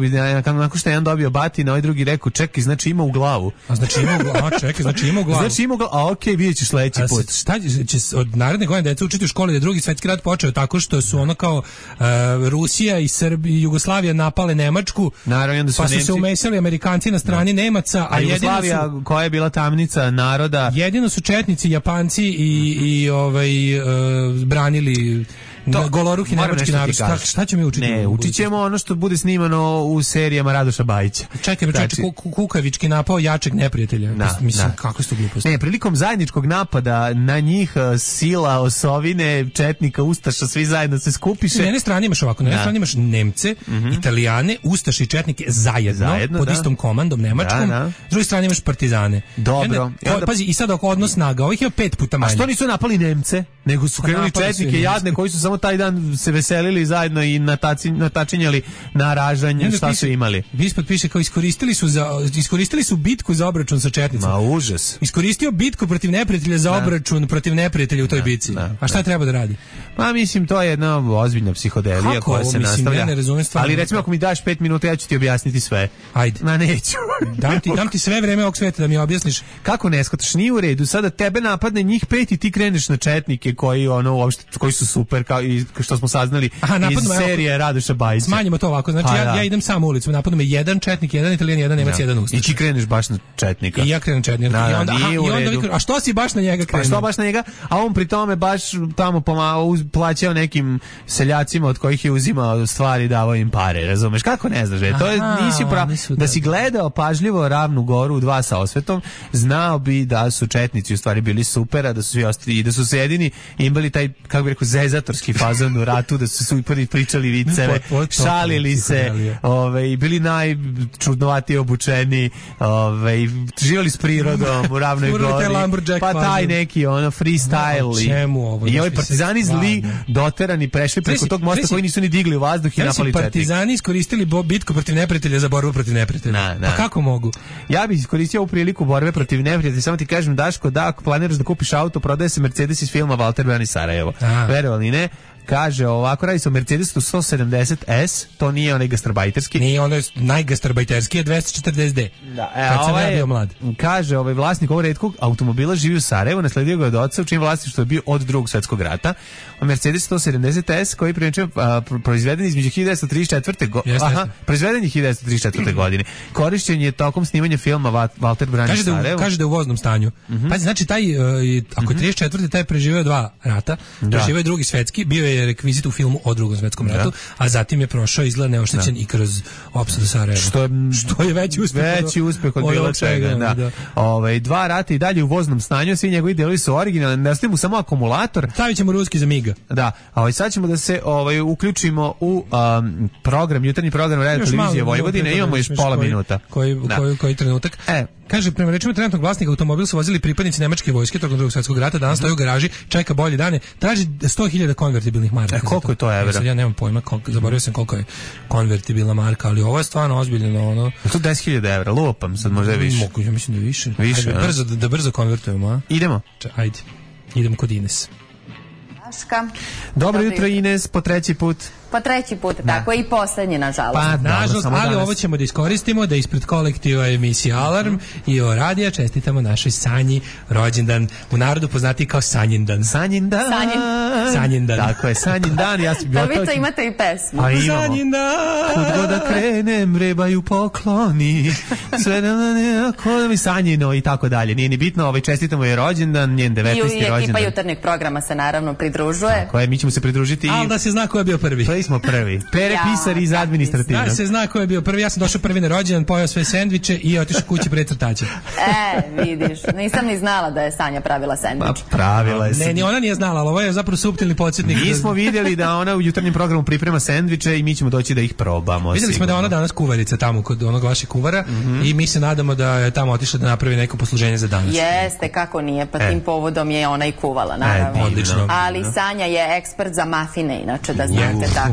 nakon što je jedan dobio batina, ovaj drugi rekao, čekaj, znači ima u glavu. A znači ima u glavu, čekaj, znači ima u glavu. Znači ima u glavu, a okej, vidjet ćeš sledeći put. Šta će od naredne godine deca učiti u školi da je Drugi svjetski rat počeo tako što su ono kao Rusija i Srbija i Jugoslavija napale Nemačku, naravno, pa su se umesili Amerikanci na strani Nemaca, a Jugoslavija koja je bila tamnica naroda. Jedino su četnici, Japanci i branili goloruki nemački narod. Šta ćemo mi učiti? Ne, učit ćemo ono što bude snimano u serijama Radoša Bajića. Čekaj, kukavički napao jačeg neprijatelja. Mislim, kako su to gluposti? Ne, prilikom zajedničkog napada na njih sila, osovine, četnika, ustaša, svi zajedno se skupiše. Na jedne strane imaš ovako, na jedne strane imaš Nemce, Italijane, ustaše i četnike zajedno pod istom komandom nemačkom. S druge strane imaš partizane. Dobro. Pazi, i sad oko odnos snaga, ovih je 5 puta manje. A što nisu napali Nemce, nego su krenuli četnike jadne koji su samo taj dan se veselili zajedno i natačinjali na ražanje, šta su imali. Ispod piše kao iskoristili su bitku za obračun sa četnicima. Ma užas. Iskoristio bitku protiv neprijatelja za obračun protiv neprijatelja u toj bitci. A šta treba da radi? Pa mislim, to je jedna ozbiljna psihodelija koja se nastavlja. Ja ne razumem stvarno. Ali recimo ako mi daš 5 minuta, ja ću ti objasniti sve. Ajde. Ma neću. Dam ti sve vreme ovog sveta da mi objasniš. Kako ne shvataš, nije u redu. Sada tebe napadne njih 5 i ti kreneš na četnike koji su super, kao i što smo saznali iz serije Radoša Bajića. Smanjimo to ovako, znači ja idem sam u ulicu, napadnu me jedan četnik, jedan Italijan, jedan Nemac, jedan Ustaš. I ti kreneš baš na četnika. I ja krenem četnika. I onda a što si baš na njega krenuo? Pa što baš na njega? A on pri tome baš tamo pomalo plaćao nekim seljacima od kojih je uzimao stvari, davao im pare, razumeš? Kako ne znaš? To je nisi da si gledao pažljivo Ravnu Goru u 2 sa osvetom, znao bi da su četnici u stvari bili super, a da su svi ostali i da su se jedini imali taj, kako bih rekao, zezatorski fazon u ratu, da su super pričali viceve, šalili se, bili najčudnovatije obučeni, živjeli s prirodom u Ravnoj Gori, pa taj neki freestyle i ovi partizani zli doterani prešli preko tog mosta koji nisu ni digli u vazduh i napali četnik. Partizani iskoristili bitku protiv neprijatelja za borbu protiv neprijatelja. Pa kako mogu? Ja bih iskoristio ovu priliku borbe protiv neprijatelja, samo ti kažem, Daško, da ako planiraš da kupiš auto, prodaje se Mercedes iz filma Walter Bran i Sarajevo. Verovali ne? Kaže ovako, radi se o Mercedesu 170S, to nije onaj gastarbajterski. Nije, ono je najgastarbajterski, je 240D. Da, kad sam ja bio mlad. Kaže, vlasnik ovog retkog automobila živi u Sarajevu, nasledio ga od oca, u čijem vlasništvu je bio od Drugog svjetskog rata. Mercedes 170S, koji je proizveden između 1934. Proizveden je 1934. godine. Korišćen je tokom snimanja filma Walter Bran i Sarajevo. Kaže da je u voznom stanju. Pazi, znači, taj, ako je 34. taj preživio 2 rata, preživio je Drugi svjetski, bio je je rekvizit u filmu o Drugom svetskom ratu, a zatim je prošao izgled neoštećen i kroz opsadu Sarajeva. Što je veći uspeh od bilo čega. Da. 2 rata i dalje u voznom stanju, svi njegovi delovi su originalni, neostaje mu samo akumulator. Stavit ćemo ruski za Miga. Da, a sad ćemo da se uključimo u program, jutarnji program Radio Televizije Vojvodine, imamo još pola minuta. Koji trenutak? Kaže, prema rečima trenutnog vlasnika, automobil su vozili pripadnici nemačke vojske tokom Drugog svjetskog rata, danas stoji u garaži, čeka bolje dane, traži 100.000 konvertibilnih maraka. Koliko je to evra? Ja nemam pojma, zaboravio sam koliko je konvertibilna marka, ali ovo je stvarno ozbiljno. To 10.000 evra, lupam, sad možda je više. Ja mislim da je više. Da brzo konvertujemo, a? Idemo. Ajde, idemo kod Ines. Dobro jutro, Ines, po treći put. Po treći put, tako i poslednji, nažalost. Pa, nažalost, ali ovo ćemo da iskoristimo, da ispred kolektiva emisije Alarm i o radija čestitamo našoj Sanji rođendan, u narodu poznati kao Sanjindan. Sanjindan. Tako je, Sanjindan. Da vi to imate i pesmu. Sanjindan. Kud god da krenem, rebaju pokloni, sve da mi Sanjino i tako dalje. Nije ni bitno, čestitamo je rođendan, njen 19. rođendan. I ekipa jutarnjeg programa se naravno pridružuje. Tako je, mi ćemo se pridružiti. Ali da se zna ko je bio prvi. Smo prvi. Pere pisar iz administrativnog. Da se zna ko je bio prvi. Ja sam došao prvi na rođendan, pojeo sve sendviče i otišao kući pred crtače. Vidiš. Nisam ni znala da je Sanja pravila sendvič. Pravila je. Ne, ni ona nije znala, ali ovo je zapravo suptilni podsjetnik. Mi smo vidjeli da ona u jutarnjem programu priprema sendviče i mi ćemo doći da ih probamo. Vidjeli smo da ona danas kuvarica tamo kod onog vašeg kuvara i mi se nadamo da je tamo otišla da napravi neko posluženje za danas. Jeste, kako nije, pa tim povodom je ona i kuvala, naravno. Odlično. Ali Sanja je ekspert za mafine, inače da znate, tako da.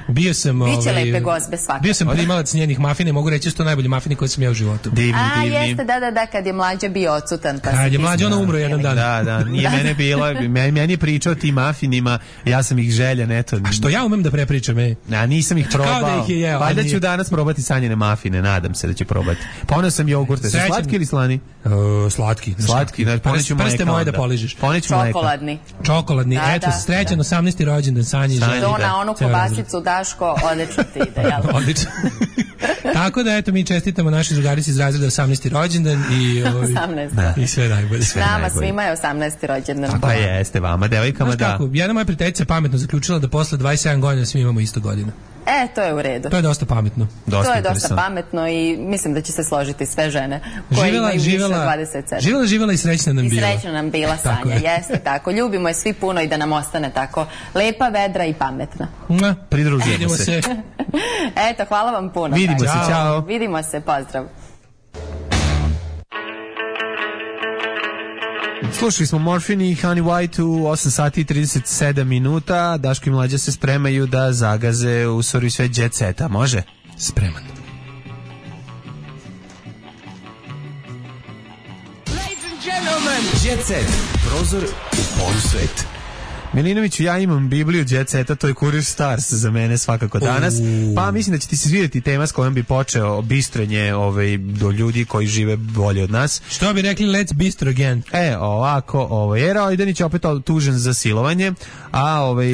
Bio sam biće lepe gozbe svakako. Bio sam primalac njenih mafine, mogu reći da su to najbolji mafini koje sam ja u životu. Divni. Jeste, da, kad je mlađa bio odsutan. Kad je mlađa, ona umro jedan dan. Da, nije mene bilo, meni je pričao o tim mafinima, ja sam ih željan, eto. A što ja umem da prepričam, nisam ih probao. Kao da ih je jeo. Valjda ću danas probati Sanjine mafine, nadam se da ću probati. Poneo sam jogurte, su slatki ili slani? Slatki. Poneću mleka. Prste moje da poližeš. Čokoladni. Eto, srećan 18. rođendan Sanji. Na onu kobasicu, Daško, odlično ti ide, jel? Odlično. Tako da, eto, mi čestitamo našoj drugarici iz razreda 18. rođendan i 18. I sve najbolje. Nama svima je 18. rođendan. Pa jeste, vama, devojkama, da. Kako, jedna moja prijateljica pametno zaključila da posle 27 godina svi imamo isto godina. To je u redu. To je dosta pametno. To je dosta pametno i mislim da će se složiti sve žene koje imaju više od 27. Živela i srećna nam bila. I srećna nam bila Sanja, jeste tako. Ljubimo je svi puno i da nam ostane tako lepa, vedra i pametna. Pridružujemo se. Eto, hvala vam puno. Vidimo se, čao. Vidimo se, pozdrav. Slušali smo Morphine i Honey White u 8 sati i 37 minuta. Daško i Mlađa se spremaju da zagaze u sori sve jet seta. Može? Spreman. Ladies and gentlemen, jet set. Prozor u polusvet. Milinoviću, ja imam Bibliju jet seta, to je Kurir Stars za mene svakako danas. Pa mislim da će ti se svidjeti tema s kojom bi počeo bistrenje do ljudi koji žive bolje od nas. Što bi rekli, let's bistro again. Ovako, Era Ojdanić je opet tužen za silovanje.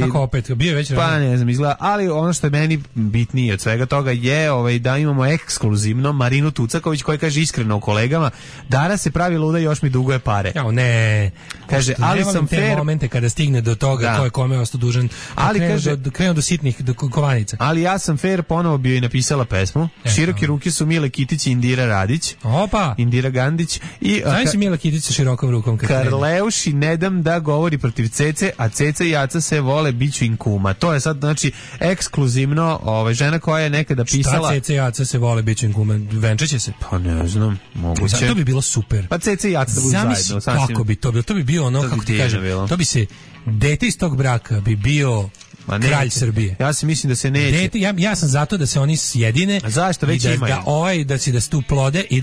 Kako opet? Bio je već pa ne znam, izgleda, ali ono što je meni bitnije od svega toga je da imamo ekskluzivno Marinu Tucaković koja kaže iskreno u kolegama, Dara se pravi luda, još mi duguje pare. Ne. Kaže, ali sam fair. Momente kada stigne do toga ko je kome ostao dužan, ali krenu do sitnih kovanica. Ali ja sam fair, ponovo bio i napisala pesmu. Široke ruke su Mile Kitić i Indira Radić. Opa! Indira Gandić. Znaš si Mile Kitić sa širokom rukom? Karleuši ne dam da govori protiv Cece, a Ceca i Aca se vole, biću im kuma. To je sad, znači, ekskluzivno žena koja je nekada pisala... Šta Ceca i Aca se vole, biću im kuma? Venčaće se? Pa ne znam, moguće. To bi bilo super. Pa Ceca i Aca da budu zajedno. Zamisli kako bi to bilo. To bi bio ono, kako ti kažem, to bi se... Dete iz tog braka bi bio kralj Srbije. Ja se mislim da se neće. Ja sam zato da se oni sjedine. A zašto već imaju? Da se tu plode i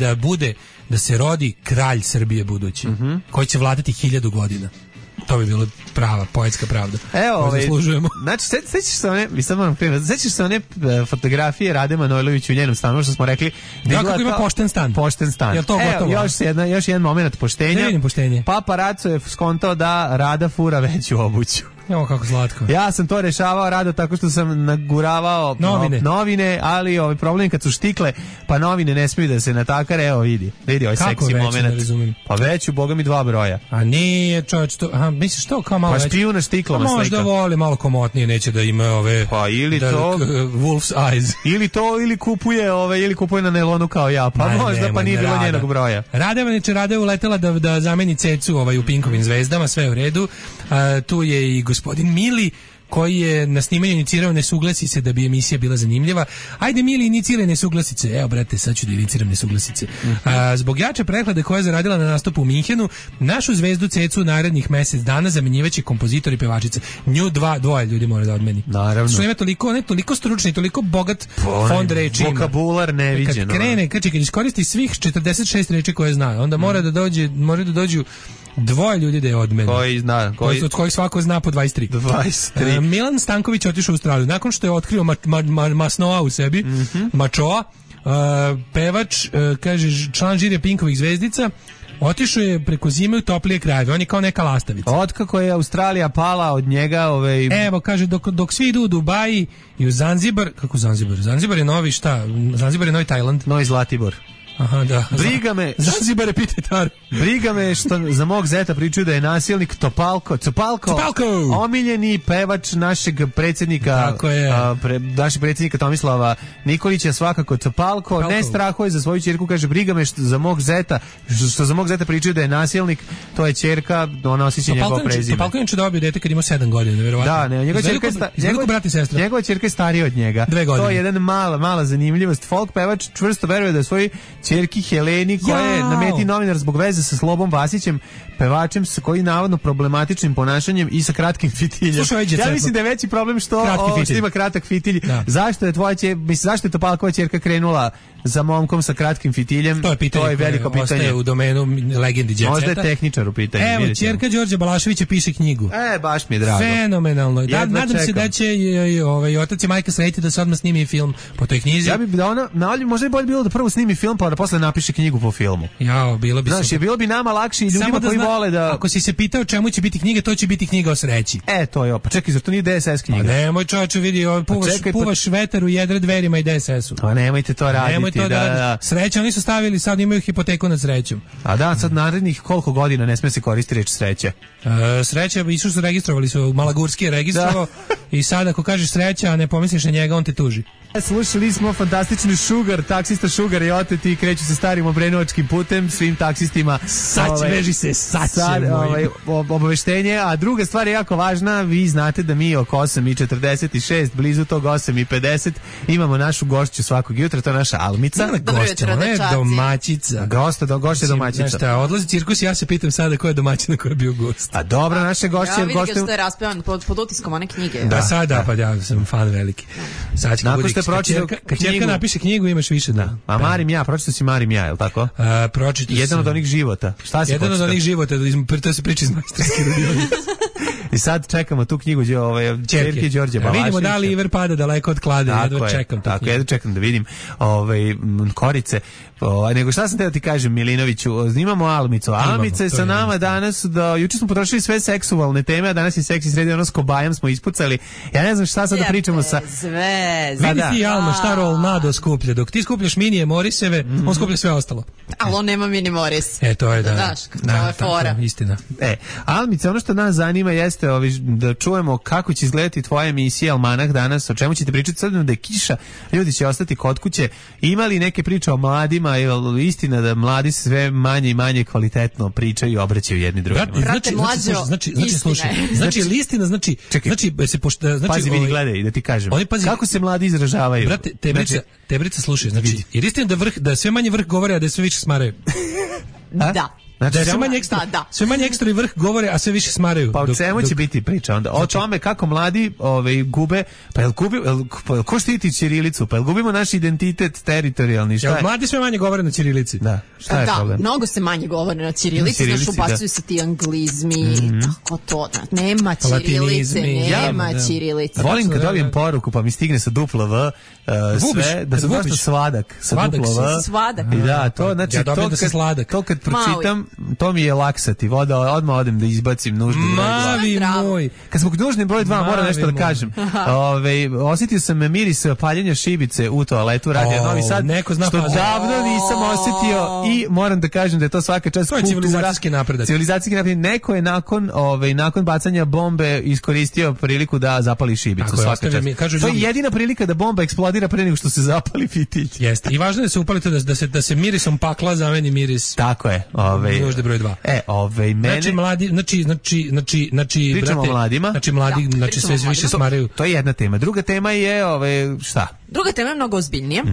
da se rodi kralj Srbije budući, koji će vladati 1000 godina. To bi bilo prava, poetska pravda. Evo, zaslužujemo. Znači, sećaš se one fotografije Rade Manojlovića u njenom stanu, što smo rekli. Kako ima pošten stan. Pošten stan. Jel to gotovo? Još jedan moment poštenja. Ne vidim poštenje. Paparaco je skontao da Rada fura veću obuću. Jo, kako slatko. Ja sam to rešavao rado tako što sam naguravao novine, ali problem je kad su štikle, pa novine ne smiju da se natakare, evo vidi ovaj seksi moment. Pa veću, boga mi 2 broja. A nije, čovječ, to, misliš to kao malo veće? Pa špiju na štiklama slika. Možda voli malo komotnije, neće da ima ove... Pa ili to... Wolf's eyes. Ili kupuje na nelonu kao ja, pa možda pa nije bilo njenog broja. Rada je uletela da zameni Cecu u Pinkovim zvezdama, sve u redu. Tu je i gospodin Mili, koji je na snimanju inicirao nesuglasice da bi emisija bila zanimljiva. Ajde, Mili, iniciraj nesuglasice. Evo, brate, sad ću da iniciram nesuglasice. Zbog jače prehlade koja je zaradila na nastupu u Minhenu, našu zvezdu Cecu narednih mesec dana zamenjivaće kompozitor i pevačica. Nju dvoje ljudi mora da odmeni. Naravno. Što ima toliko stručni, toliko bogat fond reči. Vokabular neviđen. Kad krene, kad iskoristi svih 46 reči koje zna, onda mora da dođu dvoje ljudi da je od mene. Od kojih svako zna po 23. Milan Stanković otišao u Australiju. Nakon što je otkrio masnoa u sebi, mačoa, pevač, kaže, član žirija Pinkovih zvezdica, otišao je preko zime u toplije krajeve. On je kao neka lastavica. Otkako je Australija pala od njega... Evo, kaže, dok svi idu u Dubaji i u Zanzibar... Kako Zanzibar? Zanzibar je novi šta? Zanzibar je novi Tajland. Novi Zlatibor. Aha, da. Zanzibar je pitajtar. Briga me što za mog zeta pričaju da je nasilnik Copalco, omiljeni pevač našeg predsjednika, našeg predsjednika Tomislava Nikolića, svakako Copalco, ne strahuje za svoju ćerku, kaže, briga me što za mog zeta pričaju da je nasilnik, to je ćerka, ona osjeća njegovo prezime. Copalco je dobio dete kad ima 7 godina, verovatno. Da, ne, njegova ćerka je starija od njega. 2 godine. To je jedan mala zanimljivost. Folk pevač čvrsto veruje da svoj ćerki Heleni, koja je na meti novinar zbog veze sa Slobom Vasićem, pevačem sa koji navodno problematičnim ponašanjem i sa kratkim fitiljem. Ja mislim da je veći problem što ima kratak fitilj. Da. Zašto je Topalkova ćerka krenula za momkom sa kratkim fitiljem? To je veliko pitanje. Ostaje u domenu legendi Jet Seta. Možda je tehničar u pitanju. Evo, ćerka Đorđe Balaševića piše knjigu. Baš mi je drago. Fenomenalno. Nadam se da će otac i majka sretiti da se odmah snimi film po toj knjizi. Ja bih možda bi bolje bilo da prvo snimi film pa da posle napiše knjigu po filmu. Bilo bi. Znaš, bilo bi nama lakše i ljudima koji vole da... Ako si se pitao čemu će biti knjiga, to će biti knjiga o sreći. To je. Pa čekaj, zar to nije DSS knjiga? Pa nemoj, čovječe, vidi, puvaš vetar u jedre dverima i DSS-u. Pa nemojte to raditi. Nemoj to da raditi. Sreća, oni su stavili, sad imaju hipoteku nad srećom. A da, sad narednih koliko godina ne sme se koristiti reč sreća? Sreća, su registrovali su, Malagurski je registrovao i sad ako kažeš sreća, a ne pomisliš na njega, on te tuži. Slušali smo fantastični Sugar, taksista Sugar je otet i kreću se starim obrenovačkim putem, svim taksistima. Obaveštenje, a druga stvar je jako važna, vi znate da mi oko 8:46, blizu tog 8:50, imamo našu gošću svakog jutra, to je naša Almica. Ona je domaćica. Gošća domaćica. Znaš šta, odlazi cirkus, ja se pitam sada ko je domaćina koja je bio gost. A dobra, naše gošće... Ja vidim što je raspevan pod utiskom one knjige. Da, sada, pa ja sam fan veliki. Sad će kad ćerka napiše knjigu, imaš više da. A Marim ja, pročitao si Marim ja, je li tako? Jedan od onih života. Šta si Jedan od onih života, to se priča iz majstorske radionice. I sad čekamo tu knjigu ćerke Đorđe Balaševića. Vidimo da li Iver pada daleko od klade, jedva čekam. Tako, jedva čekam da vidim korice. Nego šta sam te da ti kažem, Milinoviću, imamo Almicu. Almica je sa nama danas, juče smo potrošili sve seksualne teme, a danas je seksi sredi, ono s kobajom smo ispucali. Ja ne znam šta sad da pričamo sa... Vidi ti, Alma, šta Rolnado skuplja. Dok ti skupljaš minije Moriseve, on skuplja sve ostalo. Ali on nema mini Moris. To je da. Znaš, to je fora. Istina. Almica, ono što nas zanima jeste da čujemo kako će izgledati tvoja emisija Almanah danas, o čemu ćete pričati, sad da je kiša, ljudi će ostati kod kuće. Ima li neke priče o mladima, je istina da mladi sve manje i manje kvalitetno pričaju i obraćaju jedni drugima? Znači listina, znači pazi, vidi, gledaj, da ti kažem. Kako se mladi izražavaju? Brate, Tebrica, slušaj, znači, jer istina da sve manje vrh govore, a da sve više smaraju. Da. Znači, sve manje ekstra i vrh govore, a sve više smaraju. Pa o čemu će biti priča onda? O tome kako mladi gube, ko štiti ćirilicu? Pa jel gubimo naš identitet teritorijalni? Mladi sve manje govore na ćirilici. Da, šta je problem? Mnogo se manje govore na ćirilici, znaš, ubacuju se ti anglizmi, tako to, nema ćirilice, nema ćirilice. Volim kad dobijem poruku pa mi stigne sa duplo V, sve, da sam baš svadak, sa duplo V. Svadak. Da, to, znači, to kad pročitam, to mi je laksativ, odmah odem da izbacim nužni broj 2. Mavi moj. Kad smo nužni broj 2, moram nešto da kažem. Osjetio sam miris paljenja šibice u toaletu Radio Novi Sad, što davno nisam osjetio i moram da kažem da je to svaka čast kultura. Civilizacijski napredak. Neko je nakon bacanja bombe iskoristio priliku da zapali šibicu. Svaka čast. To je jedina prilika da bomba eksplodira pre nego što se zapali fitilj. Jeste. I važno je da se upali to da se mirisom pakla zameni miris. Tako je. Nužni broj 2. Mene... Znači mladi, znači pričamo o mladima. Znači sve više smaraju. To je jedna tema. Druga tema je šta? Druga tema je mnogo ozbiljnija.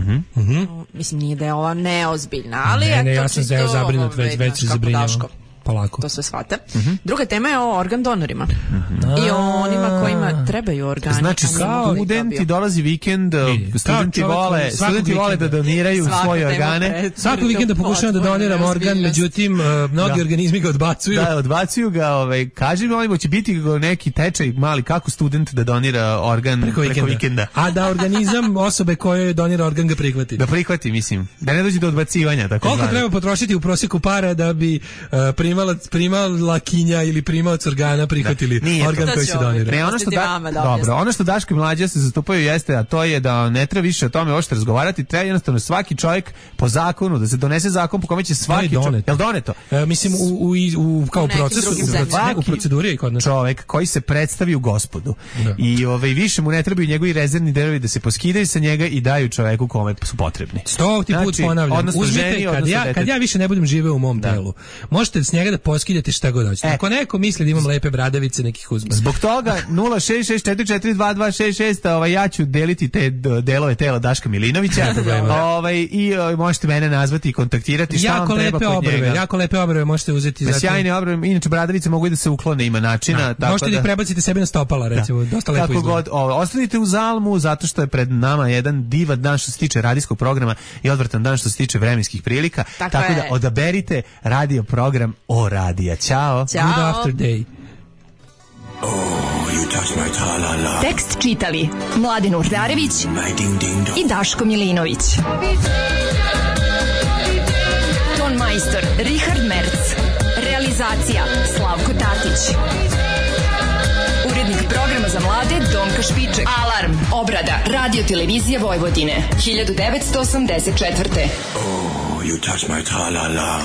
Mislim, nije da je ova neozbiljna, ali ne, ja sam zabrinut, već se zabrinjavam. Polako. To sve shvata. Druga tema je o organ donorima. I o onima kojima trebaju organi. Znači, studenti dolazi vikend, studenti vole da doniraju svoje organe. Svaki vikend da pokušavam da doniram organ, međutim, mnogi organizmi ga odbacuju. Da, odbacuju ga. Kaži mi, ovimo će biti neki tečaj mali, kako student da donira organ preko vikenda. A da organizam osobe koje donira organ ga prihvati. Da prihvati, mislim. Da ne dođe do odbacivanja. Koliko treba potrošiti u prosjeku para da bi primala kinja ili primalac organa prihvatili organ koji se donira. Ne, ono što Daško i Mlađa se zastupaju jeste, a to je da ne treba više o tome uopšte razgovarati, treba jednostavno svaki čovjek po zakonu, da se donese zakon po kome će svaki čovjek... Jel doneto? Mislim, kao procesu, u proceduri je kod nas. Čovjek koji se predstavi u Gospodu i više mu ne trebaju njegovi rezervni delovi da se poskidaju sa njega i daju čoveku kome su potrebni. 100 put ponavljam. Uzmite, kad ja više ne budem živeo u mom telu, možete s njega da poskidate šta god hoćete. Ako neko misli da imam lepe bradavice, nekih uzme. Zbog toga 066442266, ja ću deliti te delove tela Daška Milinovića. I možete mene nazvati i kontaktirati šta vam treba kod njega. Jako lepe obrve možete uzeti. Sjajne obrve, inače bradavice mogu i da se uklone, ima načina. Možete da ih prebacite sebi na stopala, recimo, dosta lepo izgleda. Ostanite u Zalmu, zato što je pred nama jedan divan dan što se tiče radijskog programa i odvratan dan što se tiče vremenskih prilika. Tako da odaberite radio program o radija. Ćao. Good after day. Tekst čitali Mladen Urdarević i Daško Milinović. Ton majstor Richard Merc. Realizacija Slavko Tatić. Urednik programa za mlade Donka Špiček. Alarm. Obrada Radio Televizije Vojvodine 1984. Oh, you touch my tra-la-la.